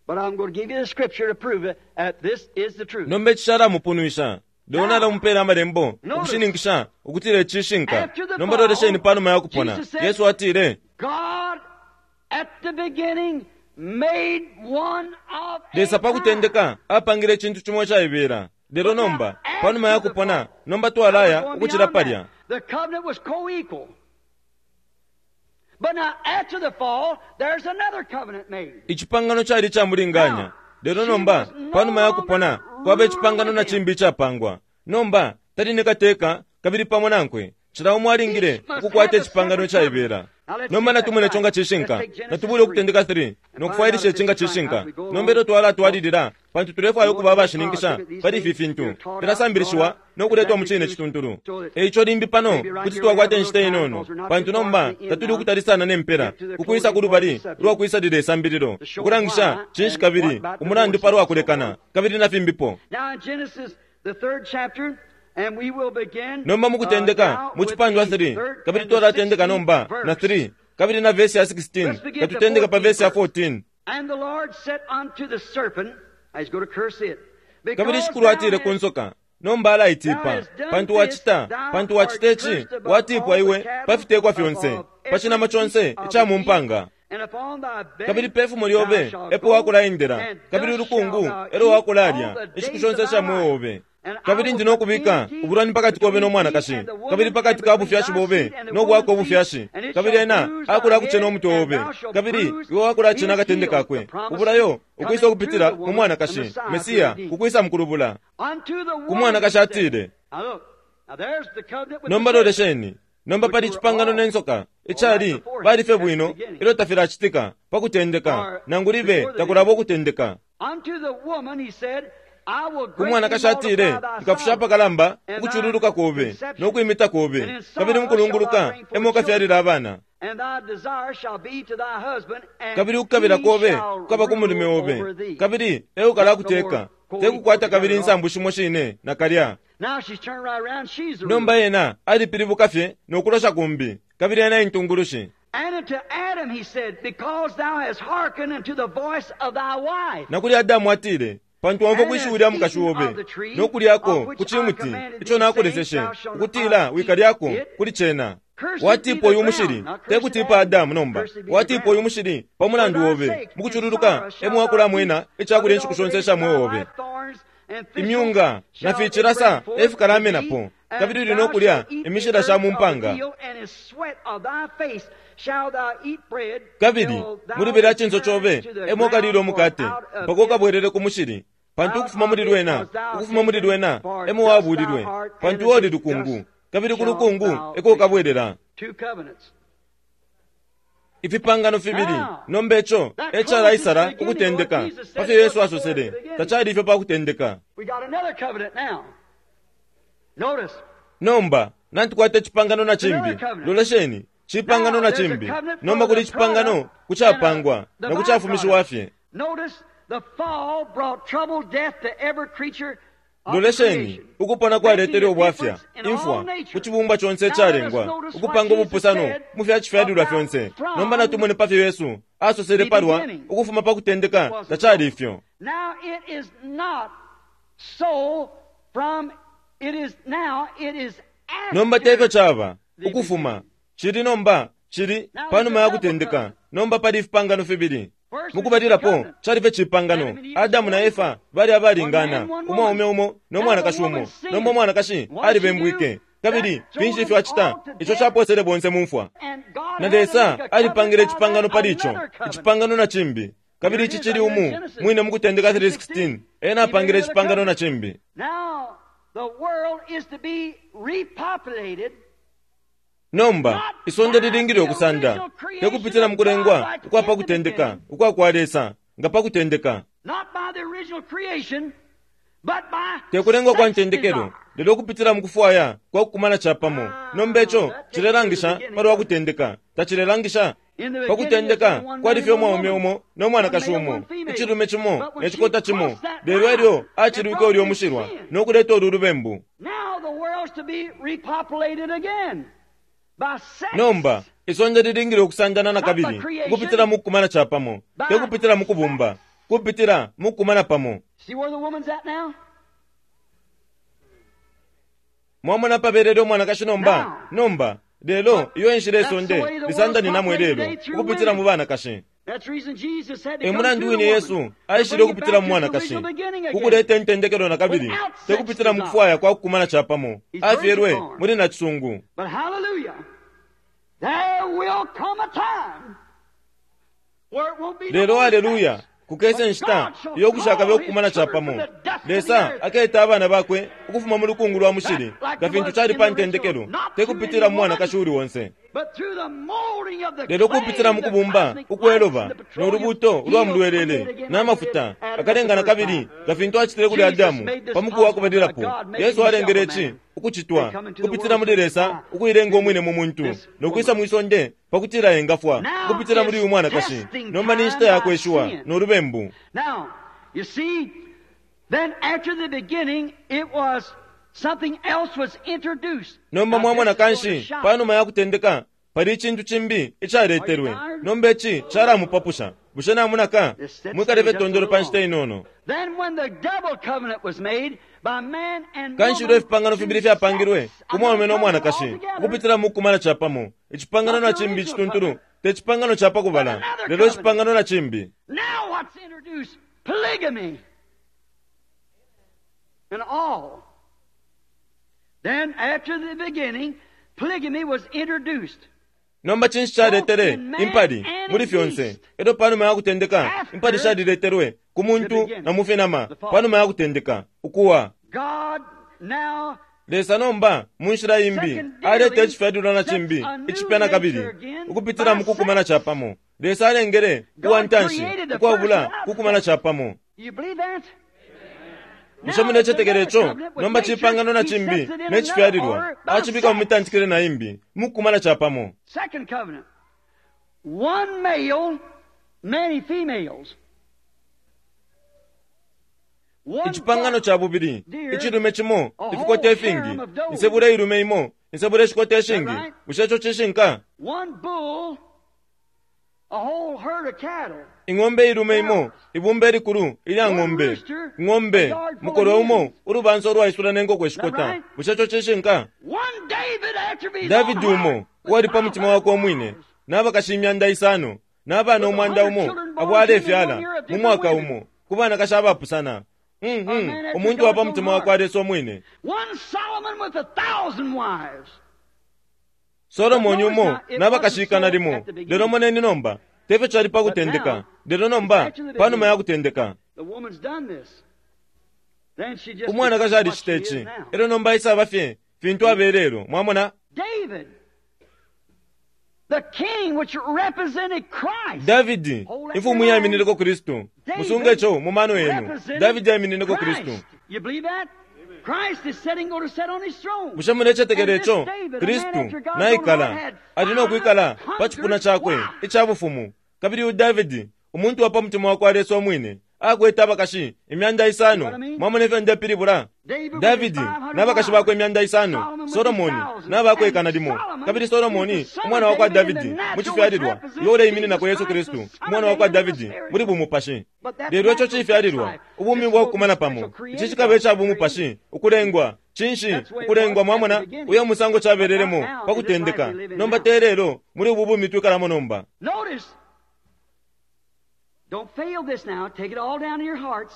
But I'm going to give you the scripture to prove it that this is the truth. Nomba ici calamupunwisha. Lelo Now, nalamupeela amalembo notice, ukushininkisha ukutila icishinka. after the Nomba lolesheni fall, panuma ya kupona. Jesus said, Yesu atile God at the beginning made one of a Lesa pa kind. kutendeka apangile icintu cimo icaibela. Lelo But now, nomba panuma ya after the kupona, fall, nomba now we're twalaya going ukucila beyond palya. that. The covenant was co-equal. But now, after the fall, there's another covenant made. Icipangano cali icamulinganya. Now, Lelo she nomba was no panuma ya kupona longer kwaba ruler icipangano with na him. cimbi icapangwa. Nomba tali ni kateka kabili pamo nankwe. Cila umo alingile Each must ukukwata have a icipangano separate covenant. icaibela. Now let's Nomba see if that's natumone ico right. nga Let's cishinka. take Genesis Natubule three ukutendeka three and no find out kufwailisha if ici nga this is right cishinka. as we go Nomba along. ilyo twalatwalilila pantu tulefwaya We ukuba want to be abashininkisha positive these pali ifi things fintu you're taught out, brought filasambilishiwa up no kuletwa mu exactly cine true, cituntulu. so that E ico limbi pano maybe right kuti here we have twakwata a inshita little time inono because we're not pantu too far nomba from the end tatuli now. ukutali sana ne mpela Get to the ukwisa closing ku part of lubali the subject lwa kwisalila isambililo to show ukulangisha why cinshi and what kabili about umulandu divorces palwa and so kulekana forth. kabili na fimbipo. Now in Genesis, the third chapter, and we will begin Nomba mu uh, kutendeka now mu with cipandwa the three third kabili and the twalatendeka sixteenth nomba na verse. three kabili na vesi ya sixteen Let's begin at the katutendeka pa fourteenth vesi ya verse. fourteen. And the Lord said unto the serpent, I was going to curse it, Kabili because shikulu thou atile ku hast nsoka nomba thou alaitipa hast done pantu this, wacita thou pantu art wacita ici cursed above watiipwa all the iwe pa cattle, fitekwa fyonse above pa every cinama beast conse of ica the mu field, mpanga. and upon thy Kabili belly pe fumo thou lyobe shalt epo go, wakulaendela and kabili dust ulukungu shalt thou elo eat all wakulalya the inshiku days shonse of thy isha mweo life. obe. And I Kabili will ndi put nokubika enmity ubulwani pakati kobe between no thee mwanakashi and the kabili woman, and pakati ka between bufyashi thy bobe seed and the no bwako woman's seed, ubufyashi and it kabili shall ena bruise thy akula kucena head, umutwe and obe thou shalt kabili bruise iwe wakulacena his akatende heel. The kakwe promise ubulayo coming ukwisa through ukupitila the mu woman, the mwanakashi Messiah to Mesiya redeem. kukwisa mukulubula. Unto the Ku woman he mwanakashi said. atile Now look, now there's the covenant with the nomba serpent, lolesheni nomba which pali were icipangano ne all nsoka all right icali beforehand bali fye at the bwino beginning, ilyo tafilacitika pa kutendeka or nangu libe before the takulaba beginning. ukutendeka. Unto the woman he said, I will Ku greatly mwanakashi atile multiply thy nkafusha sorrow apakalamba and thy ukucululuka kobe no conception, kwimita kobe and in kabili sorrow shall thou mukulunguluka bring emo forth children, ukafyalila abana. and thy desire shall be to thy husband, and Kabili ukukabila he kobe shall kukaba ku mulume rule obe over thee. kabili e Not no more ukalakuteka co-equal tekukwata together kabili at all. insambu shimo shine nakalya. Now she's turned right around, she's the Nomba ruler. ena alipilibuka fye no kulosha kumbi kabili ena intungulushi. And unto Adam he said, Because thou hast hearkened unto the voice of thy wife, Na kuli Adamu atile pantu wamva and kwishiwi hast lya mukashi eaten of obe the tree no of kulyako ku which I cimuti commanded ico thee, saying, nakuleseshe Thou shalt ukutila not eat wikalyako it. kuli cena. Cursed be Watiipwa the uyu ground, mushili not cursed tekutiipa Adam, Adamu nomba cursed be the watiipwa uyu ground. mushili pa For mulandu thy obe sake in mukucululuka sorrow emo shalt thou eat wakulamwena of icakulya it inshiku all the shonse days isha of thy mweo obe. life, thorns and thistles Imyunga na shall it bring ficilasa forth e to fikalamenapo thee, and kabili uli no thou kulya shalt eat the imishila sha earth mu of the mpanga. field, and in sweat of thy face shalt thou eat bread, Kabili till thou mulubele ya cinso return cobe to the emo ukalila ground, for umukate out of mpaka it ukabwerere ku mushili pantu out ukufuma of muli it lwena was thou ukufuma muli taken, lwena for emo dust thou wabulilwe art, and pantu oli unto lukungu dust kabili ku shalt lukungu thou eko return. ukabwerera. Two covenants. Ifipangano fibili Now, nomba ico that e closes the calaisala beginning, what ukutendeka Jesus said pafyo it Yesu wasn't so at asosele the beginning. tacali ifyo pa kutendeka. We got another covenant now. Notice, Nomba natukwata icipangano na cimbi another covenant. lolesheni cipangano Now, na there's a cimbi covenant nomba for kuli the icipangano product and uh, kucapangwa the na kucafumishiwa byproduct. fye. Notice, the fall brought trouble, death to every creature of the Lolesheni creation, ukupona making kwaletele a ubwafya difference in all imfwa ku nature. cibumbwa conse Now let us icalengwa notice what ukupanga Jesus ubupusano said mu fya cifyalilwa about fyonse nomba from natumone pafyo Yesu asosele the palwa beginning. ukufuma pa kutendeka Wasn't tacali so. ifyo. Now it is not So, from it is now, it is Nomba tefyo after chaba ukufuma chili nomba chili panuma ya kutendeka. Nomba pali ifipangano fibili. Mukubalilapo chalife chipangano Adamu na Efa bali abalingana, umwaume umo no mwanakashi umo. Nomba umwanakashi alibembwike kabili finshi ifyo acita icho chaposele bonse mumfwa. And God Na had to Lesa make a covenant alipangile by that, icipangano pali icho, another covenant. icipangano na chimbi. Kabili ichi chili umu mwine mukutendeka three sixteen ena apangile icipangano na chimbi. Now, the world is to be repopulated Nomba isonde lilingile okusanda tekupitila mukulengwa ukwa pakutendeka ukwa kwa Lesa nga pakutendeka, not by the original creation, but by tekulengwa kwa sex ntendekelo desire. lelo okupitila mukufwaya kwa kukumana chapamo. Nomba icho chilelangisha pali wakutendeka, tachilelangisha In the beginning, pakutendeka there was one kwali man fye and one umwaume woman. umo no mwanakashi One male, umo, one female. ichilume chimo But when ne chikota she chimo. crossed that Lelo line elyo and achilwike brought ulyo this mushilwa sin. no kuleta ulu lubembu. Now the world's to be repopulated again by sex. Nomba isonde lilingile okusandana na kabili ukupitila mukukumana chapamo, tekupitila mukubumba, kupitila mukukumana pamo. See where the woman's at now? Mwamona pabelele umwanakashi nomba. Nomba lelo iyo enshila isonde lisandaninamo ilelo ukupitila mu banakashi. That's the reason Jesus had to E come mulandu through wine the Yesu woman to aishile bring it ukupitila back mu to its mwanakashi original beginning again. kukuleta intendekelo na kabili, tekupitila mukufwaya kwa kukumana chapamo. Afyelwe muli na chisungu. But hallelujah, there will come a time where it won't be no Lelo more haleluya, sex. kukesa enshita iyo kushakabe okukumana chapamo. Lesa aketa abana bakwe ukufuma mu lukungu lwa mushili nga fintu chali pa ntendekelo, tekupitila mu mwanakashi uli onse, But through the molding of the lelo clay, kupitila mu the kubumba cosmic ukweloba lights and the no petroleum, lubuto ulwa he'll mulwelele create again na like he mafuta did Adam at akalenga the na first kabili time. nga fintu achitile kuli Adamu pa muku wa kubalilapo. Yesu alengele ichi ukuchitwa kupitila muli Lesa ukuilenga umwine mu muntu nokwisa mwisonde pakutila engafwa kupitila muli uyu mwanakashi. Nomba ni nshita yakweshiwa no lubembu. Now, you see, then after the beginning, it was something else was introduced. Nomba Now, mwamona this is going to kanshi shock panuma ya kutendeka pali icintu chimbi icaletelwe. Nomba ichi chalamupapusha. Bushe namunaka mwikaleve tondolo pa nshita inono. Then when the double covenant was made by man and Kanshi woman ilyo ifipangano fibili fyapangilwe to ku mwaume sex, no mwanakashi altogether, ukupitila mukukumana chapamo, icipangano na chimbi icituntulu te chipangano cha pakubala, lelo icipangano na chimbi. Now what's introduced? Polygamy. And all. Then after the beginning, polygamy was introduced. Nomba chinshi chaletere impali muli fyonse. Elyo panuma ya kutendeka impali shaliletelwe ku muntu na mu finama panuma ya kutendeka ukuwa. God now Lesa nomba mu nshila imbi aleta icifyalilwa na chimbi icipya na kabili ukupitila mu kukumana chapamo. Lesa alengele uwa ntanshi ukwabula kukumana chapamo. You believe that? Bushe munechetekele icho? Nomba chipangano na chimbi ne chifyalilwa achibika mu mitantikile na imbi mukukumana chapamo. Second covenant. One male, many females. One Icipangano buck, cha bubili ichilume chimo ifikota ifingi, insebula ilume imo insebula ishikota ishingi. Bushe icho chishinka? One bull, a whole herd of cattle. Ing'ombe ilume imo ibumba elikulu ilya ng'ombe ng'ombe mukolo umo ulubansa olwaisula n'enkoko eshikota. Bushe icho chishinka? One David after his Davidi own umo heart, uwali pa mutima wakwe omwine n'abakashi imyanda isano n'abana omwanda umo abo alefyala mu mwaka umo ku banakashi abapusana. Mhm, omuntu wa pa mutima wakwe alesa omwine. One Solomon with a thousand wives. Solomoni umo n'abakashi ikana limo. Lelo moneni nomba tefyo chali pa kutendeka, lelo nomba panuma ya kutendeka The woman's done this. Then she just umwanakashi becomes what alicita she is ichi now. elyo nomba isaba fye fintu abelelo. Mwamona David, the king which represented Christ. Davidi imfumu yaiminineko Kristu. Musunge icho mu mano yenu. Davidi yaiminineko Kristu. Christ. You believe that? Christ is sitting, going to sit on his throne. Bushe munechetekele icho? Kristu naikala ali nokwikala pa chipuna chakwe icha bufumu. Kabili uyu Davidi umuntu wa pa mutima wakwe alesa omwine Akwete abakashi imyanda isano. Mwamona ifyo ndepilibula? Davidi n'abakashi bakwe imyanda isano, Solomoni n'abakwe ikana limo. Kabili Solomoni umwana wa kwa Davidi mu cifyalilwa, uyo uleimininako Yesu Kristu, umwana wa kwa Davidi muli bumupashi. Lelo ico cifyalilwa, ubumi bwa kukumana pamo, ici cikaba ica bumupashi, ukulengwa. Cinshi ukulengwa? Mwamona uyo musango cabelelemo pa kutendeka. Nomba te lelo muli ubu bumi twikalamo nomba. Notice, don't fail this now, take it all down to your hearts.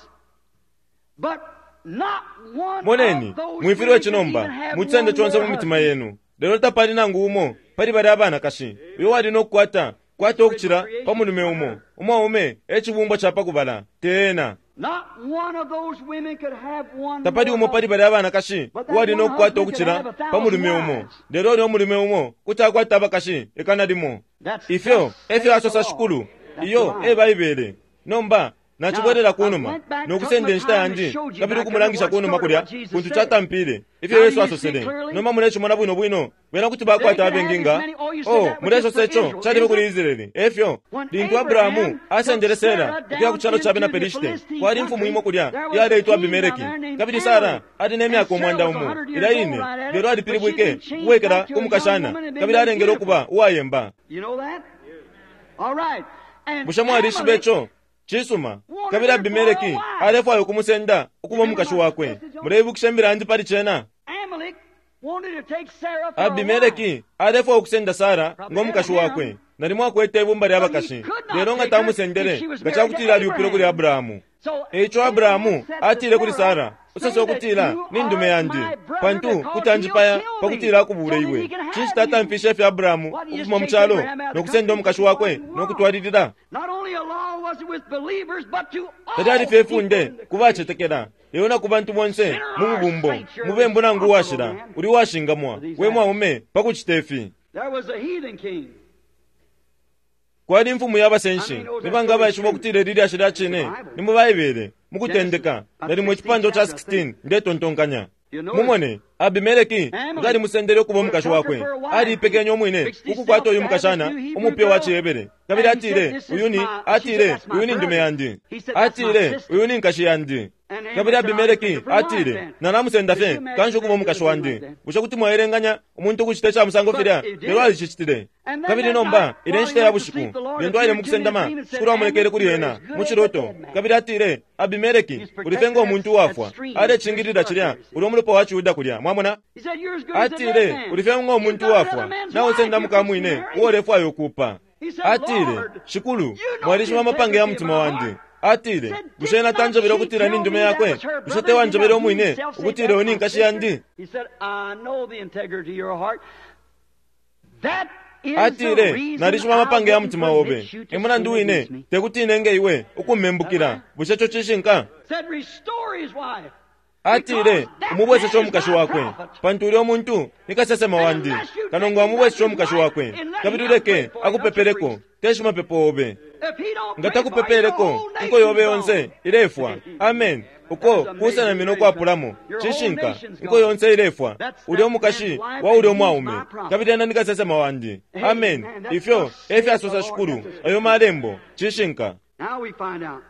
But not one Moneni, of those mwifilwe women ici nomba, could even have mucende one conse more mu mitima husband. yenu. Lelo tapali nangu umo pali bali abanakashi uyo wali nokukwata kwata ukucila pa mulume umo. Umwaume e cibumbwa ca pa kubala, te ena. Not one of those women could have one Tapali more umo pali husband. bali abanakashi uwali nokukwata ukucila pa mulume umo. Lelo ulya umulume umo kuti akwata abakashi ikana limo. Ifyo efyo asosa Shikulu, iyo e Baibele. Nomba nachibwelela kunuma nokusenda inshita yandi kabili ukumulangisha kunuma kulya kuntu chatampile ifyo Yesu asosele. Nomba mulechimona bwino bwino bena kuti bakwata abengi nga oh mulesosa ico chalibe kuli Israeli. Efyo lintu Abrahamu asendele Sara ukuya ku chalo cha bena Pelishite, kwali imfumu imo kulya iyaleitwa Abimeleki, kabili Sara ali ne myaka umwanda umo ila ine, lelo alipilibwike ukuwekela ku mukashana kabili alengele ukuba uwayemba. You know that? All right. And Bushe mwalishiba Amalek ico? Cisuma. Kabili Abimeleki alefwaya ukumusenda ukuba umukashi wakwe. Muleibukisha imbila yandi pali cena? Amalek wanted to take Sarah for a wife. Abimeleki alefwaya ukusenda Sara ngo mukashi wakwe. Nalimo akwete ibumba lya bakashi, lelo nga tamusendele nga cakutila alyupile kuli Abrahamu. So Eico Abrahamu atile kuli Sara, usose ukutila ni ndume yandi, pantu kuti anjipaya pakutila akubule iwe. Cinshi tatamfishe ifyo Abrahamu ukufuma mu calo nokusenda umukashi wakwe nokutwalilila? Not only a law was it with believers, but to all Talyali fye ifunde people in the ku bacetekela, lelo na ku bantu bonse mu bubumbo, mubembu nangu uwashila, uli uwashingamwa, we mwaume pa kucita ifi. There was a heathen king. Kwali imfumu y'abasenshi, nibanga abaishiba ukutila ili lyashi lya cine, ni mu Baibele, mu kutendeka, nalimo icipandwa ca sixteen ndetontonkanya. Mumone, Abimeleki nga alimusendele ukuba umukashi wakwe, aliipekenye umwine ukukwata uyu mukashana umupya wa Cihebere. Kabili atile, uyu ni, atile, uyu ni ndume yandi. Atile, uyu ni nkashi yandi. Kabili Abimeleki atile, nalamusenda fye kanshi ukuba umukashi wandi. Bushe kuti mwaelenganya umuntu ukucita ica musango filya? Lelo alicicitile. Kabili nomba ile nshita ya bushiku lintu aile mukusendama, Shikulu amulekele kuli ena mu ciloto. Kabili atile, Abimeleki, uli fye ngo muntu uwafwa. Alecingilila cilya uli umulopa wa Ciyuda kulya. Mwamona? He said, You're as good as a dead Atile, man. uli fye ngo You've muntu got uwafwa. another man's Nawe wife. usenda You're mukamwine fixing to marry. uo ulefwaya ukupa. Atile, Shikulu, mwalishiba amapange ya mutima wandi. Atile, bushe ena tanjebele ukutila ni ndume yakwe? Bushe tewanjebele umwine ukutila uyu ni nkashi yandi? He said, I know the integrity of your heart. That is the Atile, reason nalishiba amapange ya I mutima wouldn't obe. permit you to Emulandu sin wine, against me. tekuti inenge iwe ukumembukila. Bushe ico cishinka? Said, restore his wife. Atile, Because that umubweseshe man is umukashi my wakwe, prophet. pantu ulya umuntu ni kasesema wandi. Kanongo amubweseshe umukashi wakwe, kabili uleke akupepeleko, te shimapepo obe. If he don't Nga pray for you, the takupepeleko, whole inko yobe nation's yonse gone. ilefwa. Amen. Uko kusenamina ukwapulamo, cishinka, inko yonse ilefwa. Ulya umukashi wa ulya umwaume, kabili ena ni kasesema wandi. Amen. Ifyo efyasosa Shikulu, ayo malembo, cishinka. Now we find out.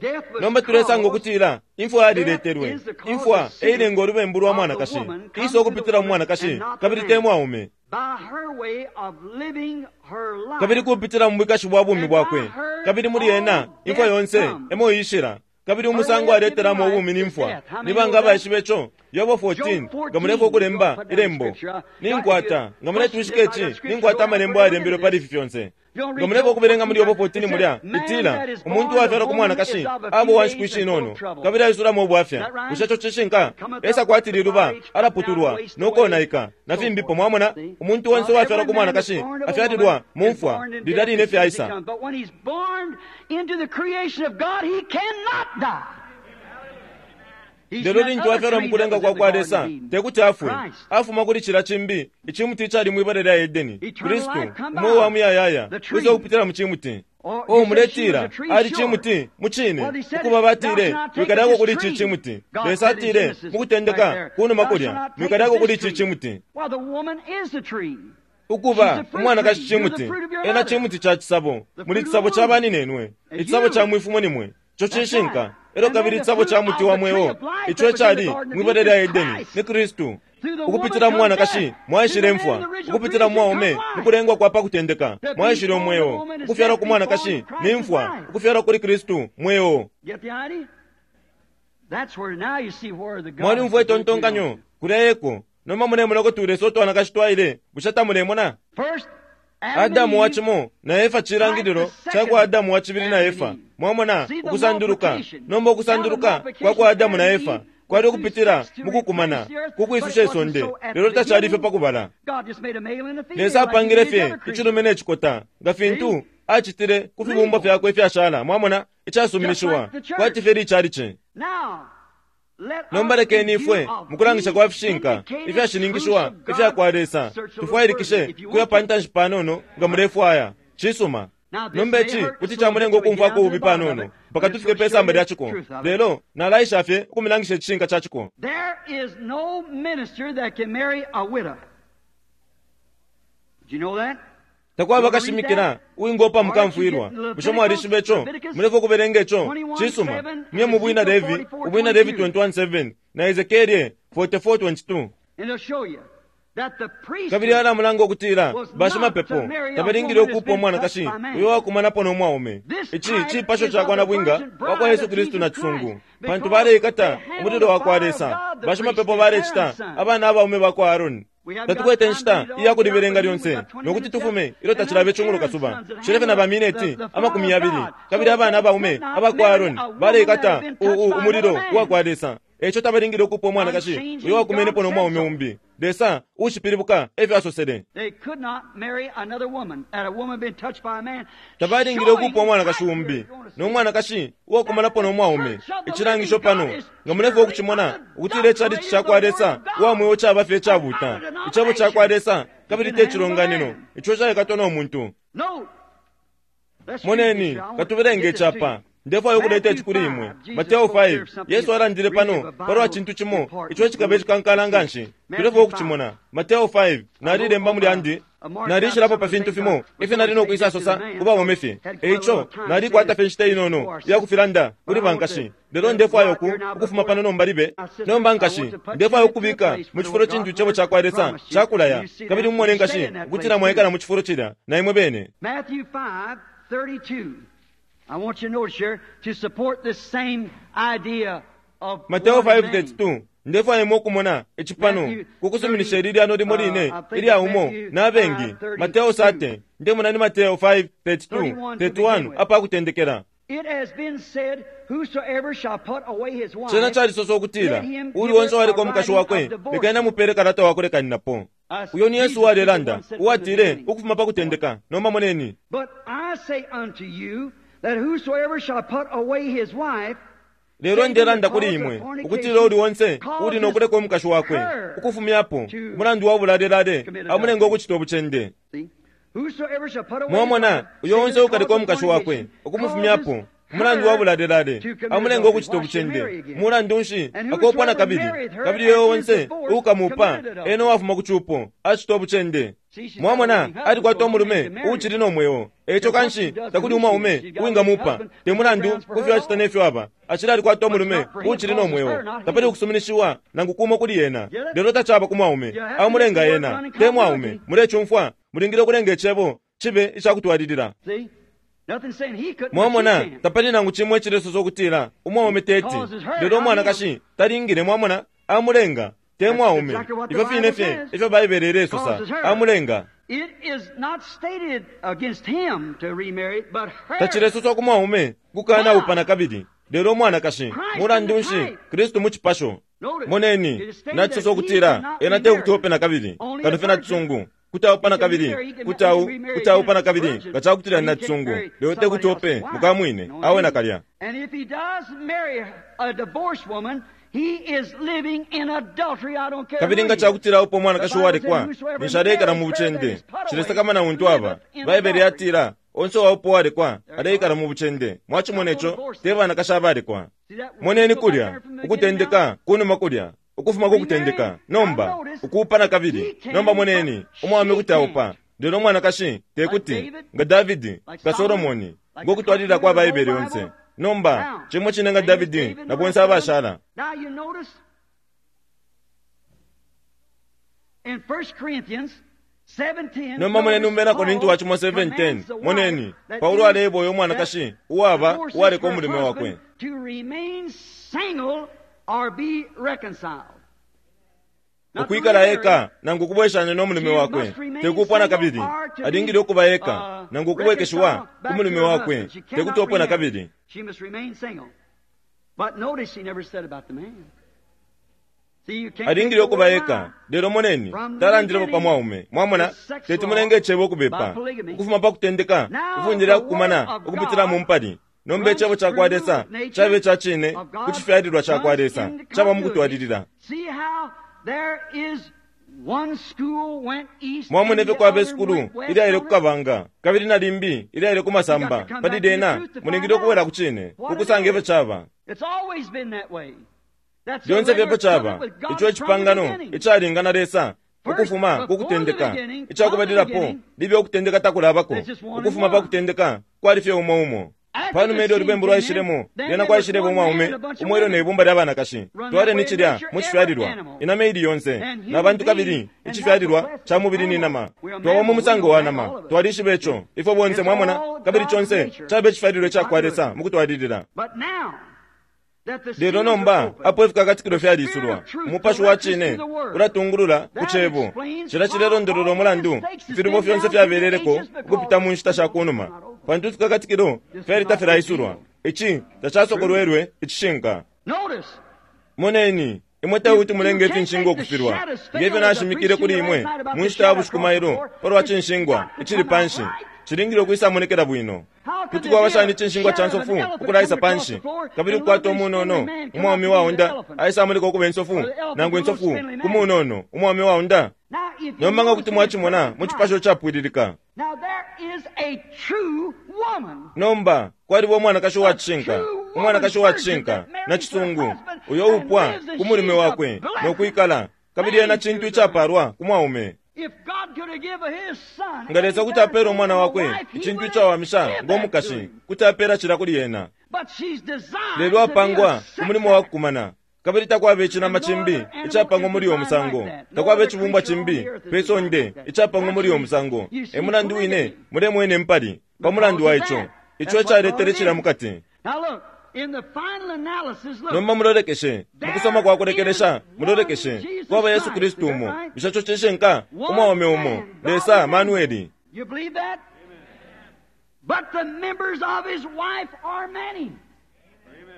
Death was Nomba tulesanga caused ukutila imfwa yaliletelwe. Imfwa eilenga olubembu lwa mwanakashi, isa ukupitila mu mwanakashi kabili te mwaume, by her way of living her life. kabili kupitila mu bwikashi bwa bumi bwakwe, kabili muli ena imfwa yonse emo iishila. Kabili umusango aletelamo ubumi ni mfwa. Nibanga abaishiba ico? Yobo fourteen, nga mulefwa ukulemba ilembo ninkwata, nga muletwishika ici, ninkwata amalembo ayalembelwe pali ifi fyonse. Nga mulefwa ukubelenga muli Yobo fourteen mulya, itila umuntu uwafyalwa ku mwanakashi aba uwa nshiku ishinono kabili aisulamo ubwafya. Bushe ico cishinka? Esa kwati liluba, alaputulwa nokonaika na fimbipo. Mwamona, umuntu onse uwafyalwa ku mwanakashi afyalilwa mu mfwa lilya line fye aisa. But when he's born into the creation of God, he cannot die. He's Lelo that lintu other afyalwa tree mu kulenga that kwa was kwa in the Lesa, Garden of Eden. tekuti afwe. Christ. Afuma kuli cila cimbi icimuti icali mwibala lya Edeni, Eternal Kristu life come umweo wa by. muyayaya The tree. wisa ukupitila mu cimuti. Or O you say she was muletila a tree, ali sure. cimuti mu cine, Well, they said, ukuba batile "Thou shalt not take mwikalyako of kuli this ici tree." cimuti. God Lesa said in atile Genesis, mu kutendeka right there, kunuma "Thou kulya shalt not take mwikalyako of kuli this ici tree." cimuti. Well, the woman is the tree. Ukuba She's the fruit umwanakashi tree. You're the cimuti, fruit of your ena mother. cimuti ca cisabo, The muli fruit cisabo of the ca womb. baninenwe, And icisabo you ca mwifumo nimwe, Ico cishinka. Elo kabili icabo ca muti wa mweo ico icali mwibala lya Edeni ni Kristu. Ukupitila mu mwanakashi mwaishile mfwa, ukupitila mu mwaume mukulengwa kwa pakutendeka mwaishile umweo. Ukufyalwa ku mwanakashi ni mfwa, ukufyalwa kuli Kristu mweo. Mwalimfwa itontonkanyo kulya eko. Nomba mulemona kuti ulesa utwanakashi twaile, bushe tamulemona? Adamu wa cimo na Efa cilangililo cakwa Adamu wa cibili na Efa. Mwamona ukusanduluka. Nomba ukusanduluka kwa kwa Adamu na Efa kwali ukupitila mukukumana kukwisusha isonde, lelo tacali fye pakubala. Lesa apangile fye icilume ne cikota nga fintu acitile ku fibumbwa fyakwe ifyashala. Mwamona icasuminishiwa kwati fye licalici. Nomba lekeni ifwe mukulangisha kwa fishinka ifyashininkishiwa ifya kwa Lesa tufwailikishe kuya pa ntanshi panono nga mulefwaya. Cisuma. Nomba ici kuti camulenga ukumfwako ububi panono mpaka tufike pe samba lya ciko, lelo nalaisha fye ukumilangisha icishinka ca ciko. There is no minister that can marry a widow. Do you know that? Takwaba kashimikila uwingopa mukamfwilwa. Bushe mwalishiba ico? Mulefwa ukubelenga ico. Cisuma. Mye mu Bwina Levi, Ubwina Levi twenty-one seven na Ezekiel forty-four twenty-two. And it'll show you that the priest Kabili alamulanga ukutila bashimapepo tabalingile ukupa umwanakashi uyo wakumanapo no mwaume. Ici cipasho ca kwa nabwinga wa kwa Yesu Kristu na cisungu, pantu baleikata umulilo wa kwa Lesa. Bashimapepo balecita abana abaume ba kwa Aaroni. Tatukwete nshita iya kulibelenga lyonse nokuti tufume ilyo tacilabe icungulo kasuba. Shelefe na bamineti amakumi yabili. Kabili abana abaume aba kwa Aaroni baleikata umulilo wa kwa Lesa. Eco tabalingile ukupa umwanakashi uyo wakumenepo no mwaume umbi. Lesa ushipilibuka efyo asosele. They could not marry another woman, and a woman been touched by a man. Tabalingile ukupa umwanakashi umbi no mwanakashi uwakumanapo no mwaume. Icilangisho pano nga mulefwa ukucimona ukutila icalici ca kwa Lesa uwa mweo caba fye icabuta, icebo ca kwa Lesa kabili te cilonganino ico caikatwa no muntu. No. Let's read Moneni this. I want to katubelenge get this to icapa. you. Ndefwayo ukuleta ici kuli imwe. Mateo five, Yesu alandile pano palwa cintu cimo ico cikaba icikankala nganshi. Tulefwa ukucimona. Mateo five, nalilemba muli andi, nalishilapo pa fintu fimo ifyo nali nokwisa sosa ku baume fye. Eico nalikwata fye nshita inono iya kufilanda kuli bankashi. Lelo ndefwayo uku ukufuma pano nomba libe. Nomba nkashi, ndefwayo ukubika mu cifulo cintu icebo ca kwa Lesa cakulaya. Kabili mumone nkashi ukutila mwaikala mu cifulo cilya na imwe bene. Matthew five thirty-two. I want you to notice here to support this same idea of Mateo one five man. thirty-two, ndefwayo imwe ukumona icipano kukusuminisha ili lyano limo line ilya umo na bengi. Mateo sate, ndemona ni Mateo five thirty-two, thirty-one apa kutendekela. It has been said, whosoever shall put away his wife, Cena calisosa ukutila uli onse uwaliko umukashi wakwe lekeni amupele kalata wakulekaninapo. Uyo ni Yesu uwalelanda uwatile ukufuma pa kutendeka. Nomba moneni. But I say unto you that whosoever shall put away his wife, Lelo ndelanda kuli imwe ukutila uli onse uli nokuleka umukashi wakwe ukufumyapo umulandu wa bulalelale amulenga ukucita ubucende. see, whosoever shall put away his Mwamona wife, uyo onse save the ukaleka cause of umukashi wakwe fornication, ukumufumyapo causes umulandu wa her bulalelale to commit amulenga adultery. ukucita Why should marry ubucende. again? Mulandu nshi And akopwa na whosoever kabili. married her Kabili uyo and is onse divorced ukamupa committed adultery. ena uwafuma ku cupo acita ubucende. See, she's got a Mwamona living husband, alikwata so umulume he can marry uucili no mweo. Eco kanshi takuli umwaume uwingamupa te mulandu kufyo acita nefyo aba. Acili alikwata umulume uucili no mweo. Tapali ukusuminishiwa nangu kumo kuli ena. Lelo tacaba ku mwaume amulenga ena te mwaume. Mulecumfwa mulingile ukulenga icebo cibe icakutwalilila. See? Nothing saying he couldn't, but she Mwamona can. tapali nangu cimwe icilesosa ukutila umwaume teti lelo umwanakashi talingile. Mwamona amulenga te mwaume. Ifyo fine fye ifyo Baibele ilesosa amulenga. It is not stated against him to remarry, but her. Tacilesoswa ku mwaume kukana upana kabili lelo umwanakashi. Mulandu nshi Kristu mu cipasho. Moneni nacisosa ukutila ena te kuti ope na kabili kano fye na cisungu kuti aupana kabili kuti au kuti aupana kabili nga cakutila ni na cisungu lelo te kuti ope mukamwine awe nakalya. And if he does marry a divorced woman, he is living in adultery. I don't care Kabili who nga he is. cakutila upo umwanakashi uwalekwa ninshi aleikala mu bucende. Cilesakamana untu aba. Baibele yatila onse uwaupo uwalekwa aleikala mu bucende. Mwacimona ico te banakashi abalekwa. See that? Moneni Go back kulya there from the beginning ukutendeka now. kunuma kulya ukufuma ku kutendeka. Nomba ukuupana kabili. Nomba moneni umwaume kuti aupa lelo umwanakashi te kuti, nga Davidi nga Solomoni ngokutwalilila kwa Baibele yonse. Nomba cimo cine nga Davidi na bonse abashala. Now you notice in First Corinthians seven ten, Nomba moneni umbena Korinti wa cimo seven ten. Moneni Paulo aleeba uyo mwanakashi uwaba uwaleka umulume wakwe to remain single or be reconciled. ukwikala eka nangu ukubweshanya no mulume wakwe, tekupwa na kabili. Alingile ukuba eka nangu ukubwekeshiwa ku mulume wakwe, tekuti opwe na kabili. She must remain single. But notice he never said about the man. See, you can't Alingile ukuba eka, lelo moneni talandilepo pa mwaume. Mwamona, teti mulenge icebo ukubepa. Ukufuma pa kutendeka, ifunde lya kukumana ukupitila mu mpali. Nomba icebo ca kwa Lesa cabe ca cine ku cifyalilwa ca kwa Lesa, caba mu kutwalilila. See how there is one school went east Mwamona and ifyo the kwaba other isukulu went west ilyaile on ku it? kabanga kabili na limbi ilyaile ku masamba. Pali lyena mulingile ukubwela ku cine ukusanga ifyo caba. It's always been that way. That's the Lyonse regular fyepo caba. covenant with God Ico from the icipangano beginning. icalingana Lesa ukufuma ku kutendeka. Icakubalilapo libe ukutendeka takulabako. Ukufuma pa kutendeka kwali fye umo umo. Panuma ilyo ulubembu lwaishilemo, lyena kwaishileba umwaume umo elyo ne bumba lya banakashi. Twaleni cilya mu cifyalilwa, inama ili yonse na bantu, kabili icifyalilwa ca mubili ni nama. Twaba mu musango wa nama, twalishiba ico ifwe bonse. Mwamona, kabili conse caba icifyalilwa ica kwa Lesa mu kutwalilila. But now that the Lelo seals are nomba open, apo ifikakatikilo fyalisulwa, umupashi wa cine ulatungulula ku cebo. Cila cilelondolola umulandu ifilubo fyonse fyabeleleko ukupita mu nshita sha kunuma, pantu ifikakatikilo fyali tafilaisulwa. Ici tacasokolwelwe icishinka. Notice, Moneni, imwe tekuti mulenge ifinshingwa ukufilwa, ngefyo nashimikile kuli imwe mu nshita ya bushiku mailo palwa cinshingwa icili panshi. Cilingile ukwisamonekela bwino. Kuti kwaba shani icinshingwa ca nsofu ukulaisa panshi, kabili ukukwata umunono umwaume waunda aisamoneka ukuba insofu, nangu insofu ku munono umwaume waunda? Now if you Nomba nga notice kuti in mwacimona the mu cipasho capwililika. Now there is a true woman. Nomba kwaliba umwanakashi uwa cishinka, umwanakashi uwa cishinka na cisungu, uyo upwa ku mulume wakwe no kwikala, kabili ena cintu icapalwa ku mwaume. If God could have given his son Nga Lesa kuti apela umwana wakwe icintu icawamisha ngo mukashi, kuti apela cila kuli ena. But she's designed Lelo to be a apangwa ku mulimo wa sex kukumana, kabili takwaba icinama cimbi icapangwa muli uyo musango, takwaba icibumbwa cimbi pe sonde icapangwa muli uyo musango. E mulandu wine mulemwene mpali pa mulandu wa ico. Ico ecaletele cila mukati. Now look, in the final analysis, look, Nomba mulolekeshe mukusoma kwa kulekelesha, mulolekeshe kwaba Yesu Kristu umo. Bushe ico cishinka? Umwaume umo, Lesa Manueli. You believe that? But the members of his wife are many.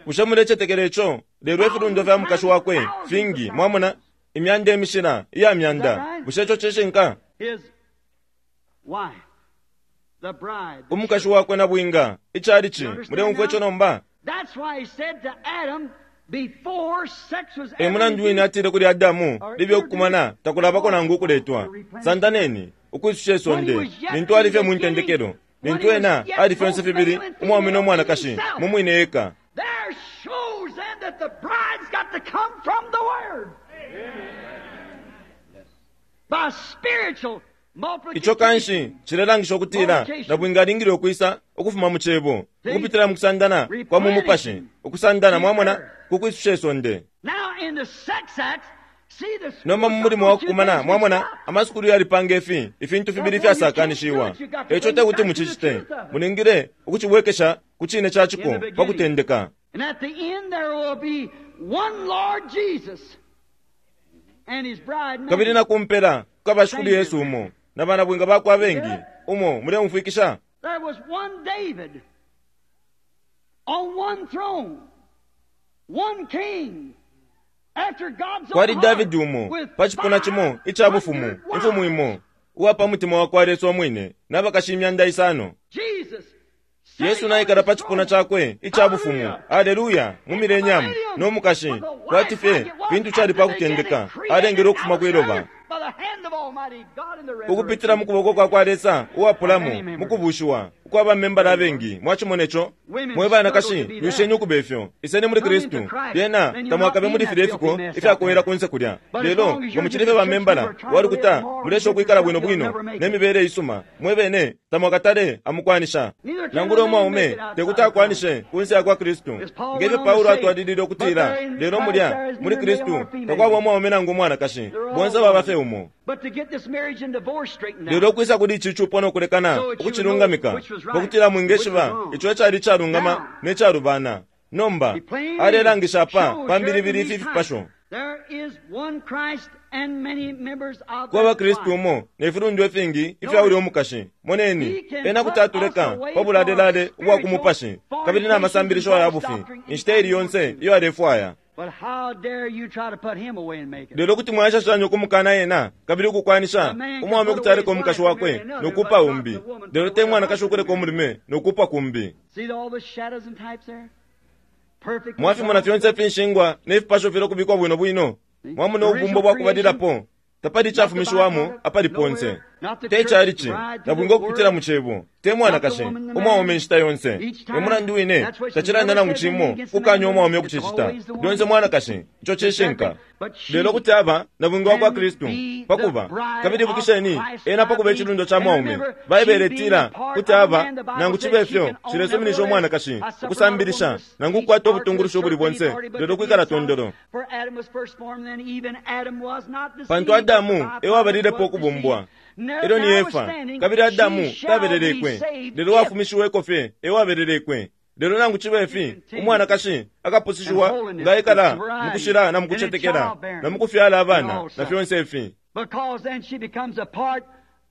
Bushe mulecetekela ico? Lelo ifilundo fya mukashi wakwe fingi. Mwamona, imyanda imishila iya myanda. Bushe ico cishinka? His wife, the bride. the Umukashi wakwe na bwinga, icalici. Muleumfwa ico nomba? That's why he said to Adam before sex was E ever mulandu wine atile kuli Adamu libe ukukumana takulabako nangu ukuletwa, sandaneni ukwisusha isonde, lintu ali fye mu ntendekelo, lintu ena ali fyonse fibili umwaume no mwanakashi mu mwine eka. There shows then that the bride's got to come from the Word. By spiritual Ico kanshi cilelangisha ukutila nabwinga alingile ukwisa ukufuma mu cebo ukupitila mu kusandana kwa mu mupashi, ukusandana, mwamona, ku kwisusha isonde. Now in the sex acts, see the Nomba mu mulimo wa kukumana, mwamona, amasukulu yalipanga ifi ifintu fibili fyasakanishiwa. Eco tekuti mucicite, mulingile ukucibwekesha ku cine ca ciko pa kutendeka. And at the end there will be one Lord Jesus and his bride. Mary. Kabili na kumpela kukaba Shikulu Yesu umo na banabwinga bakwe abengi umo. Muleumfwikisha? There was one David on one throne, one king. After God's own Kwali heart, Davidi umo with pa cipuna cimo ica bufumu, imfumu imo uwa pa mutima wa kwa Lesa umwine, n'abakashi imyanda isano. Jesus Yesu naikala pa cipuna cakwe ica bufumu, aleluya, mu milenyamu no mukashi, kwati fye fintu cali pa kutendeka, alengele ukufuma kwiloba by the hand of Almighty God in the ukupitila mu kuboko kwa kwa Lesa uwapulamo mu kubushiwa. ukwaba membala abengi. Mwachimone cho mwe banakashi lwisheni ukubefyo iseni muli Kristu lyena tamwakabe muli filya ifiko ifyakuwela kunse kulya. Lelo ngo muchilife ba membala walukuta mulesha ukwikala bwino bwino nemibele isuma mwebene tamwakatale amukwanisha nangula umwaume tekuti akwanishe kunse ya kwa Kristu ngefyo Paulo atwalilile ukutila lelo mulya muli Kristu takwaba umwaume nangu umwanakashi bonse baba fe umo. Lelo kwisa kuli ichi chupo nokulekana ukuchilungamika pakutila mwingeshiba icho echali chalungama nechalubana. Nomba alelangisha apa pambilibili ifi fipasho kwaba Kristu umo nefilundu efingi ifya uli omukashi. Moneni ena kuti atuleka pabulalelale ubwa kumupashi kabili n'amasambilisho aya bufi inshita ili yonse iyo alefwaya. Lelo kuti mwayashashanya ukumukana yena kabili ukukwanisha umwaume kuti aleka omukashi wakwe nokupa umbi, lelo te mwanakashi ukuleka omulume nokupa kumbi. Mwafimona fyonse finshingwa nefipasho file okubikwa bwino bwino. Mwamona obubumbo bwakubalilapo tapali ichafumishiwamo apali ponse te chalichi nabwinga okupitila mu chebo te mwanakashi umwaume inshita yonse. Emulandu wine tachilanda nangu chimo kukanya umwaume okuchichita lyonse mwanakashi icho chishinka. Lelo kuti aba nabwinga wa kwa Kristu pakuba kabili ibukisheni ena pakuba echilundo cha mwaume. Baibele itila kuti aba nangu chibe ifyo chilesuminisha umwanakashi ukusambilisha nangu kukwata obutungulushi obuli bonse lelo kwikala tondolo. Pantu Adamu ewabalilepo okubumbwa elyo ni Efa kabili Adamu tabelelekwe lelo wafumishiweko fye ewabelelekwe. Lelo nangu chibe ifi umwanakashi akapusishiwa nga ekala mukushila na mukuchetekela na mukufyala abana na fyonse ifi.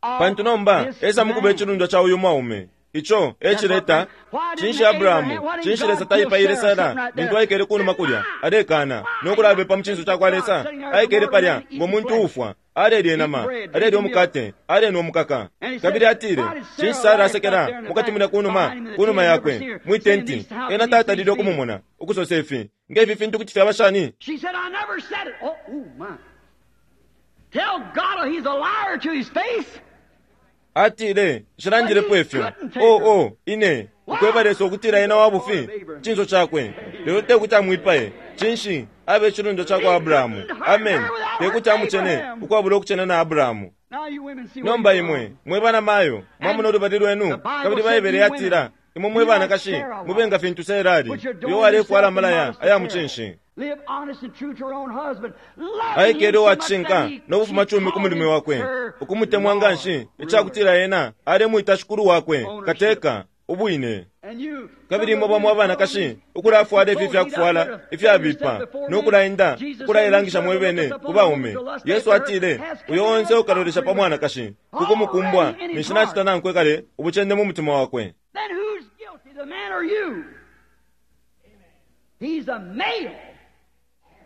Pantu nomba esa mukuba echilundwa cha uyu mwaume icho echileta chinshi Abrahamu chinshi Lesa taipaile Sara lintu aikele kunuma kulya alekana nokulabepa muchinso chakwa Lesa aikele palya ngomuntu ufwa alelya enama alelya omukate alenwa omukaka. Kabili atile chinshi Sara asekela mukati mulya kunuma kunuma yakwe mwitenti ena tatalile okumumona ukusosa ifi ngefi fintu kuti fyaba shani. Atile nshilandilepo ifyo o o ine ukweba Lesa ukutila ena wabufi chinso chakwe lelo tekuti amwipaye chinshi abe chilundo chakwa Abrahamu. Amen. Tekuti amuchene ukwabula okuchena na Abrahamu. Nomba imwe mwe bana mayo mwamuna olubali lwenu kabili Baibele yatila imwe mwe banakashi mubenga fintu Sera ali uyo alefwala amalaya aya muchinshi aikele owachishinka nobufuma chumi ku mulimi wakwe ukumutemwa nganshi ichakutila ena alemwita shikulu wakwe kateka ubwine. Kabili imwe bamwe abanakashi ukulafwala ifi ifyakufwala ifyabipa nokulaenda ukulailangisha mwebene ku baume. Yesu atile uyo onse ukalolesha pa mwanakashi kukumukumbwa ninshi nachita nankwe kale ubuchende mu mutima wakwe.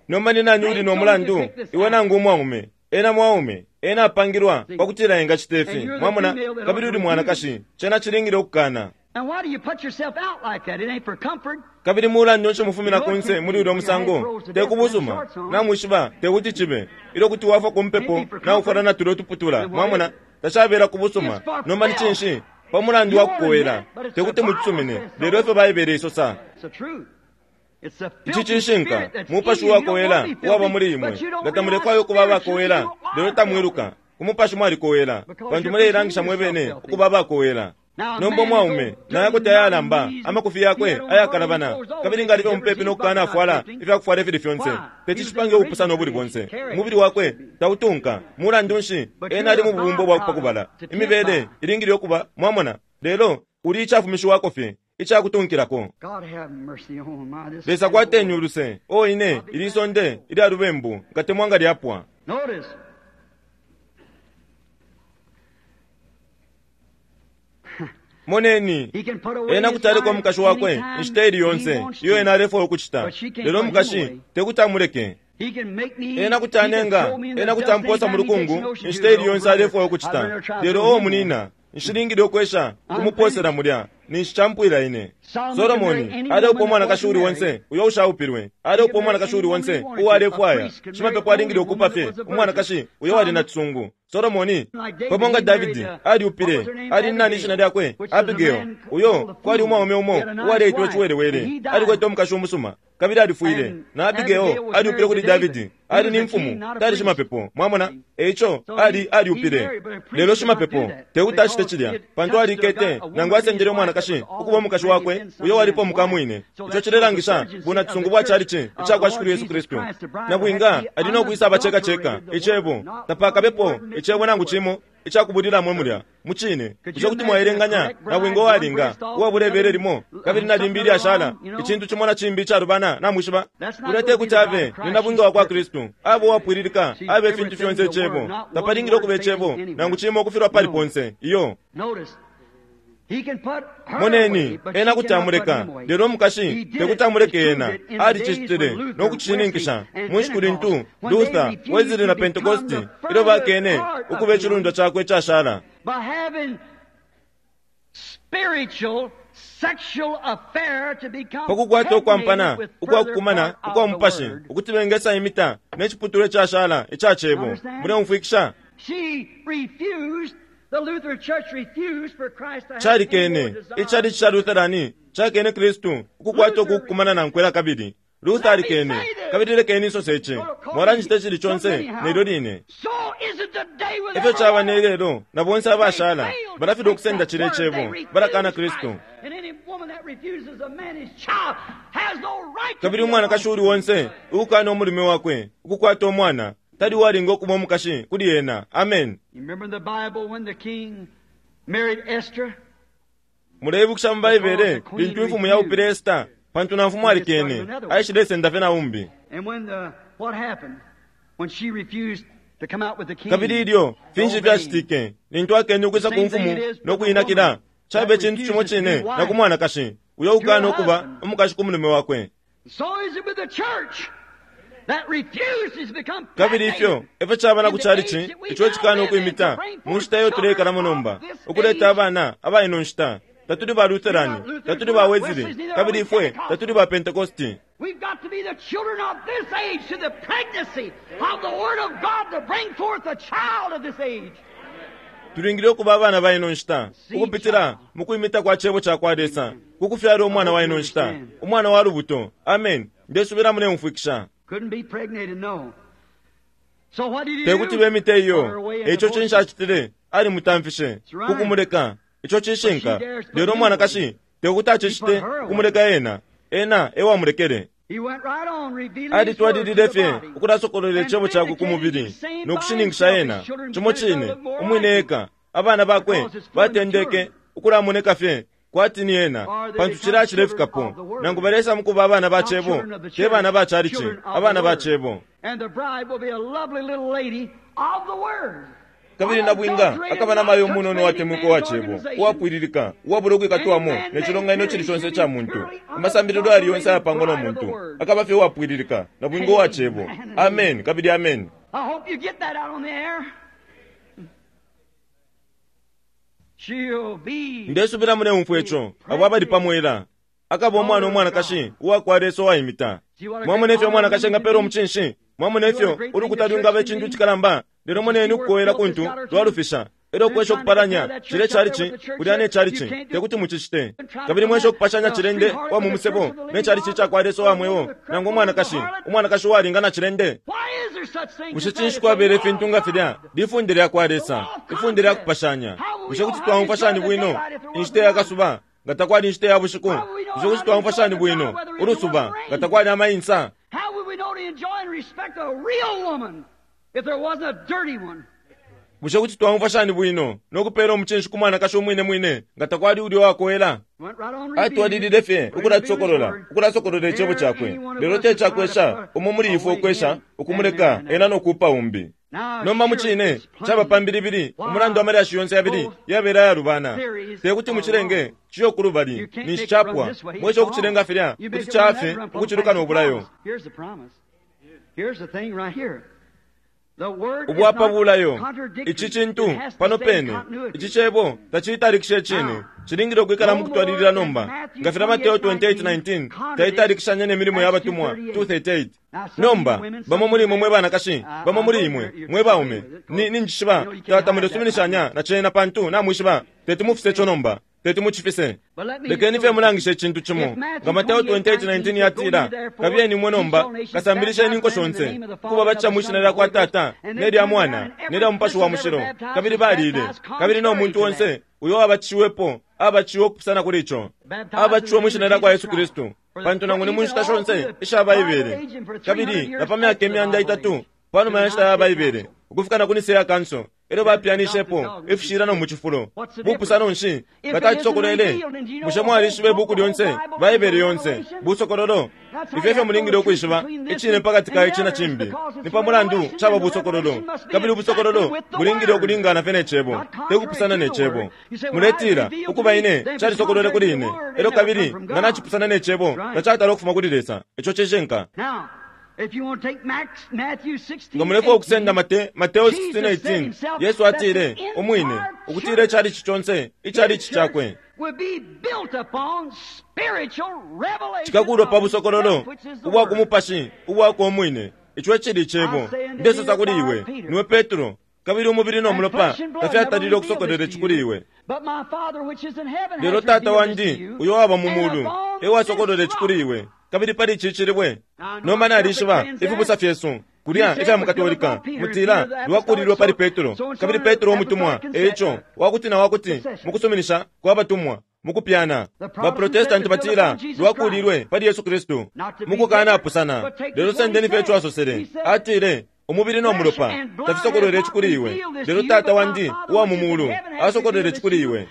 Nomba ni nani uli nomulandu iwe nangu umwaume? Ena mwaume ena apangilwa pakutila engachita ifi mwamona kabili uli mwanakashi chena chilingile okukana. Kabili mulandu nshi mufumina kunse muli ulya musango tekubusuma namwishiba tekuti chibe ilyo kuti wafwa kumpepo naufwala na tulo tuputula mwamona tachabela kubusuma. Nomba ni chinshi pamulandu wa kukowela tekuti muchisumine lelo ifyo Baibele isosa. Ichi chishinka mupashi wakowela uwaba muli imwe nga tamulekwayo okuba abakowela lelo tamwiluka kumupashi mwalikowela pantu muleilangisha mwebene okuba abakowela. Nomba omwaume naye kuti ayalamba amakufi yakwe ayakalabana kabili nga alife mupepi nokukana afwala ifyakufwala ifili fyonse techichipange ubupusano obuli bonse umubili wakwe tautunka. Mulandu nshi ena ali mu bubumbo bwakupakubala imibele ilingile okuba mwamona lelo uli ichafumishiwako fye ichakutunkilako. Lesa kwateni uluse o ine ili sonde ilya lubembu ngatemwa nga lyapwa. Moneni ena kuti aleka omukashi wakwe inshita ili yonse iyo ena alefwaya okuchita lelo omukashi tekuti amuleke. Ena kuti anenga ena kuti amposa mu lukungu inshita ili yonse alefwaya okuchita lelo o munina nshilingile okwesha kumuposera mulya ninshi champwila ine. Solomoni aleupa omwanakashi uli wonse uyo ushaupilwe aleupa omwanakashi uli wonse uwalefwaya shimapepo alingile okupa fye umwanakashi uyo wali na chisungu. Solomoni pamo nga Davidi aliupile, ali nani ishina lyakwe? Abigail. Uyo kwali umwaume umo uwaleitwa iciwelewele, alikwete umukashi umusuma kabili alifwile. Na Abigail aliupile kuli Davidi, ali ni mfumu, tali shimapepo. Mwamona? Eico ali aliupile, lelo shimapepo tekuti acite cilya, pantu alikete nangu asendele umwanakashi ukuba umukashi wakwe uyo walipo mukamwine. Ico cilelangisha bunatusungu bwa chalichi icakwa Shikulu Yesu Kristu. Nabwinga ali no kwisa abaceka ceka icebo, tapakabepo icebo nangu cimo icakubulilamo mulya mucine. Ico kuti mwaelenganya nabwinga uwalinga uwabulebele limo kabili nalimbi ilyashala icintu cimo na cimbi icalubana, namwishiba kulya tekuti abe ni nabwinga wakwa Kristu, abe uwapwililika, abe ifintu fyonse icebo. Tapalingile ukuba icebo nangu cimo ukufilwa pali ponse iyo. Moneni, ena kuti amuleka, lelo umukashi tekuti amuleke ena. Alicicitile no kucishininkisha mu nshiku lintu Luther, Wesley na Pentecosti ilyo bakene ukuba icilundwa cakwe icashala. Pakukwata ukwampana ukwakukumana ukwa mupashi ukuti bengesa imita ne ciputulwa icashala ica cebo. Muleumfwikisha? Calikene icalichi ca Lutherani cakene Kristu ukukwata ukukumana nankwe kabili. Luther alikene, kabili lekeni insose ici, mwalanjita icili conse nelyo line. Efyo caba ne lelo na bonse abashala balafilwa ukusenda cile cebo, balakana Kristu. Kabili umwanakashi uli onse ukukana umulume wakwe ukukwata umwana tali walinga ukuba umukashi kuli ena. Amen. Muleibukisha mu Baibele lintu imfumu yaupile Esta, pantu na mfumu alikene, aishilesenda fye na umbi. Kabili ilyo finshi fyacitike lintu akene ukwisa ku mfumu no kuyinakila, cabe icintu cimo cine na ku mwanakashi uyo ukana ukuba umukashi ku mulume wakwe. Kabili ifyo efyo caba na ku chalichi ico cikana ukwimita mu nshita iyo tuleikalamo nomba, ukuleta abana aba ino nshita. Tatuli ba Lutherani, tatuli ba Wesley, kabili ifwe tatuli ba Pentecosti. We've got to be the children of this age to the pregnancy of the Word of God to bring forth a child of this age. Tulingile ukuba abana ba ino nshita ukupitila mu kwimita kwa cebo ca kwa Lesa kukufyala umwana wa ino nshita, umwana wa lubuto. Amen. Ndesubila muleumfwikisha. Tekuti bemite iyo. Eico cinshi acitile? Alimutamfishe kukumuleka. Ico cishinka. Lelo umwanakashi tekuti acicite kumuleka ena. Ena ewamulekele. Alitwalilile fye ukulasokolola icebo cakwe ku mubili no kushininkisha ena cimo cine umwine eka. Abana bakwe batendeke ukulamoneka fye kwati ni ena, pantu cila cilefikapo. Nangu balesa mukuba abana ba cebo, te bana ba chalichi, abana ba cebo. Kabili nabwinga akaba namayo umunono watemwiko wa cebo, uwapwililika, uwabula ukwikatwamo ne cilonganino cili conse ca muntu. Amasambililo ali yonse ayapangwa no muntu, akaba fye uwapwililika, nabwinga uwa cebo. Amen kabili amen. Ndesubila muleumfwa ico abo abali pamwela. Akaba umwana umwanakashi uwakwa Lesa uwaimita. Mwamona ifyo umwanakashi engapela umucinshi? Mwamona ifyo ulukuta lwingaba icintu icikalamba? Lelo moneni ukukowela kuntu lwalufisha. Elyo kwesha ukupalanya cile chalichi kulya ne chalichi tekuti mucicite. Kabili mwesha ukupashanya cilende wa mu musebo ne chalichi icakwa Lesa wa mweo, nangu umwanakashi umwanakashi uwalinga na cilende. Bushe cinshi kwabela ifintu nga filya? Lifunde lyakwa Lesa, ifunde lya kupashanya. Bushe kuti twaumfwa shani bwino inshita ya kasuba nga takwali inshita ya bushiku? Bushe kuti twaumfwa shani bwino ulusuba nga takwali amainsa? Bushe kuti twaumfwa shani bwino no kupela umucinshi ku mwanakashi umwine mwine nga takwali ulya uwakoela? Atwalilile fye ukulatusokolola, ukulasokolola icebo cakwe. Lelo te cakwesha umo muli ifwe ukwesha ukumuleka ena no kuupa umbi. Nomba mucine caba pambilibili umulandu wa malyashi yonse yabili yabela ayalubana. Tekuti mucilenge ciyo kulubali ninshi capwa. Mwesha ukucilenga filya kuti cafe ukuciluka no bulayo. Ubwapa bulayo ici cintu pano pene ici cebo tacitalikisha cine cilingile ukwikala mu kutwalilila nomba nga fila Mateo twenty-eight nineteen taitalikishanya ne milimo ya batumwa two thirty-eight. Nomba bamo muli imwe mwe banakashi, bamo muli imwe mwe baume, ni ninjishiba tatamulesuminishanya na cena pantu namwishiba teti mufise ico nomba teti mucifise. Lekeni fye mulangishe icintu cimo nga Mateo twenty-eight nineteen yatila kabiyeni imwe nomba kasambilisheni inko shonse kuba bacha mwishina lya kwa Tata ne lya Mwana ne lya Mupashi wa Mushilo kabili balile kabili no muntu wonse uyo abachiwepo abachiwe okupusana kuli ico abachiwe mwishina lya kwa Yesu Kristu pantu nangu ni munshita shonse isha Baibele kabili na pa myaka imyanda itatu panuma ya nshita ya Baibele ukufika na ku Nicaea Council elyo bapyanishepo ifishilano mu cifulo bupusano nshi batacisokolele mushe mwalishiba ibuku lyonse Baibele yonse busokololo ifyo ifyo mulingile ukwishiba icine pakati ka ici na cimbi ni pa mulandu caba busokololo kabili ubusokololo bulingile ukulingana fye ne cebo tekupusana ne cebo muletila ukuba ine calisokolole kuli ine elyo kabili nga nacipusana ne cebo tacatala ukufuma kuli Lesa ico cishinka. Nga mulefwa ukusenda Mate, Mateo sixteen eighteen Yesu atile umwine ukutila icalici conse icalici cakwe cikakulwa pa busokololo ubwa kumupashi ubwakwe umwine ico ecili icebo ndesosa kuli iwe niwe Petro kabili umubili no mulopa tafyatalile ukusokolera ici kuli iwe lelo Tata wandi uyo waba mu mulu ewasokolera ici kuli iwe kabili pali ici cilibwe nomba nalishiba ifibusa fyesu kulya ifya mukatolika mutila lwakulilwe pali Petro kabili Petro umutumwa eico wakuti na wakuti mukusuminisha kwa batumwa mukupyana baprotestanti batila lwakulilwe pali Yesu Kristu mukukanapusana lelo sendeni fye ico asosele atile umubili no mulopa tafisokolele ici kuli iwe lelo Tata wandi uwa mu mulu asokolele ici kuli iwe.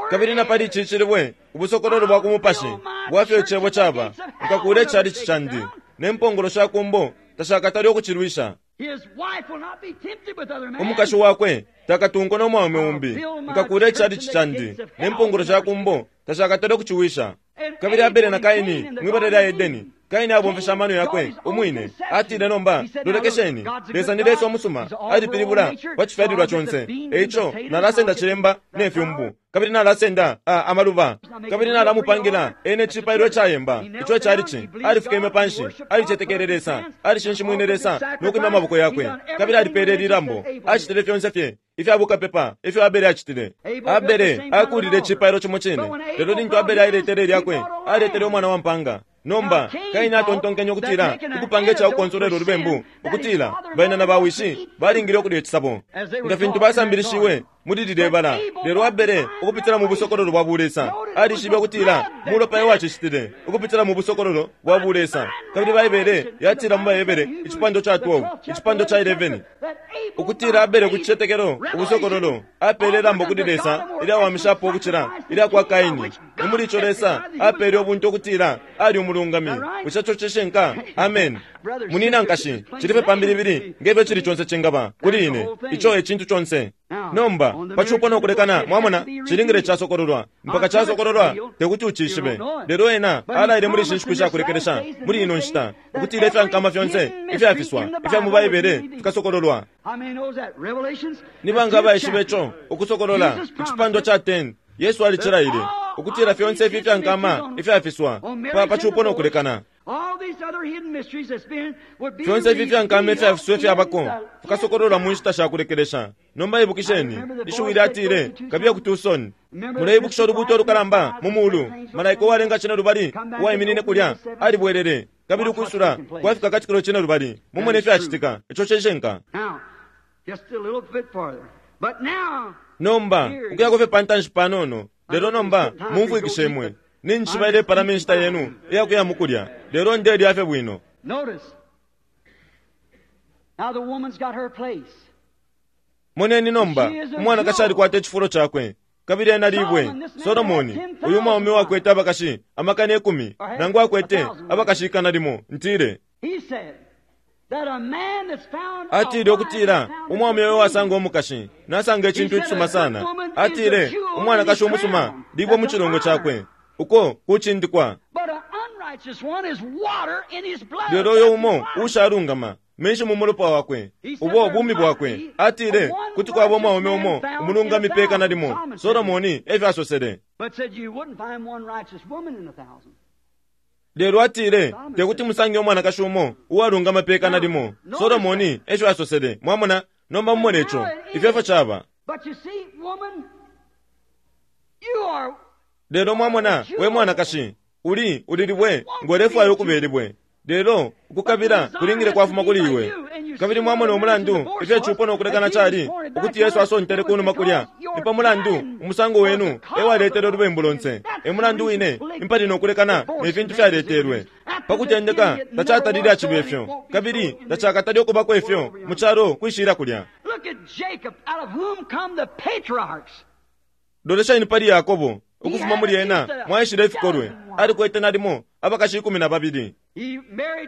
Kabili na pali ici cilibwe ubusokololo bwa kumupashi bwafyo icebo caba nkakula icalici candi ne mpongolo sha kumbo tashakatali ukucilwisha. Umukashi wakwe takatunko no mwaume umbi nkakula icalici candi ne mpongolo sha kumbo tashakatali ukuciwisha. Kabili Abele na Kaini mwibala lya Edeni Kaini abomfesha amano yakwe umwine atile nomba lolekesheni Lesa ni Lesa omusuma alipilibula pa cifyalilwa conse eico nalasenda cilemba ne fyumbu kabili nalasenda amaluba kabili nalamupangila ene cipailo icayemba ico icalici alifikeme panshi alicetekele Lesa alishinshimwine Lesa nokwimya amaboko yakwe kabili alipele lilambo acitile fyonse fye ifya bukapepa ifyo Abele acitile. Abele akulile icipailo cimo cine lelo lintu Abele ailetele lyakwe aletele umwana wa mpanga. Nomba Kaini atontonkenye ukutila ukupanga icakukonsolera ulubembu ukutila baina na bawishi balingile ukulya icisabo nga fintu basambilishiwe muli lilye bala lelo Abele ukupitila mu busokololo bwa bulesa alishibe ukutila mulopa ewacicitile ukupitila mu busokololo bwa bulesa kabili Baibele yatila mu Baebele icipando ca twelve icipando ca eleven ukutila Abele ku cicetekelo ubusokololo apele ilambo kuli Lesa ilyawamishapo ukucila ilya kwa Kaini ni muli ico Lesa apele ubuntu ukutila ali umulungami bushe ico cishinka. Amen. Munina nkashi cilife pambilibili ngefyo cili conse cingaba kuli ine ico ecintu conse. Nomba pacupo nokulekana mwamona cilingile casokololwa mpaka casokololwa tekuti ucishibe lelo ena alaile muli ishi nshiku shakulekelesha muli ino nshita ukutila ifyankama fyonse ifyafiswa ifya mu Baibele fikasokololwa. Ni banga abaishiba ico ukusokolola icipandwa ca ten Yesu alicilaile ukutila fyonse ifi ifyankama ifyafiswa pa pacupo nokulekana fyonse ifi ifyankama ifyafiswa ifyabako fikasokololwa mu nshita shakulekelesha. Nomba ibukisheni ishiwi lyatile kabiye ku Tucson muleibukisha ulubuto olukalamba mu mulu malaika uwalenga cine lubali uwaiminine kulya alibwelele kabili ukwisula kwafika katikilo cine lubali mumone ifyacitika ico cishinka. Nomba ukuyako fye pantanshi panono lelo nomba mumfwikishe imwe ninjishiba ilepalama inshita yenu iyakuya mukulya lelo ndelya fye bwino. Moneni nomba umwanakashi alikwata icifulo cakwe kabili ena libwe Solomoni uyu mwaume wakwete abakashi amakana ikumi nangu akwete abakashi ikana limo ntile atile ukutila umwaume uyo wasanga umukashi nasanga icintu icisuma sana atile umwanakashi umusuma libwe mu cilongo cakwe Uko kuchindikwa. Lelo uyo umo ushalungama menshi mu mulopa wakwe, ubo bumi bwakwe. Atile kuti kwaba umwaume umo umulungami peka nalimo. Solomoni efyo asosele. Lelo atile tekuti musange umwanakashi umo uwalungama peka nalimo. Solomoni efyo asosele. Mwamona, nomba mumone ico ifyo efyo caba. Lelo mwamona, we mwanakashi uli ulilibwe ngolefwayo ukubelibwe. Lelo ukukabila kulingile kwafuma kuli iwe. Kabili mwamona umulandu ifyo chupo nokulekana chali ukuti Yesu asontele kunuma kulya. Nipa mulandu umusango wenu ewaletele ulubembu lonse. Emulandu wine impali nokulekana nefintu fyaletelwe. Pakutendeka tachatalile achibe ifyo, kabili tachakatali okubako ifyo muchalo kwishira kulya. Loleshani pali Yakobo ukufuma muli ena mwaishile ifikolwe. Alikwete nalimo abakashi ikumi na babili.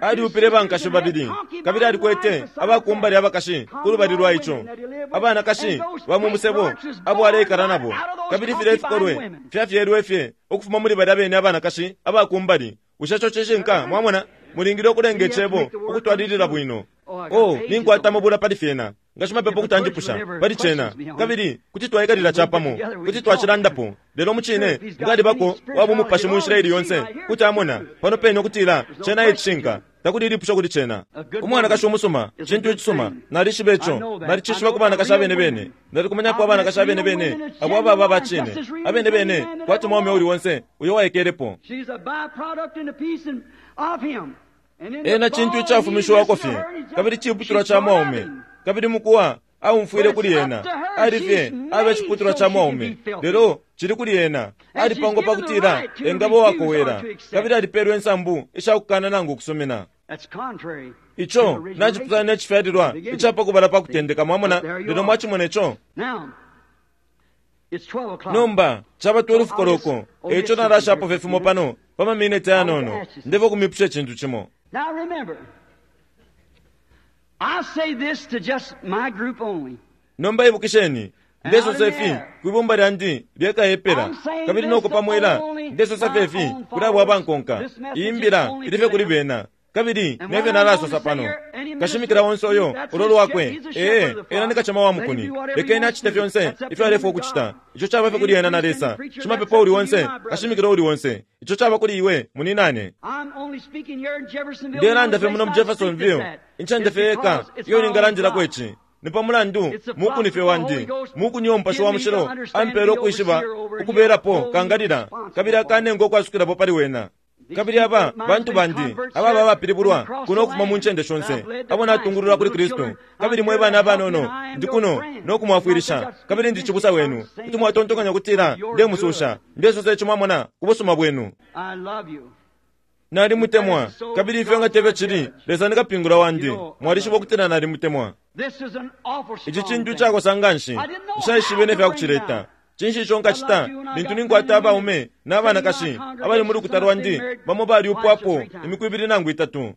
Aliupile bankashi babili, kabili alikwete abakumbali abakashi kulubali lwa icho, abanakashi ba musebo abo aleikala nabo. Kabili file ifikolwe fyafyelwe fye ukufuma muli balya bene abanakashi abakumbali. Ushacho chishinka mwamona mulingile okulenga icebo ukutwalilila bwino. Oh, ninkwata mabula pali fyena ngashimapepo kutandipusha pali chena, kabili kuti twaikalila chapamo, kuti twachilandapo. Lelo muchine ngali bako wabu mupashi mu nshila ili yonse kuti amona pano pene okutila chena ichishinka takuli ilipusha kuli chena. Umwanakashi umusuma chintu ichisuma, nalishiba icho, nalichishiba ku banakashi abene bene, nalikumanyapo abanakashi abene bene abo ababa bachine abene bene kwati mwaume uli wonse uyo waikelepo. Ena chintu ichafumishiwako fye, kabili chiputulwa cha mwaume, kabili mukuwa aumfwile kuli ena ali fye abe chiputulwa cha mwaume. Lelo chili kuli ena alipangwa pakutila engabo wakowera, kabili alipelwe ensambu ishakukana nangu kusumina. Icho nachiputana nechifyalilwa ichapakubala pakutendeka. Mwamona, lelo mwachimona icho. Nomba chaba twelve koloko, echo nalashapo fefimo pano pamamineti anono ndevo kumipusha echintu chimo. Now remember, I say this to just my group only. Nomba ibukisheni ndesosa ifi kwibumba lyandi lyekayepela, kabili nokupamwela ndesosa fefi kuli abo abankonka. Iyi mbila ilife kuli bena, kabili nefyo nalasosa pano. Kashimikila wonse oyo ulo lwakwe, ee ena ni kachama wa mukuni, lekeni achite fyonse ifyo alefwa okuchita. Icho chaba fye kuli ena na Lesa. Chimapepo uli wonse, kashimikila uli wonse, icho chaba kuli iwe muninane. Ndelanda fye muno mu Jeffersonville, inchende fye eka iyo ningalandilako ichi. Nipa mulandu mukuni fye wandi, mukuni omupashi wa mushilo ampele okwishiba ukuberapo kangalila, kabili akanenga okwasukilapo pali wena. Kabili aba bantu bandi ababa bapilibulwa kuno okufuma mu ncende shonse abo natungulula kuli Kristu. Kabili mwe bana abanono ndi kuno nokumwafwilisha, kabili ndi chibusa wenu. Kuti mwatontonkanya kutila ndemususha, ndesosa icho mwamona ku busuma bwenu. Nalimutemwa, kabili ifyo nga tebe chili Lesa nikapingula wandi. Mwalishiba okutila nalimutemwa. Ichi chintu chakosa nganshi nshaishibe nefya kuchileta. Chinshi icho nkachita lintu ninkwata abaume n'abanakashi abali mu lukuta lwandi bamo baliupwapo imiku ibili nangu itatu.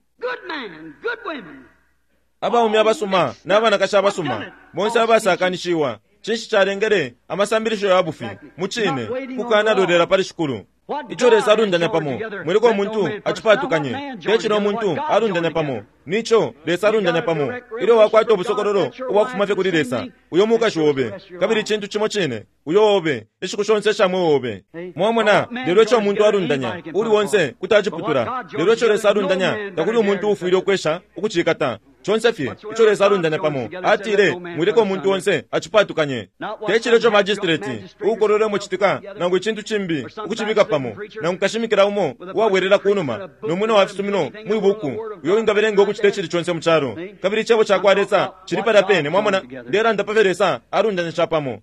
Abaume abasuma n'abanakashi abasuma bonse abasakanishiwa. Chinshi chalengele amasambilisho ya bufi muchine kukanalolela pali shikulu. Icho Lesa alundanya pamo mwiliko omuntu achipatukanye, techino omuntu alundanya pamo nicho Lesa alundanya pamo. Ilyo wakwata obusokololo obwakufuma fye kuli Lesa, uyo mukashi wobe, kabili chintu chimo chine uyo wobe ishiku shonse shamwe wobe. Mwamona, lelo icho omuntu alundanya uli wonse kuti achiputura. Lelo icho Lesa alundanya takuli omuntu ufwile okwesha ukuchikata. Chonse fye icho Lesa alundanya pamo atile mwileko omuntu wonse achipatukanye. Techile icho magistrate ukolole muchitika nangu ichintu chimbi ukuchibika pamo, nangu kashimikila umo uwabwerera kunuma nomwina wa fisumino mwibuku uyo wingabelenga okuchita echili chonse muchalo. Kabili ichebo chakwa Lesa chili palya pene. Mwamona, ndelanda pafye Lesa alundanya chapamo.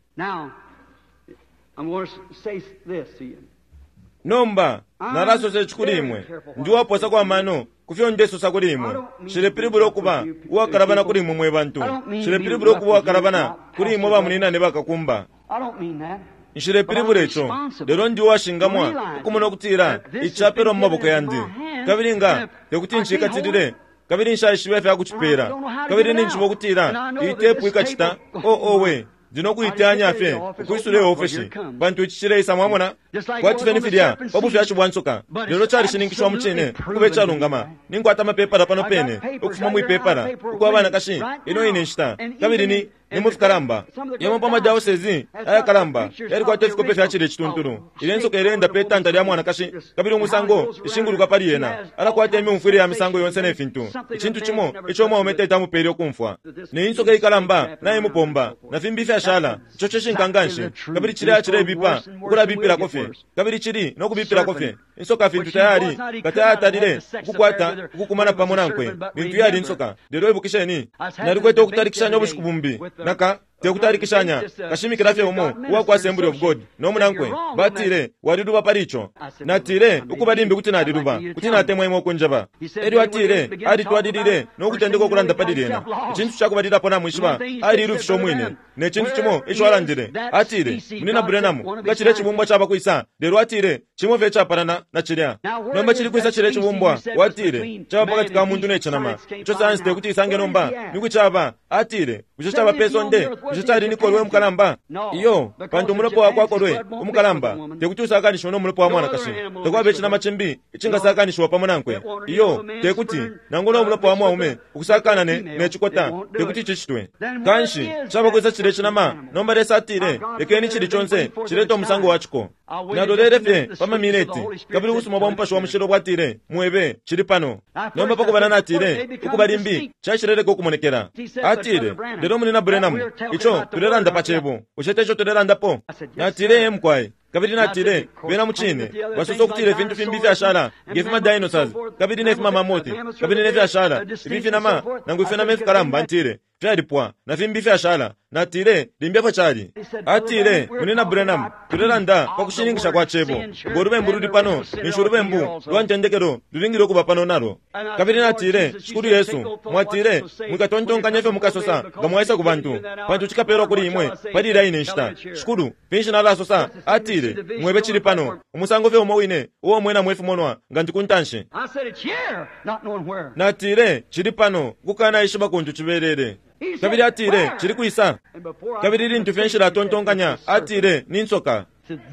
Nomba nalasosa ichi kuli imwe, ndi waposa kwa mano kufyo ndesosa kuli imwe. Shilepilibula okuba uwakalabana kuli imwe mwe bantu, shilepilibula okuba uwakalabana kuli imwe bamuninane bakakumba. Nshilepilibula icho, lelo ndi uwashingamwa ukumona okutila ichapelwa mu maboko yandi, kabili nga tekuti nchikatilile, kabili nshaishiba ifya kuchipela, kabili ninjiba okutila iyi tepu ikachita. Oh, owe, Ndi nokuiteyanya fye ukwisula iofeshi pantu ici cileisa, mwamona, kwati fye ni filya pa bufyashi bwa nsoka, lelo calishininkishiwa mucine ukuba icalungama. Ninkwata amapepala pano pene ukufuma mwipepala ukwa banakashi ino ine nshita, kabili ni ni mu fikalamba yamo pa madiocese ayakalamba yalikwata ifikope fya cile cituntulu. Ile nsoka ileenda pe tanta lya mwanakashi, kabili umusango ishinguluka pali yena, alakwata imyumfwile ya misango yonse ne fintu, icintu cimo ico umwaume tete amupele ukumfwa. Ne insoka ikalamba naimupomba na fimbi ifyashala. Ico cishinka nganshi, kabili cilya cilebipa ukulabipilako fye, kabili cili no kubipilako fye. Insoka fintu tayali nga tayatalile ukukwata ukukumana pamo nankwe lintu yali insoka. Lelo ibukisheni, nalikwete ukutalikishanya ubushiku bumbi naka tekutalikishanya kashimikila fye umo uwa kwa Assembly of God no munankwe, batile waliluba pali ico. Natile ukuba limbi kuti naliluba, kuti natemwa imwe ukunjeba. Elyo atile alitwalilile no kutendeka ukulanda pali lyena. Icintu cakubalilapo namwishiba, alilufisha umwine ne cintu cimo ico alandile. Atile, Munina Branham, nga cilya cibumbwa caba kwisa? Lelo atile cimo fye capalana na cilya. Nomba cili kwisa cilya cibumbwa? Watile caba pakati ka muntu ne cinama, ico sayansi tekuti isange nomba ni caba. Atile bushe caba pe sonde? Bushe cali ni kolwe umukalamba? Iyo, pantu umulopa wakwa kolwe umukalamba tekuti usakanishiwe no mulopa wa mwanakashi. Takwaba icinama cimbi icingasakanishiwa pamo nankwe. Iyo, tekuti nangu no mulopa wa mwaume ukusakana ne ne cikota, tekuti cicitwe. Kanshi caba kwisa cilya cinama? Nomba Lesa atile lekeni cili conse cilete umusango wa ciko. Nalolele fye pa mamineti, kabili ubusuma bwa Mupashi wa Mushilo bwatile mwebe cili pano. Nomba pakubala natile ukuba limbi caishileleka ukumonekela. Atile lelo Munina Branham, ico tulelanda pa cebo, bushe teco tulelandapo? Natile ye mukwai. Kabili natile bena mucine basosa ukutila ifintu fimbi ifyashala nge dinosaurs kabili ne fimamamoti kabili ne fyashala ifi finama nangu ifinama ifikalamba, ntile fyalipwa na fimbi ifyashala. Natile limbi efyo cali. Atile Munina Branham, tulelanda pa kushininkisha kwa cebo, ngo lubembu luli pano ninshi ulubembu lwa ntendekelo lulingile ukuba pano nalo. Kabili natile Shikulu Yesu, mwatile mwikatontonkanya ifyo mukasosa nga mwaisa ku bantu, pantu cikapelwa kuli imwe pali ilya ine nshita. Shikulu, finshi nalasosa? Atile mwebe cili pano, umusango fye umo wine uo mwena mwefimonwa nga ndi ku ntanshi. Natile cili pano, kukanaishiba kuntu cibelele. Kabili atile cili kwisa? Kabili lintu fye nshilatontonkanya, atile ni nsoka.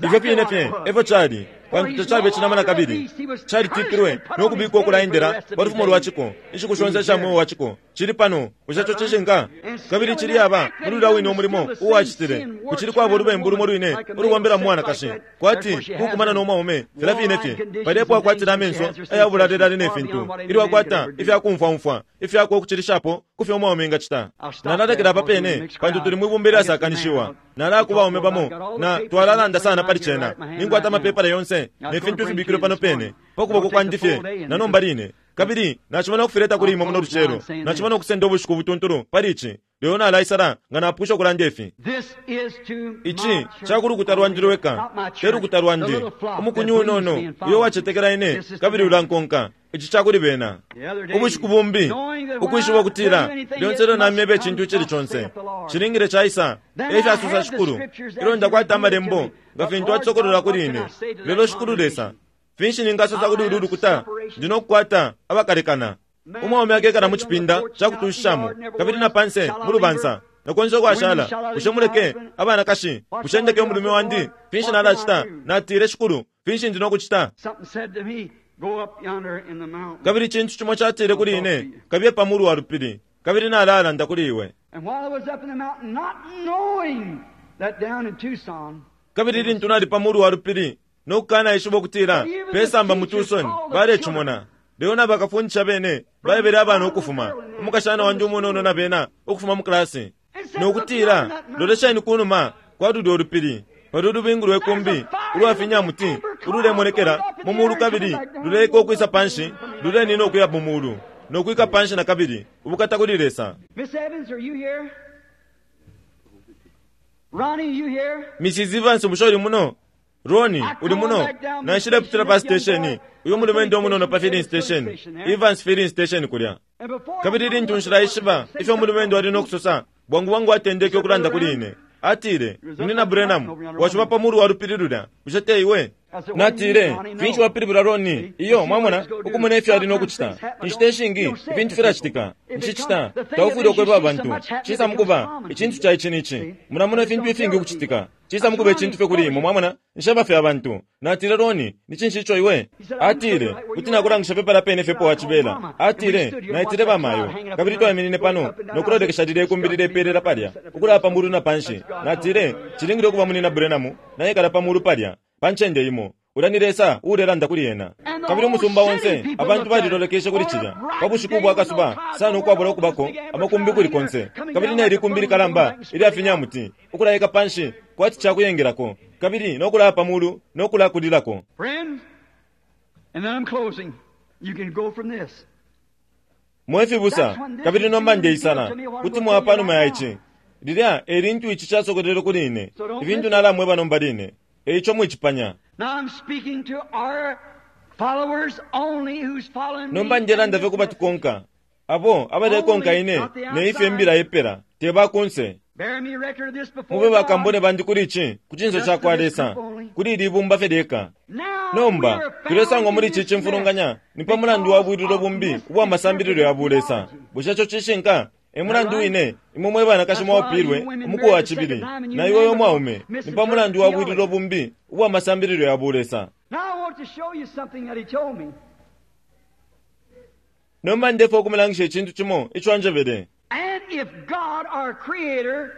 Ifyo fine fye efyo cali, pantu tacabe cinama na kabili calitipilwe no kubikwa ukulaendela pa lufumo lwa ciko inshiku shonse isha mweo wa ciko. Cili pano, bushe co cishinka? Kabili cili aba muli ulya wine umulimo uwacitile, kucili kwaba ulubembu lumo lwine ulubombela mu mwanakashi, kwati kukumana no mwaume filya fine fye. Palipo akwatile amenso ayabulalelale ne fintu, ilyo akwata ifyakumfwaumfwa ifyakwe ukucilishapo kufyo umwaume engacita. Nalalekela apa pene pantu tuli mwibumba ilyasakanishiwa. Nalakuba baume bamo na twalalanda sana pali cena. Ninkwata amapepala yonse ne fintu ifibikilwe pano pene pa kuboko kwandi fye na nomba line, kabili nacimona ukufileta kuli imwe muno lucelo. Nacimona ukusenda ubushiku butuntulu pali ici, lelo nalaisala nga napwisha ukulanda ifi. Ici cakulukuta lwandi lweka, te lukuta lwandi, umukunyu unono uyo wacetekela ine kabili ulankonka. Ici cakuli bena. Ubushiku bumbi ukwishiba ukutila lyonse ilyo namyeba icintu icili conse cilingile caisa, efyasosa Shikulu. Ilyo ndakwata amalembo nga fintu acisokolola kuli ine. Lelo Shikulu Lesa, finshi ningasosa kuli ulu lukuta? Ndi nokukwata abakalekana. Umwaume akekala mu cipinda cakutushishamo, kabili na panse mu lubansa na konse ukwashala. Bushe muleke abanakashi? Bushe ndeke umulume wandi? Finshi nalacita? Natile Shikulu, finshi ndi nokucita? Kabili icintu cimo catile kuli ine, kabiye pa mulu wa lupili, kabili nalalanda kuli iwe. Kabili lintu nali pa mulu wa lupili nokukanaishiba ukutila pesamba mu Tucson balecimona, lelo na bakafundisha bene baebele abana ukufuma, umukashana wandi umunono na bena ukufuma mu klasi, nokutila lolesheni kunuma kwa lulya ulupili, pali ulubingu lwe kumbi ulwafinyamuti ululemonekela mu mulu, kabili luleka ukwisa panshi, lulenina ukuya mu mulu nokwika panshi na kabili. Ubukata kuli Lesa. Miss Evans, are you here? Ronnie, you here? Missus Evans, bushe uli muno? Ronnie, uli muno? Naishile pa station, uyu mulumendo umunono pa filling station, Evans filling station kulya. Kabili lintu nshilaishiba ifyo umulumendo ali nokusosa, bwangu bwangu atendeke ukulanda kuli ine. Atile, Munina Branham, washuba pa mulu wa lupili lulya, bushe te iwe? Natile, finshi wapilibula Ronnie? Iyo, mwamona, ukumona ifyo ali nokucita. Inshita ishingi ifintu filacitika. Nshicita, taufwile ukweba abantu. Cisa mukuba icintu ca ici nici. Mulamona ifintu ifingi ukucitika. Cisa mukuba icintu fye kuli imwe, mwamona? Nsheba fye abantu. Natile, Roni, ni cinshi ico iwe? Atile, kuti nakulangisha pepa la pene fye po wacibela. Atile, naitile bamayo. Kabili twaiminine pano, nokulolekesha lile ikumbi lilepelela palya, ukulapa pa mulu na panshi. Natile, cilingile ukuba munina Branham, nayekala pa mulu palya, pa ncende imo. Ulya ni Lesa uulelanda kuli ena. Kabili umusumba onse, abantu balilolekeshe kuli cilya. Pa bushiku bwa kasuba, sana ukwabula ukubako, amakumbi kuli konse. Kabili neli kumbi likalamba, ilya finyamuti, ukulayeka panshi, kwati cakuyengelako. Kabili nokulaya pa mulu, nokulakulilako. Friends, and then I'm closing. You can go from this. Mwefibusa, kabili nomba ndeisala, kuti mwapa numa ya ici. Lilya e lintu ici casokolele kuli ine. Ifintu nalamweba nomba line. E ico mwicipanya. Now I'm speaking to our followers only who's following me. Nomba ndelanda fye kubatukonka. Abo abalekonka ine ne ifyo imbila ipela te bakunse. Bear me record of this before Mube God. bakambone bandi kuli ici ku cinso ca kwa Lesa, kuli ili ibumba fye lyeka. Now Nomba we are found tulesangwa muri in ici this cimfulunganya mess ni pa mulandu wa bwililo because of bumbi ubwa masambililo ya bulesa. Bushe ico cishinka? E mulandu wine imwe mwe banakashi mwaupilwe umuku wa cibili na iwe we mwaume ni pa mulandu wa bwililo bumbi ubwa masambililo ya bulesa. Now I want to show you something that he told me. Nomba ndefo okumulangisha icintu cimo ico anjebele. And if God, our Creator,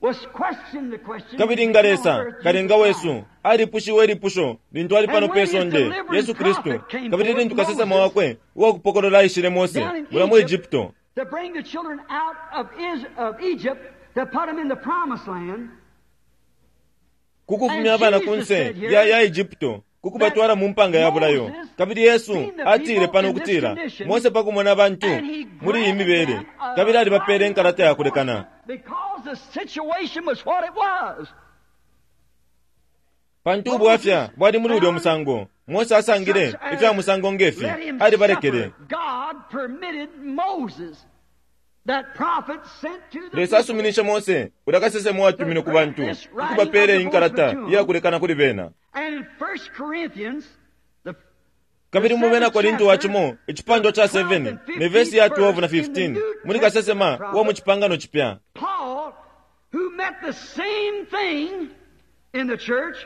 was questioned the question, Kabili nga Lesa kalenga wesu alipushiwe ilipusho lintu ali pano pe sonde Yesu Kristu, kabili lintu kasesema wakwe uwakupokolola aishile Mose mula mu Egypto to bring the children out of, Is- of Egypt, to put them in the promised land, kukufumya abana kunse ya, ya Egypto kukubatwala mu mpanga ya bulayo. Kabili Yesu atile pano ukutila Mose pakumona abantu and he muli iyi granted mibele them a kabili alibapele inkalata ya kulekana, because the situation was what it was. pantu ubwafya bwali muli ulya musango. Mose asangile ifya musango ngefi, Let him alibalekele. suffer. God permitted Moses, that prophet sent to the Lesa people, asuminishe Mose ulya kasesema uwatumine ku bantu ukubapele inkalata iyakulekana kuli bena. And in First Corinthians, the Kabili mu bena Korinto wa cimo icipandwa ca seven ne vesi ya twelve na fifteen muli kasesema uwa mu cipangano cipya, Paul, who met the same thing in the church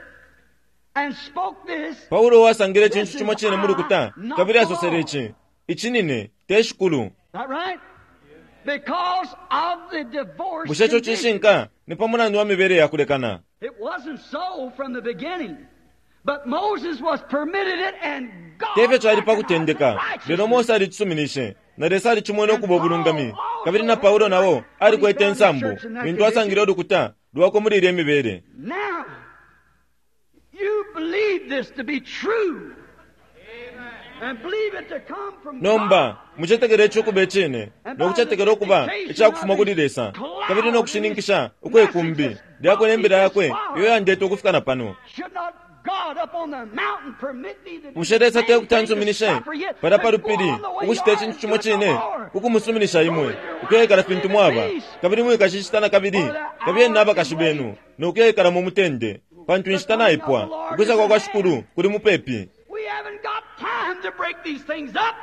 and spoke this, Paulo wasangile icintu cimo cine mu lukuta kabili asosele ici, ici nine te shikulu. that right? Because of the divorce Bushe ico condition. cishinka ni pa mulandu wa mibele ya kulekana? It wasn't so from the beginning. But Moses was permitted it and God Tefyo cali pa recognized kutendeka, righteousness. lelo Mose alicisuminishe na Lesa alicimwene ukuba ubulungami. Kabili na Paulo nao alikwete insambu lintu asangile ulukuta lwakwe muli ilya mibele. Now, you believe this to be true. And believe it to come from Nomba God. mucetekele ico ukuba icine nokucetekela ukuba icakufuma kuli Lesa, kabili nokushininkisha ukwekumbi lyakwe nembila yakwe iyo yandeta ukufika na pano. Should not God up on the mountain permit me to do Bushe Lesa the same tekuti thing to ansuminishe suffer yet, pala pa to go lupili on the way ukucita you are icintu and cimo do it cine no more? kukumusuminisha imwe ukuyekala fintu mwaba, kabili mwikashicita na kabili kabili n'abakashi benu nokuyekala mu mutende, pantu inshita naipwa ukwisa kwa kwa Shikulu kuli mupepi. We haven't got time to break these things up.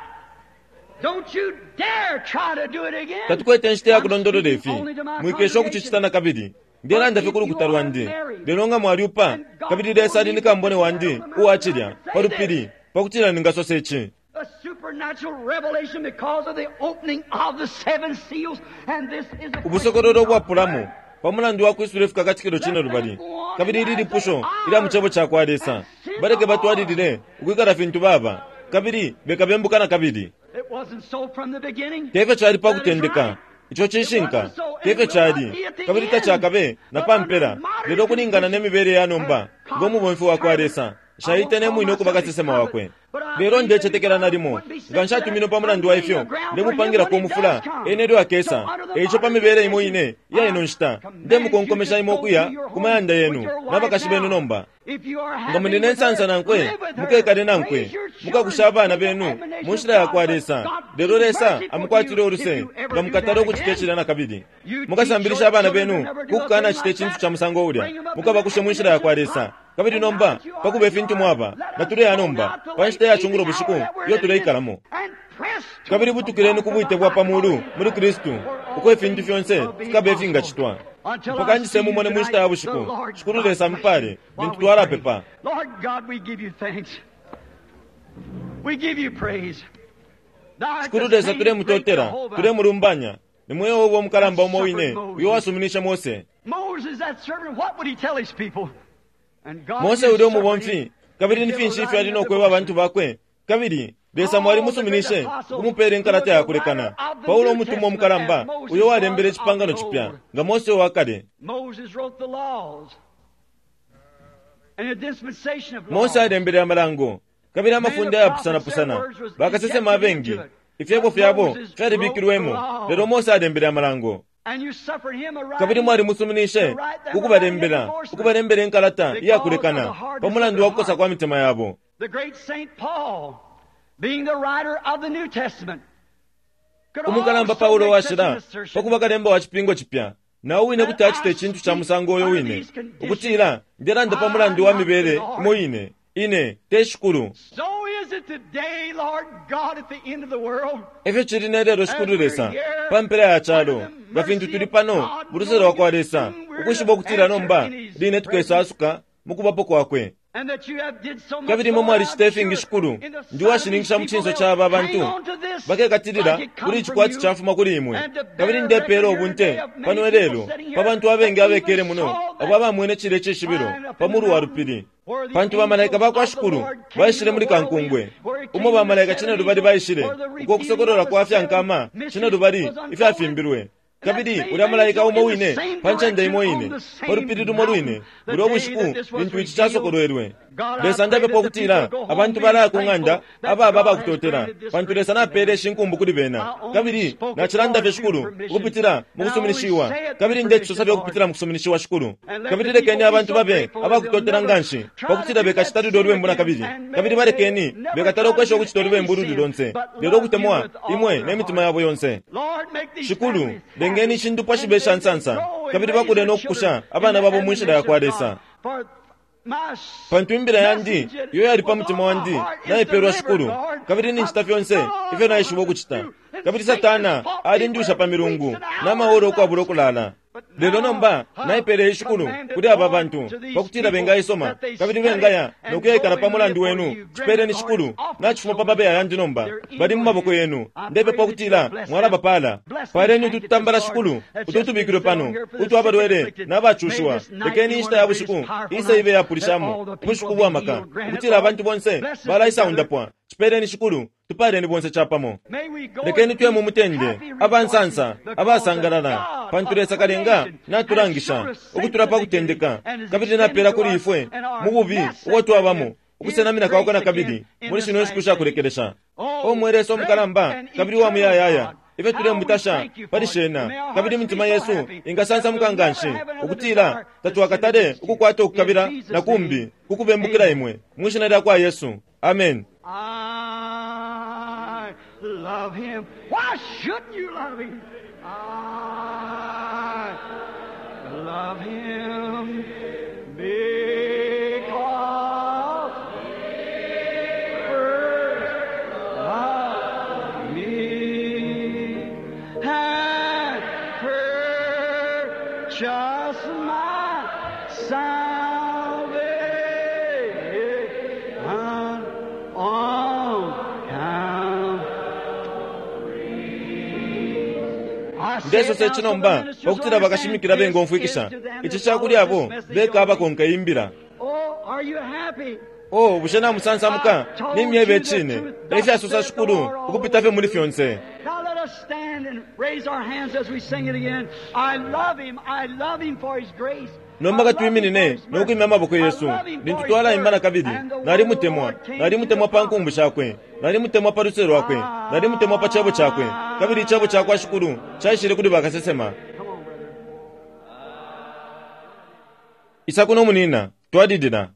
Don't you dare try to do it again. Tatukwete inshita ya kulondolola I'm ifi, speaking only to my mwikesha ukucicita na kabili. Ndelanda fye ku lukuta lwandi, lelo nga mwalyupa kabili Lesa ali ni kambone wandi uwacilya pa lupili pakutila ningasosa ici. A supernatural revelation because of the opening of the seven seals, and this is a Ubusokololo ubwapulamo pa mulandu wa kwisula ifikakatikilo cine lubali, kabili ili lipusho ilya mu cebo ca kwa Lesa. Baleke batwalilile ukwikala fintu baba kabili bekabembuka na kabili. It wasn't so from the beginning. Tefyo cali pa kutendeka, ico cishinka tefyo cali, kabili tacakabe na pa mpela, lelo ukulingana ne mibele ya nomba ngo mubomfi wa kwa Lesa nshaite ne mwine ukuba kasesema wakwe. Lelo ndecetekela nalimo nga nshatumine pa mulandu wa ifyo ndemupangilako umufula ene elyo akesa. Eico pa mibele imo ine iya ino nshita ndemukonkomesha imwe ukuya ku mayanda yenu n'abakashi benu nomba. If you are Nga happy muli ne with nsansa her, nankwe live with her, mukekale nankwe raise your children mukakusha abana in the benu admonition mu nshila ya of kwa God. Lesa. God Lelo be Lesa merciful to amukwatile you uluse if you ever nga do mukatala that ukucita again. icilya na kabili. You Mukasambilisha teach abana your benu children to never do a kukukana thing cita like icintu that. ca musango ulya, Bring them up in the mukabakushe mu nshila ya kwa Lesa. Kabili nomba pakuba ifintu mwaba natuleya nomba pa nshita ya cungulo bushiku iyo tuleikalamo. And Kabili butukileni ku bwite bwa pa mulu muli Kristu, uko ifintu fyonse fikabe ifingacitwa. Mpaka njise mumone mu nshita ya bushiku. Shikulu Lesa mupale lintu twalapepa. Lord God, we give you thanks. We give you praise. Thou art Shikulu the Lesa same tulemutotela, great Jehovah. tulemulumbanya. Ni mwe Yehova umukalamba umo wine uyo wasuminisha Mose. Moses, that servant, what would he tell his people? And God Mose used uli umubomfi, servant kabili ni finshi ifyo ali no kweba abantu bakwe. Kabili Lesa mwalimusuminishe ukumupeela inkalata ya kulekana. Paulo umutumwa umukalamba uyo walembele icipangano cipya nga Mose wa kale. Moses wrote the laws and the dispensation of laws. Mose alembele amalango kabili amafunde ayapusanapusana. Bakasesema abengi ifyebo fyabo fyalibikilwemo, lelo Mose alembele amalango. And you suffered him a Kabili mwalimusuminishe ukubalembela ukubalembela inkalata iyakulekana pa mulandu wa kukosa kwa mitima yabo. The great Saint Paul, being the writer of the New Testament, could Umukalamba also Paulo make such an washila assertion. pakuba kalemba wa chipingo chipya nawo wine kuti acite icintu cha musango uyo wine, ukutila ndelanda pa mulandu wa mibele imo ine ine te shikulu. So is it today, Lord God, at the end of the world. Efyo cili ne lelo shikulu Lesa pa mpela ya chalo, nga fintu tuli pano mu luse lwa kwa Lesa, ukwishiba ukutila nomba line tukesasuka mu kubapo kwakwe. And that you have did so much, Kabili imwe Lord, mwalicita I'm ifingi sure, shikulu, in the ndi sight of these washininkisha mu people, cinso cha aba they'll bantu hang on to this bakekatilila like it come kuli from icikwati you, chafuma kuli imwe. and to bear Kabili ndepeela record ubunte here today of many pano people lelo sitting here pa bantu abengi that abekele even muno saw that abo abamwene cile icishibilo sign up pa in mulu the wa mountain lupili. where the Pantu bamalaika angels ba kwa of the shikulu Lord came baishile to muli the whirlwind, kankungwe where it came umo to the bamalaika seven cine lubali angels, baishile where the uko kusokolola revealing of kwa the seven fyankama cine mysteries lubali was unfolded. ifyafimbilwe. Kabili ulya malaika umo wine pa ncende imo ine pa lupili lumo lwine bulya ubushiku lintu ici casokolwelwe. Lesa ndapepa ukutila abantu balaya ku ng'anda ababa abakutotela pantu Lesa napeele ishinkumbu kuli bena. Kabili nacilanda fye shikulu ukupitila mu kusuminishiwa, kabili ndecisosa fye ukupitila mu kusuminishiwa shikulu. Kabili lekeni abantu babe abakutotela nganshi pakutila bekacita lulyo lubembu na kabili. Kabili balekeni bekatala ukwesha ukucita ulubembu luli lonse, lelo ukutemwa imwe ne mitima yabo yonse. Lord, make these Shikulu, families lengeni ishindupwa shibe sha nsansa, grow and kabili raise bakule their no kukusha children abana in the babo mu nshila ya kwa admonition of Lesa. God. For my Pantu imbila yandi message iyo yali pa was mutima on my wandi heart is naipelwa delivered, shikulu, Lord. kabili ninchita I've fyonse done all ifyo naishiba I ukucita. do. And Kabili Satan Satana has fought me alindusha for pa milungu weeks and n'amahoro hours ukwabula okulala. Lelo nomba naipele ishikulu kuli aba bantu pakutila bengaisoma kabili bengaya nokuyaikala pa mulandu wenu. Chipeeleni shikulu nachifuma pa mabeya yandi nomba bali mu maboko yenu. Ndepepa ukutila mwalabapala. Paleni ututambala shikulu ututubikilwe pano utwa abalwele n'abacushiwa. Lekeni inshita ya bushiku ise ibe yapulishamo ubushiku bwa maka ukutila abantu bonse balaisaundapwa. Chipeeleni shikulu tupaleni bonse chapamo. May we go Lekeni in tuye mu peace, mutende happy, abansansa rejoicing, abasangalala because pantu God Lesa of kalenga creation natulangisha has shown us ukutula pa since the kutendeka beginning and has kabili napela extended kuli to ifwe us and our mu bubi blessed ubo twabamo his ukusenamina kwakwe na grace kabili again in muli this shino nshiku last sha kulekelesha. Oh, O mwe Lesa umukalamba great and kabili wa eternal muyayaya God, ifyo how we tulemutasha thank you for pali it. shena May our kabili hearts imitima be so yesu happy ingasansamuka that we'll nganshi never have another ukutila desire to sin tatwakatale against you. ukukwata ukukabila In Jesus' na kumbi name, kukubembukila amen. imwe mu shina lya kwa Yesu. Amen. I love him. Why shouldn't you love him? I love him because he first loved me and purchased my salvation on Calvary. I say it Ndesosa now so ici the nomba ministers pakutila bakashimikila understand bengomfwikisha this is to them ici that chakuli follow abo this message beka only. abakonka imbila. Oh, are you happy? O bushe namusansamuka nimyebe icine efyasosa shikulu ukupita fye muli fyonse. Now let us stand and raise our hands as we sing it again. I love him. I love him for his grace. Nomba katwiminine nokwimya amaboko yesu lintu twalaimba na kabili. Nalimutemwa, nalimutemwa pa nkumbu shakwe, nalimutemwa pa luse lwakwe, nalimutemwa pa cebo cakwe, kabili icebo cakwa shikulu caishile kuli bakasesema. Come on, brother. Isa kuno munina twalilila.